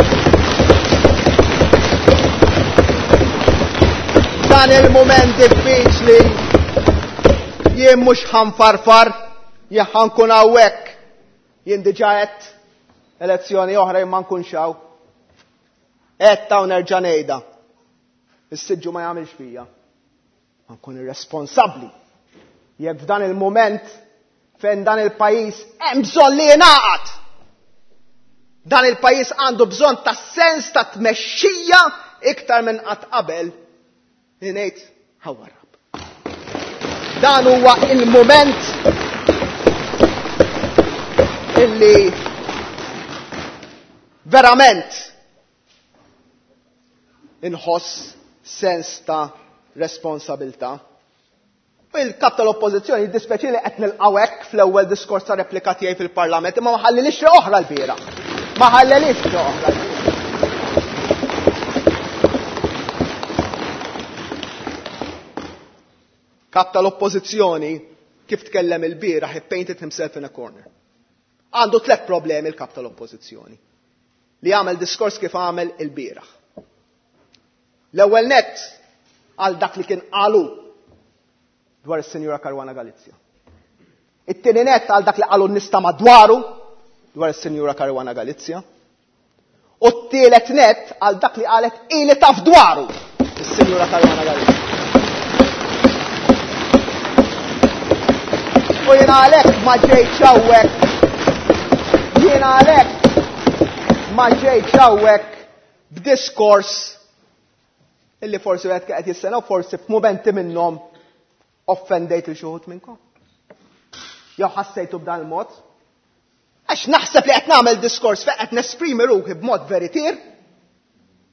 Dan il-mument diffiċli jien mhux ħanfarfar, jien ħankun hawnhekk. Jien diġà għedt elezzjoni oħra jien ma nkunx hawn. Għedt hawn nerġa' ngħidha. Is-siġġu ma jagħmilx fija. Ma nkun irresponsabbli. Jekk f'dan il-mument fejn dan il-pajjiż hemm bżonn li jingħaqad. Dan il-pajjiż għandu bżonn ta' sens ta' tmexxija iktar minn qatt qabel li ngħid ħawarrab. Dan huwa il-mument illi verament inħoss sens ta' responsabilità. U il-kap tal-oppożizzjoni jiddispjaċi li qed nilqgħu hekk fl-ewwel diskors ta' replika tiegħi fil-Parlament, imma ma ħallilix triq oħra l-bieraħ. Ma ħallilix triq oħra l-bieraħ. Kap tal-oppożizzjoni kif tkellem il-bieraħ, he painted himself in a corner. Għandu tliet problemi il-kap tal-oppożizzjoni li għamel diskors kif għamel il-bieraħ. L-ewwel nett għal dak li kien qalu dwar is-Sinjura Caruana Galizia. It-tieni nett għal dak li qalu n-nies ta' madwaru dwar is-Sinjura Caruana Galizia. U t-tielet nett għal dak li qalet ili taf dwaru is-Sinjura Caruana Galizia. U jiena għalhekk ma ġejtx hawnhekk. Jiena għalhekk ma ġejtx hawnhekk b'diskors illi forsi wieħed qed jistenna u forsi f'mumenti minnhom offendejt lil xi wħud minnkom. Jew ħassejtu b'dan il-mod. Għax naħseb li qed nagħmel diskors fejn qed nesprimi ruħi b'mod veritier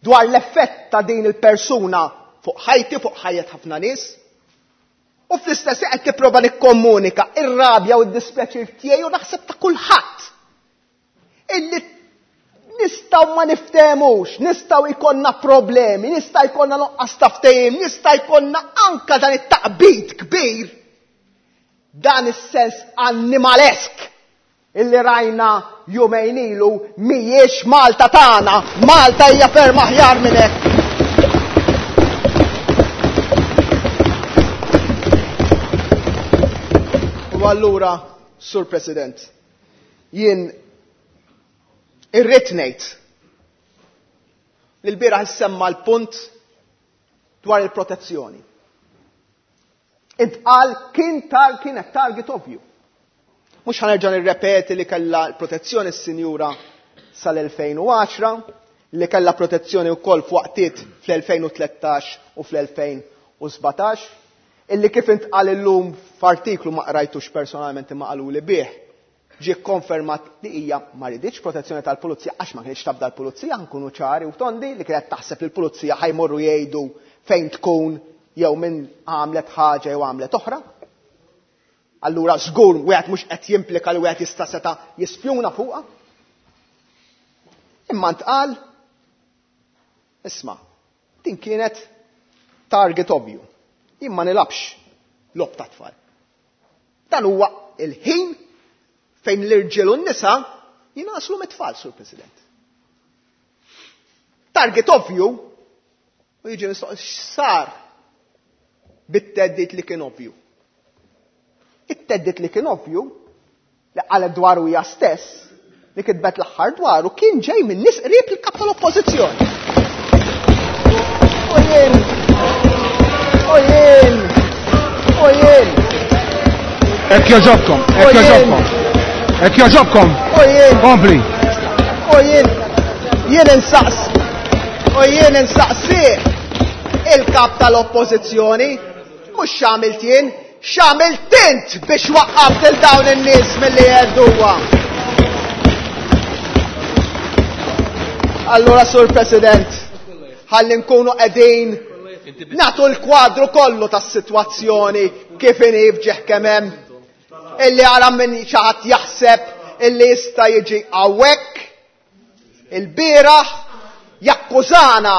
dwar l-effett ta' din il-persuna fuq ħajti, fuq ħajjet ħafna nies. U fl-istess qed tipprova nikkomunika ir-rabja u d-dispjaċir tiegħi u naħseb ta' kulħadd. Illi nistgħu ma niftehmux, nistgħu jkollna problemi, nista' jkollna nuqqas ta' ftehim, nista' jkollna anka dan it-taqbid kbir, dan is-sens animalesk illi rajna jumejn ilu mhijiex Malta tagħna, Malta hija ferm aħjar minn hekk. U allura, Sur President, jien irrid ngħid li l-bieraħ issemma l-punt dwar il-protezzjoni. Intqal kien tar kienet target ovvju. Mhux ħanerġa' nirrepeti li kellha l-protezzjoni s-sinjura sal-elfejn u għaxra, li kellha protezzjoni wkoll f'waqtiet fl-elfejn u tlettax u fl-elfejn u sbatax, illi kif intqal illum f'artiklu ma qrajtux personalment imma qaluli bih, ġie konfermat li hija ma riditx protezzjoni tal-pulizija għax ma kienx tabda l-pulizija, nkunu ċari u tondi li kienet taħseb li l-pulizija ħajmorru jgħidu fejn tkun jew min għamlet ħaġa jew għamlet oħra. Allura żgur wieħed mhux qed jimplika li wieħed jista' seta' jispjuna fuqha. Imma ntqal, isma', din kienet target ovvju. Jien ma nilabx logħob ta' tfal. Dan huwa il-ħin fejn l-irġiel u n-nisa jingħaslu mit-tfal, Sur President. Target ovvju, u jiġi mistoqsi x'sar bit-teddit li kien ovvju. It-teddit li kien ovvju, li qalet dwaru hija stess, li kitbet l-aħħar dwaru, kien ġej minn nies qrib il-kap tal-oppożizzjoni. U jien, u jien, u jien. Hekk jogħġobkom, hekk jogħġobkom. Hekk jogħġobkom. U jien. Kompli. U jien jien insaqs u jien insaqsih il-kap tal-oppożizzjoni mhux x'għamilt jien, x'għamilt int biex waqqaft il dawn in-nies milli jgħedduha. Allura Sur President, ħalli nkunu qegħdin nagħtu l-kwadru kollu tas-sitwazzjoni kif inhi f'ġieħ kemm hemm. Illi ara minn xi ħadd jaħseb illi jista' jiġi hawnhekk il-bieraħ jakkużana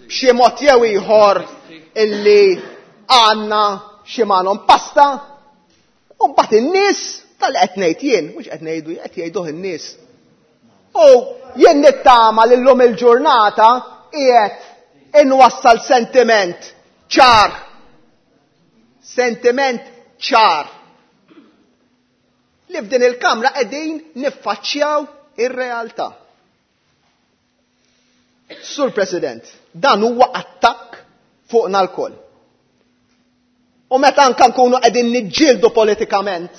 b'xi mod jew ieħor illi għandna xi magħhom pasta u mbagħad in-nies tal qed ngħid jien, mhux qed ngħidu qed jgħiduh in-nies. U jien nittama li llum il-ġurnata qiegħed inwassal sentiment ċar. Sentiment ċar. Li f'din il-kamra qegħdin niffaċċjaw ir-realtà. Sur President, dan huwa attakk fuqna lkoll. U meta anka nkunu qegħdin niġġieldu politikament,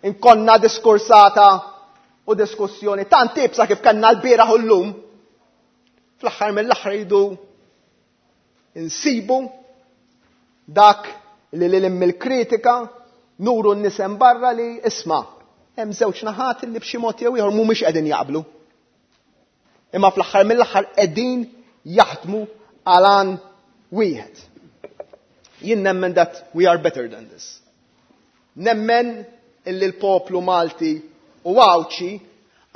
inkonna diskursata u diskussjoni tant ibsa kif kellna l-bieraħ u llum, fl-aħħar mill-aħħar jridu insibu dak li lil mill-kritika nuru n-nisem barra li isma' hemm żewġ naħat li b'xi mod jew ieħor mhumiex qegħdin jaqblu. Imma fl-aħħar mill-aħħar qegħdin jaħdmu għal għan wieħed. Jien nemmen that we are better than this. Nemmen illi l-poplu Malti u Għawdxi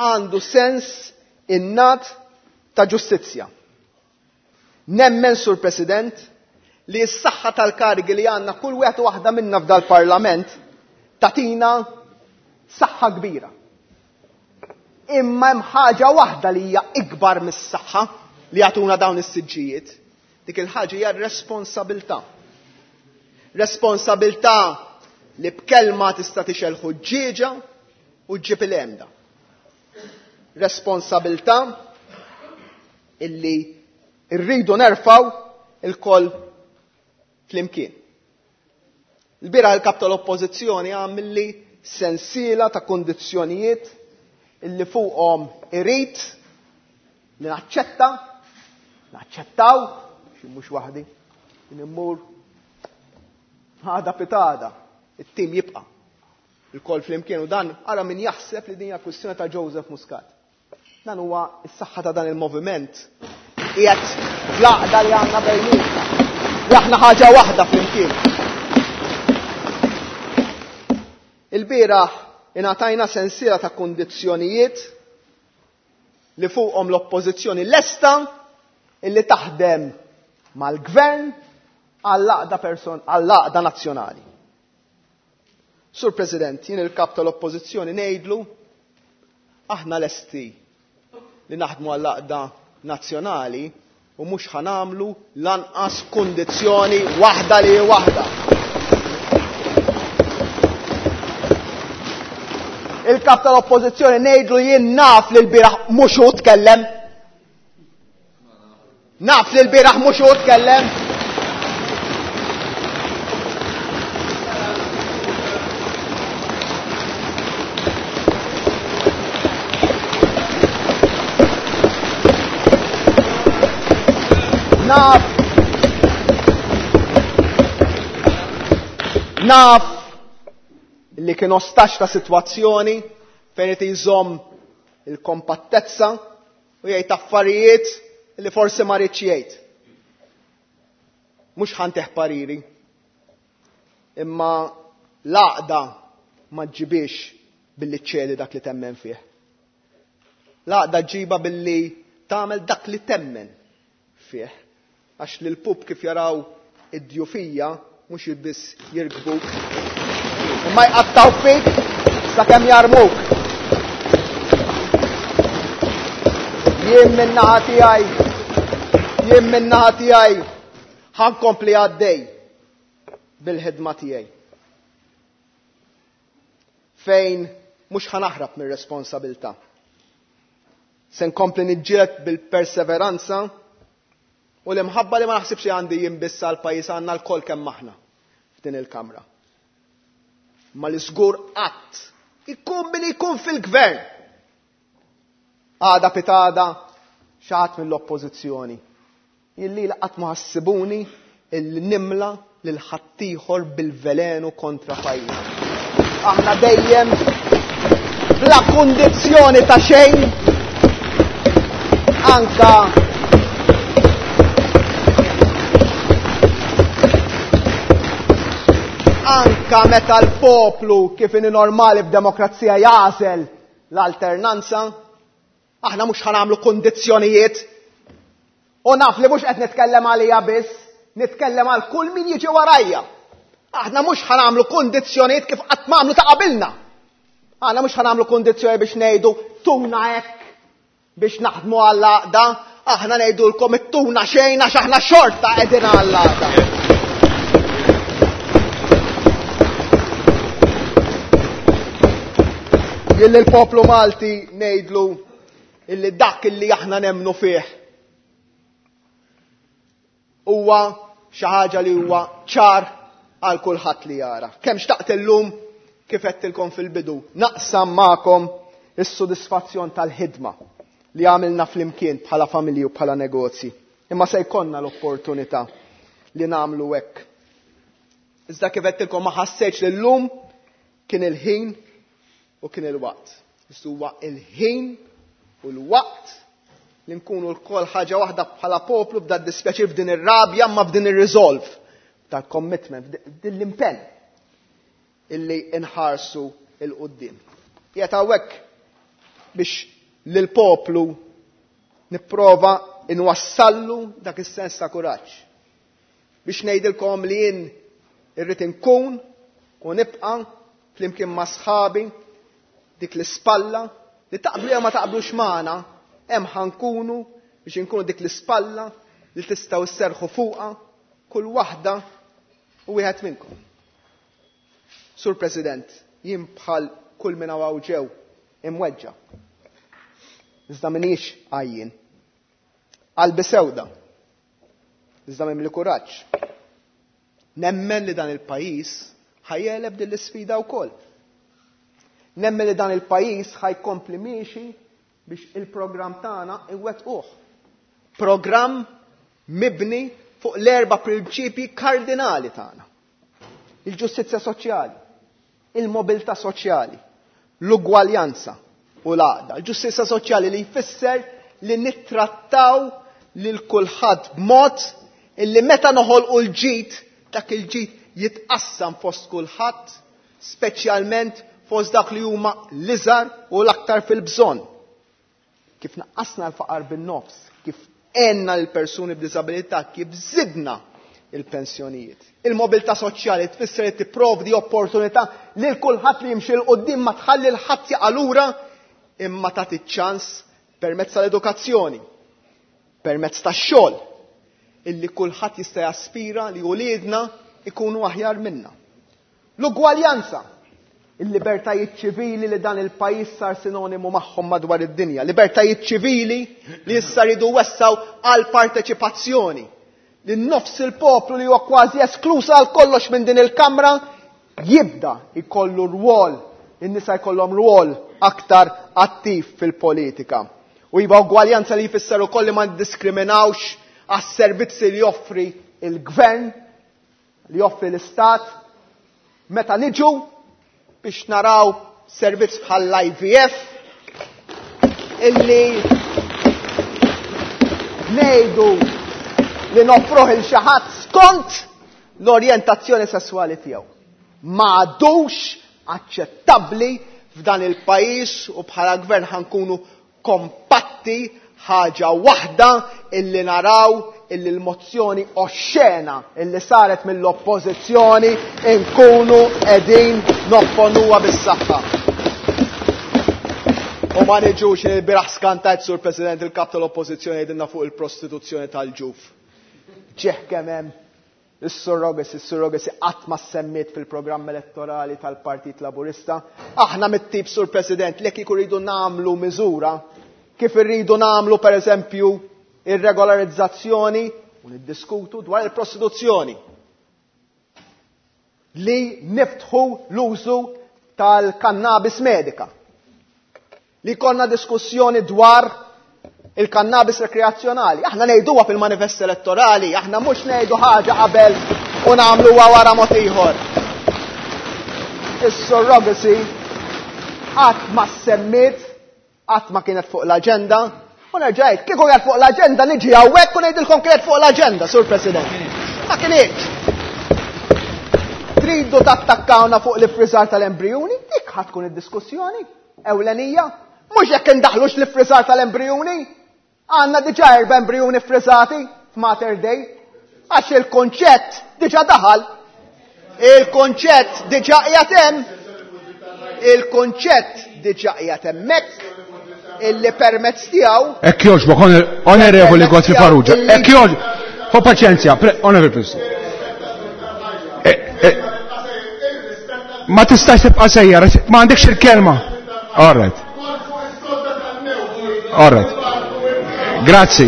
għandu sens innat ta' ġustizzja. Nemmen, Sur President, li s-saħħa tal-karigi li għandna kull wieħed u waħda minna f'dal-Parlament tatina saħħa kbira. Imma hemm ħaġa waħda li hija ikbar mis-saħħa li jagħtuna dawn is-siġġijiet. Dik il-ħaġa hija r-responsabilità. Responsabilità li b'kelma tista' tixgħel ħuġġieġa u ġġib il-għemda. Responsabilità illi rridu nerfgħu il-koll flimkien. Il-bieraħ il-kap tal-oppożizzjoni għamilli sensiela ta' kondizzjonijiet illi fuqhom irid li naċċetta, naċċettaw, xi mhux waħdi, immur għada pitada, it-tim jibqa' il-koll flimkien u dan ara min jaħseb li din hija kwistjoni ta' Joseph Muscat. Dan huwa s-saħħa ta' dan il-moviment qiegħed fl-għaqda li għandna bejnietna. Li aħna ħaġa waħda flimkien. Il-bieraħ ingħatajna sensiela ta' kundizzjonijiet li fuqhom l-oppożizzjoni lesta illi taħdem mal-gvern għall-għaqda person għall-għaqda nazzjonali. Sur President, jien il-kap tal-oppożizzjoni ngħidlu aħna lesti li naħdmu għall-għaqda nazzjonali u mhux ħanamlu lanqas kundizzjoni waħda li waħda. Il-kap tal-oppożizzjoni ngħidlu jien naf li l-bieraħ mhux hu tkellem. Naf li l-bieraħ mhux hu tkellem. Naf Naf li kien ostax ta' sitwazzjoni fejn qed jżomm il-kompattezza u jgħid affarijiet li forsi ma ridx jgħid. Mhux ħanteħ pariri. Imma l-għaqda ma ġġibix billi ċċedi dak li temmen fih. L-għaqda ġġibha billi tagħmel dak li temmen fih. Għax li l-pup kif jaraw id-djufija mhux biss jirkbuk, imma jqattaw fik sakemm jarmuk. Jien min-naħa tiegħi, jien min-naħa tiegħi ħankompli għaddej bil-ħidma tiegħi. Fejn mhux ħanaħrab mir-responsabilità. Se nkompli niġġieled bil-perseveranza u l-imħabba li ma naħsibx li għandi jien biss għall-pajjiż, għandna lkoll kemm aħna f'din il-kamra. Ma li żgur qatt ikun min ikun fil-gvern. Għada pitada xi ħadd mill-oppożizzjoni. Illi qatt ma ħassibuni illi nimla lil ħaddieħor bil-velenu kontra pajjiż. Aħna dejjem bla kundizzjoni ta' xejn anka anka meta l-poplu kif inhi normali f'demokrazija jagħżel l-alternanza, aħna mhux ħanamlu kundizzjonijiet. U naf li mhux qed nitkellem għalija biss, nitkellem għal kull min jiġi warajja. Aħna mhux ħanamlu kundizzjonijiet kif qatt m'għamlu ta' qabilna. Aħna mhux ħanamlu kundizzjoni biex ngħidu tuna hekk biex naħdmu għall-għaqda, aħna ngħidulkom ittuna xejn għax aħna xorta qegħdin għall-għaqda. Jilli l-poplu Malti ngħidlu illi dak illi aħna nemmnu fih huwa xi ħaġa li huwa ċar għal kulħadd li jara. Kemm xtaqt illum kif għedtilkom fil-bidu, naqsam magħkom is-sodisfazzjon tal-ħidma li għamilna flimkien bħala familji u bħala negozji. Imma se jkollna l-opportunità li nagħmlu hekk. Iżda kif għedtilkom ma ħassejtx li llum kien il-ħin u kien il-waqt. Iżda huwa il-ħin u l-waqt li nkunu lkoll ħaġa waħda bħala poplu b'da dispjaċir f'din ir-rabja ma f'din ir-resolve tal-commitment, f'din l-impenn illi nħarsu il-qudiem. Qiegħed hawnhekk biex lill-poplu nipprova nwassallu dak is-sens ta' kuraġġ. Biex ngħidilkom li jien irrid inkun u nibqa' flimkien ma' sħabi dik l-ispalla li taqblu jew ma taqblux magħna, hemm ħankunu biex inkunu dik l-ispalla li tistgħu sserħu fuqha kull waħda u wieħed minnkom. Sur President, jien bħal kull min hawn ġew imweġġa'. Iżda m'iniex għajjien. Qalbi sewda. Iżda mimli kuraġġ. Nemmen li dan il-pajjiż ħajjeleb din l-isfida wkoll. Nemmen li dan il-pajjiż ħajkompli miexi biex il-programm tagħna iwettquh. Programm mibni fuq l-erba' prinċipji kardinali tagħna. Il-ġustizzja soċjali, il-mobilità soċjali, l-ugwaljanza u l-għaqda. Il-ġustizzja soċjali li jfisser li nittrattaw lil kulħadd b'mod illi meta noħolqu l-ġid, dak il-ġid jitqassam fost kulħadd, speċjalment fost dak li huma l-iżgħar u l-aktar fil-bżonn. Kif naqqasna l-faqar bin-nofs, kif għenna l-persuni b'diżabilità, kif żidna il-pensjonijiet. Il-mobilità soċjali tfisser li tipprovdi opportunità lil kulħadd li jimxi 'l quddiem ma tħalli l ħadd jaqa' lura imma tagħti ċans permezz tal-edukazzjoni, permezz tax-xogħol, illi kulħadd jista' jaspira li uliedna ikunu aħjar minna. L-ugwaljanza, il-libertajiet ċivili li dan il-pajjiż sar sinonimu magħhom madwar id-dinja, libertajiet ċivili li issa ridu wessaw għal parteċipazzjoni, li nofs il-poplu li huwa kważi eskluż għal kollox minn din il-kamra jibda jkollu rwol, in-nisa jkollhom rwol aktar attiv fil-politika. U iva ugwaljanza li jfisser ukoll li ma niddiskriminawx għas-servizzi li joffri il-gvern, li joffri l-istat, meta niġu biex naraw servizz bħal I V F illi ngħidu li noffruh il xi ħadd skont l-orjentazzjoni sesswali tiegħu. Ma għadux aċċettabbli f'dan il-pajjiż u bħala gvern ħankunu kompatti ħaġa waħda illi naraw illi l-mozzjoni oxxena illi saret mill-oppożizzjoni nkunu qegħdin nopponuha bis-saħħa. U ma niġux li l-bieraħ skantajt, Sur President, il-kap tal-oppożizzjoni jgħidilna fuq il-prostituzzjoni tal-ġuf. Ġieħ kemm hemm is-surrogacy, is-surrogacy qatt ma semmiet fil-programm elettorali tal-Partit Laburista. Aħna mit-tip, Sur President, li kieku rridu nagħmlu miżura kif irridu nagħmlu pereżempju ir-regolarizzazzjoni u niddiskutu dwar il-prostituzzjoni. li niftħu l-użu tal-kannabis medika. Li jkollna diskussjoni dwar il-kannabis rekreazzjonali. Aħna ngħiduha fil-manifest elettorali, aħna mhux ngħidu ħaġa qabel u nagħmluha wara mod ieħor. Is-surrogacy qatt ma semmiet, qatt ma kienet fuq l-aġenda, u nerġa' ngħid, kieku kienet fuq l-aġenda niġi hawnhekk u ngħidilkom kienet fuq l-aġenda, Sur President. Ma kinitx. Tridu tattakkawna fuq l-iffriżar tal-embrijuni? Dik ħa tkun id-diskussjoni ewlenija. Mhux jekk indaħlux l-iffriżar tal-embrijuni. Għandna diġà erba' embrijuni ffriżati f'Mater Dei. Għax il-konċett diġà daħal. Il-konċett diġà qiegħed hemm. Il-konċett diġà qiegħed hemmhekk illi permezz tiegħu. Hekk jogħġbok, Onorevoli Godfrey Farrugia. Hekk jogħġbok. Ħu paċenzja, Onorevoli President. Ma tistax tibqa' sejjer, ma għandekx il-kelma. All right. All right. Grazzi,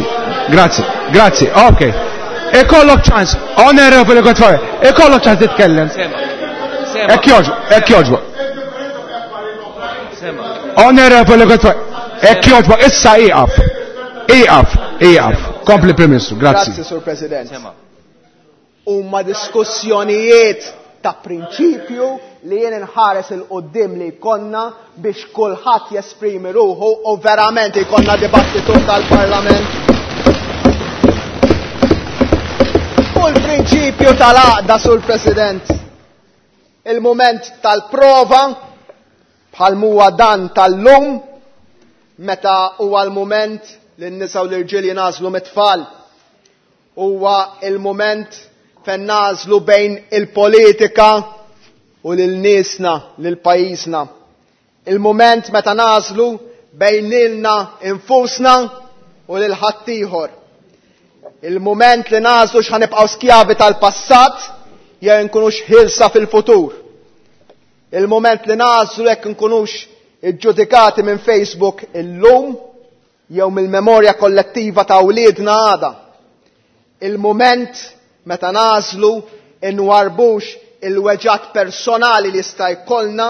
grazzi, grazzi, ok. Ikollok ċans, Onorevoli Godfrey, ikollok ċans titkellem. Hekk jogħġbok, hekk jogħġbok. Onorevoli Godfrey, hekk jogħġbok, issa ieqaf. Ieqaf, ieqaf. Kompli Prim Ministru, grazzi. Grazzi, Sur President. Huma diskussjonijiet ta' prinċipju li jien inħares il-qoddim li jkollna biex kulħadd jesprimi ruħu u verament jkollna dibattitu tal-Parlament. U l-prinċipju tal-għaqda, Sur President, il-moment tal-prova bħal huwa dan tal-lum, meta huwa l-moment li n-nisa u l-irġiel jingħażlu mit-tfal. Huwa il-moment fejn nagħżlu bejn il-politika u lil niesna, lil pajjiżna. Il-moment meta nagħżlu bejn lilna infusna u lil ħaddieħor. Il-moment li nagħżlu x'ħanibqgħu skjavi tal-passat jew nkunux ħilsa fil-futur. Il-moment li nagħżlu jekk nkunux iġġudikati minn Facebook illum jew mill-memorja kollettiva ta' wliedna għada. Il-moment meta nagħżlu inwarbux il-weġat personali li jista' jkollna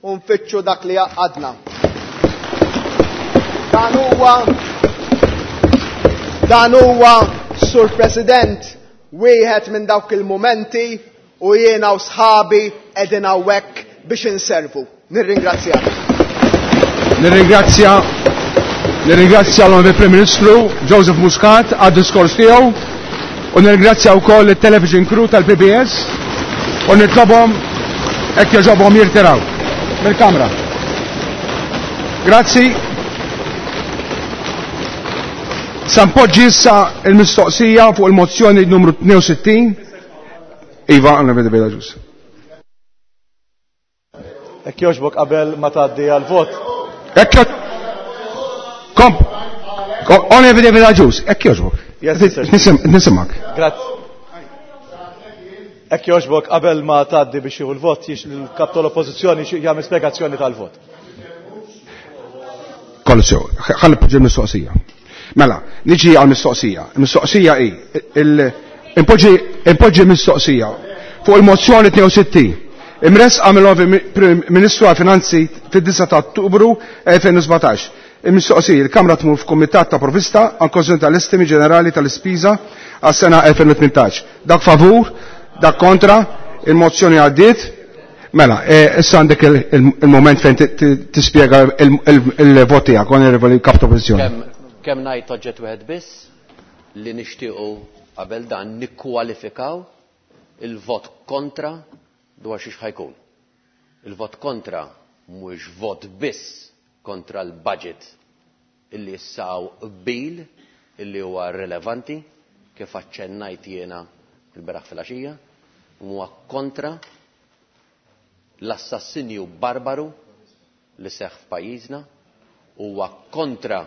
u nfittxu dak li jaqadna. Dan huwa, dan huwa, Sur President, wieħed minn dawk il-momenti u jiena u sħabi qegħdin hawnhekk biex inservu. Nirringrazzjak. Nirringrazzja, nirringrazzja l-Onorevoli Prim Ministru Joseph Muscat għad-diskors tiegħu u nirringrazzja wkoll it-television crew tal-P B S u nitlobhom hekk jogħġobhom jirtiraw mill-kamra. Grazzi. Sa npoġġi issa il-mistoqsija fuq il-mozzjoni numru tnejn u sittin. Iva, għandna vedi beda ġus. Hekk jogħġbok qabel ma tgħaddi għall-vot. Hekk jogħġbok. Komp. Għandna vedi beda ġus. Hekk jogħġbok. Yes, sir. Nisim-, nisimak. Grazzi. Hekk jogħġbok qabel ma tgħaddi biex jieħu l-vot, jiex il-kap tal-oppożizzjoni xi jagħmel spjegazzjoni tal-vot. Kollu sew, ħalli poġġi l-mistoqsija. Mela, niġi għal-mistoqsija. Il-mistoqsija hi, il-, impoġġi, impoġġi mistoqsija fuq il-mozzjoni tnejn u sittin. Imresqa mill-Prim Ministru għal-Finanzi fid-disa ta' Ottubru elfejn u sbatax. Il-mistoqsija, il-Kamra tmur f'Kumitat ta' Provvista għal konsulta tal-Estimi Ġenerali tal-Ispiża għas-sena elfejn u tmintax. Dak favur, dak kontra, il-mozzjoni għaddiet. Mela, e, issa għandek il-, il-, il-moment fejn ti-, ti-, tispjega il-, il-, il-vot tiegħek, Onorevoli Kap ta' Oppożizzjoni. Kemm, kemm ngħid oġġett wieħed biss li nixtiequ qabel dan nikkwalifikaw il-vot kontra dwar xiex ħajkun. Il-vot kontra mhuwiex vot biss kontra l-budget illi jissaw qbil illi huwa rilevanti kif aċċennajt jiena il-beraħ fil-għaxija, huwa kontra l-assassinju barbaru li seħħ f'pajjiżna, huwa kontra,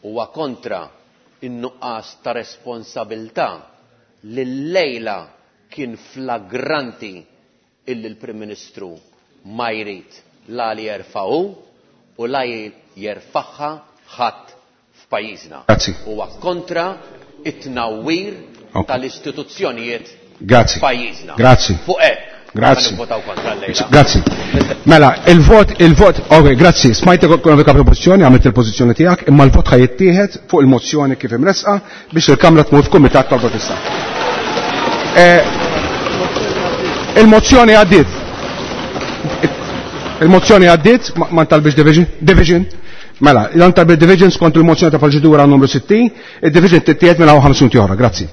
huwa kontra in-nuqqas ta' responsabilità li l-lejla kien flagranti illi l-Prim Ministru ma jrid la li jerfa'hu u la jerfaħħa ħadd f'pajjiżna. Grazzi. Huwa kontra it-tnawwir Ok. tal-istituzzjonijiet Grazzi. f'pajjiżna. Grazzi. Fuq hekk Grazzi. Votaw kontra llejla. Grazzi. Mela, il-vot, il-vot, ok, grazzi, smajtek kif propożizzjoni, għamilt il-pożizzjoni tiegħek, imma l-vot ħa jittieħed fuq il-mozzjoni kif imresqa biex il-Kamra tmur f'kumitat tal-protesta. Eh, il-mozzjoni għaddiet. Il-mozzjoni għaddiet, ma ntalbix division, division. Mela, l-antalbi division skont il-mozzjoni ta' proċedura numru sittin, il-division tittieħed mela ħamsin oħra, grazzi.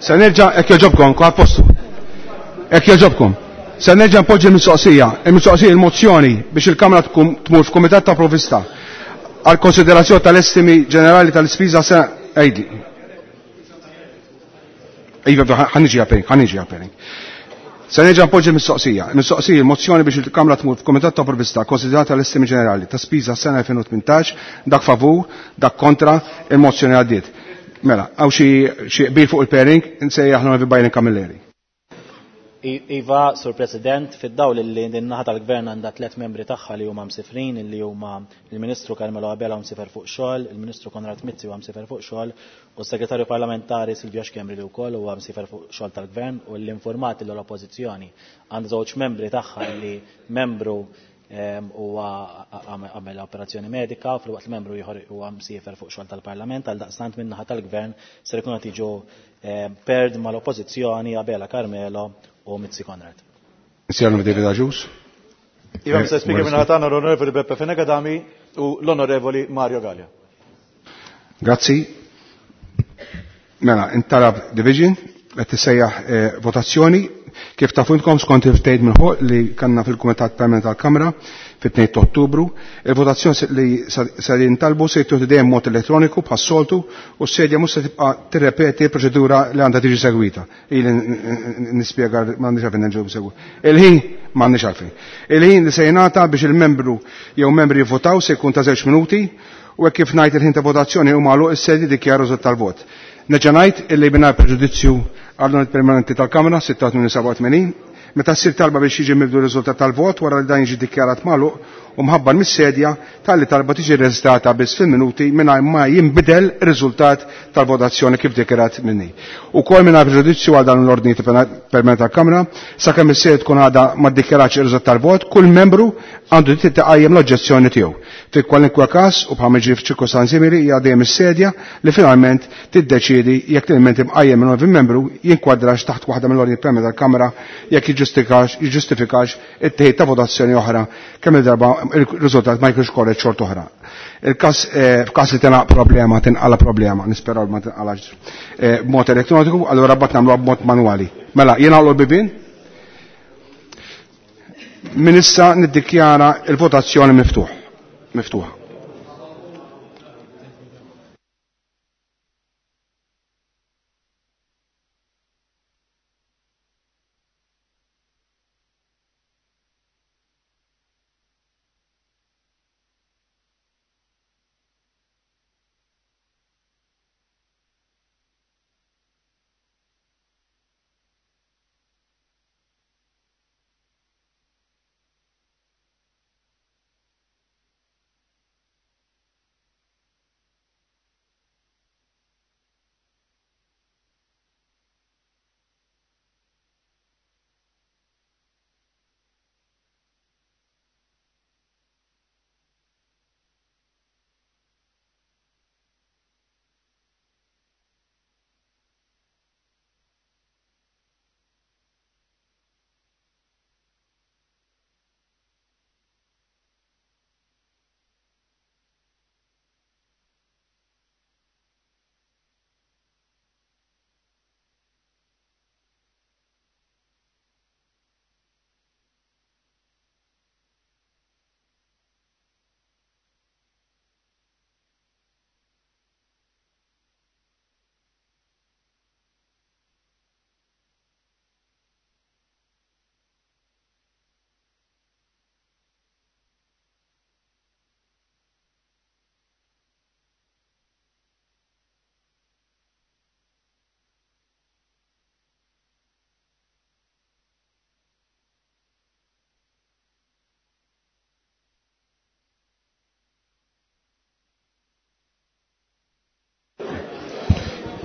Se nerġa' hekk jogħġobkom, kwa postu. Hekk jogħġobkom. Se nerġa' npoġġi l-mistoqsija, il-mistoqsija il-mozzjoni biex il-Kamra tkun tmur f'Kumitat ta' Provvista għal konsiderazzjoni tal-estimi ġenerali tal-ispiża se għidli. Iva, ħa niġi għal ħa niġi għal Se nerġa' npoġġi l-mistoqsija. Il-mistoqsija il-mozzjoni biex il-Kamra tmur f'Kumitat ta' Provvista konsiderata l-estimi ġenerali ta' spiża sena elfejn u tmintax, dak favur, dak kontra, il-mozzjoni għaddiet. Mela, hawn xi xi qbil fuq il-pairing, nsejjaħ l Byron Camilleri. Iva, Sur President, fid-dawl li din naħa tal-Gvern għandha tliet membri tagħha li huma msifrin, li huma il-Ministru Carmelo Abela msifer fuq xogħol, il-Ministru Konrad Mizzi huwa msifer fuq xogħol, u s-Segretarju Parlamentari Silvio Schembri li wkoll huwa msifer fuq xogħol tal-Gvern, u l-informati l-Oppożizzjoni għandha żewġ membri tagħha li membru huwa għamel operazzjoni medika, filwaqt li membru ieħor huwa msiefer fuq xogħol tal-Parlament, għal daqstant minn naħa tal-Gvern ser ikunu qed jiġu paired mal-Oppożizzjoni Abela Carmelo u Mizzi Konrad. Sir David Agius. Iva, Mister Speaker, minn ħatana l-Onorevoli Beppe Fenech Adami u l-Onorevoli Mario Galea. Grazzi. Mela, intalab division, qed tissejjaħ votazzjoni. Kif tafu intkom skont il-ftehim minn fuq li kanna fil-Kumitat Permanenti tal-Kamra fit-tnejn ta' Ottubru, il-votazzjoni li se jintalbu se jittieħdu dejjem mod elettroniku bħas-soltu u s-sedja mhux se tibqa' tirrepeti l-proċedura li għandha tiġi segwita. Ili nispjega m'għandix għalfejn nerġgħu nsegwu. Il-ħin m'għandix għalfejn. Il-ħin li se jingħata biex il-membru jew membri jivvotaw se jkun ta' żewġ minuti u hekk kif ngħid il-ħin ta' votazzjoni huma magħluq is-sedja dikjara riżultat tal-vot. Nerġa' ngħid illi mingħajr preġudizzju għall-ordni permanenti tal-Kamra sitta tmien seba' tmenin, meta ssir talba biex jiġi mibdu r-riżultat tal-vot wara li dan jiġi dikjarat magħluq u mħabbar mis-sedja, talli talba tiġi reġistrata biss fil-minuti mingħajr ma jinbidel ir-riżultat tal-votazzjoni kif dikjarat minni. Ukoll mingħajr preġudizzju għal dan l-ordni permanenti tal-Kamra, sakemm is-sedja tkun għadha ma ddikjaratx ir-riżultat tal-vot, kull membru għandu dritt iqajjem l-oġġezzjoni tiegħu. Fi kwalunkwe każ u bħal jiġri f'ċirkostanzi simili hija dejjem is-sedja li finalment tiddeċiedi jekk l-ilment imqajjem minn membru jinkwadrax taħt waħda mill-ordni permanenti tal-Kamra jekk jiġġustifikax jiġġustifikax it-teħid ta' votazzjoni oħra kemm il-darba il-riżultat ma jkunx korrett xort oħra. Il-każ, f'każ li tinqala problema, tinqala problema, nisperaw ma tinqalax b'mod elettroniku, allura bat nagħmluha b'mod manwali. Mela, jien għallu l-bibien? Min issa niddikjara il-votazzjoni miftuħ. Miftuħa.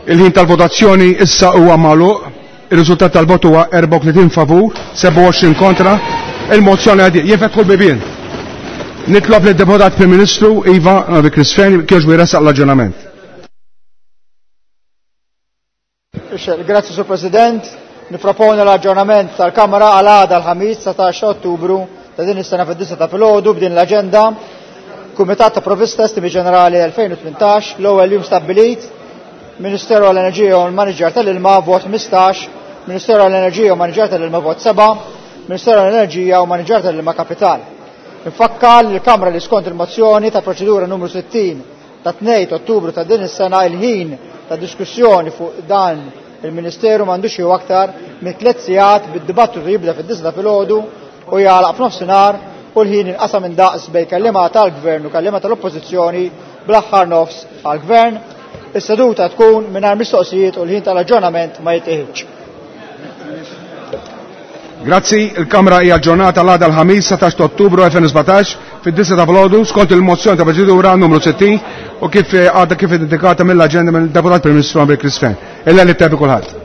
Il-ħin tal-votazzjoni issa huwa magħluq. Ir-riżultat tal-vot huwa erbgħa u tletin favur, sebgħa u għoxrin kontra. Il-mozzjoni għaddiet. Jifetħu l-bibien. Nitlob lid-Deputat Prim Ministru Iva Novi Chris Fearne kiex jressaq l-aġġornament. Grazie, Sur President. Niproponi l-aġġornament tal-Kamra għal għada l-ħamis dsatax ta' Ottubru ta' din is-sena fid-disgħa ta' filgħodu b'din l-aġenda. Kumitat ta' Provvista Estimi Ġenerali elfejn u tmintax, l-ewwel jum stabbilit Ministeru għall-Enerġija u l-Maniġer tal-Ilma vot ħmistax, Ministeru għall-Enerġija u Maniġer tal-Ilma vot seba', Ministeru għall-Enerġija u Maniġer tal-Ilma Kapital. Infakkar li l-Kamra li skont il-mozzjoni ta' proċedura numru sittin ta' tnejn Ottubru ta' din is-sena il-ħin ta' diskussjoni fuq dan il-Ministeru m'għandux jew aktar minn tliet sigħat bid-dibattitu jibda fid-disgħa filgħodu u jagħlaq f'nofsinhar u l-ħin inqasam indaqs bejn kelliema tal-Gvern u kelliema tal-Oppożizzjoni bl-aħħar nofs għall-Gvern. Is-seduta tkun mingħajr mistoqsijiet u l-ħin tal-aġġornament ma jittieħidx. Grazzi, il-Kamra hija aġġornata l-għada l-ħamis satax ta' Ottubru elfejn u sbatax fid-disgħa ta' filgħodu skont il-mozzjoni ta' proċedura numru sittin u kif għadha kif indikata mill-aġenda mill-Deputat Prim Ministru Andrei Chris Fearne. Illa li tebi kulħadd.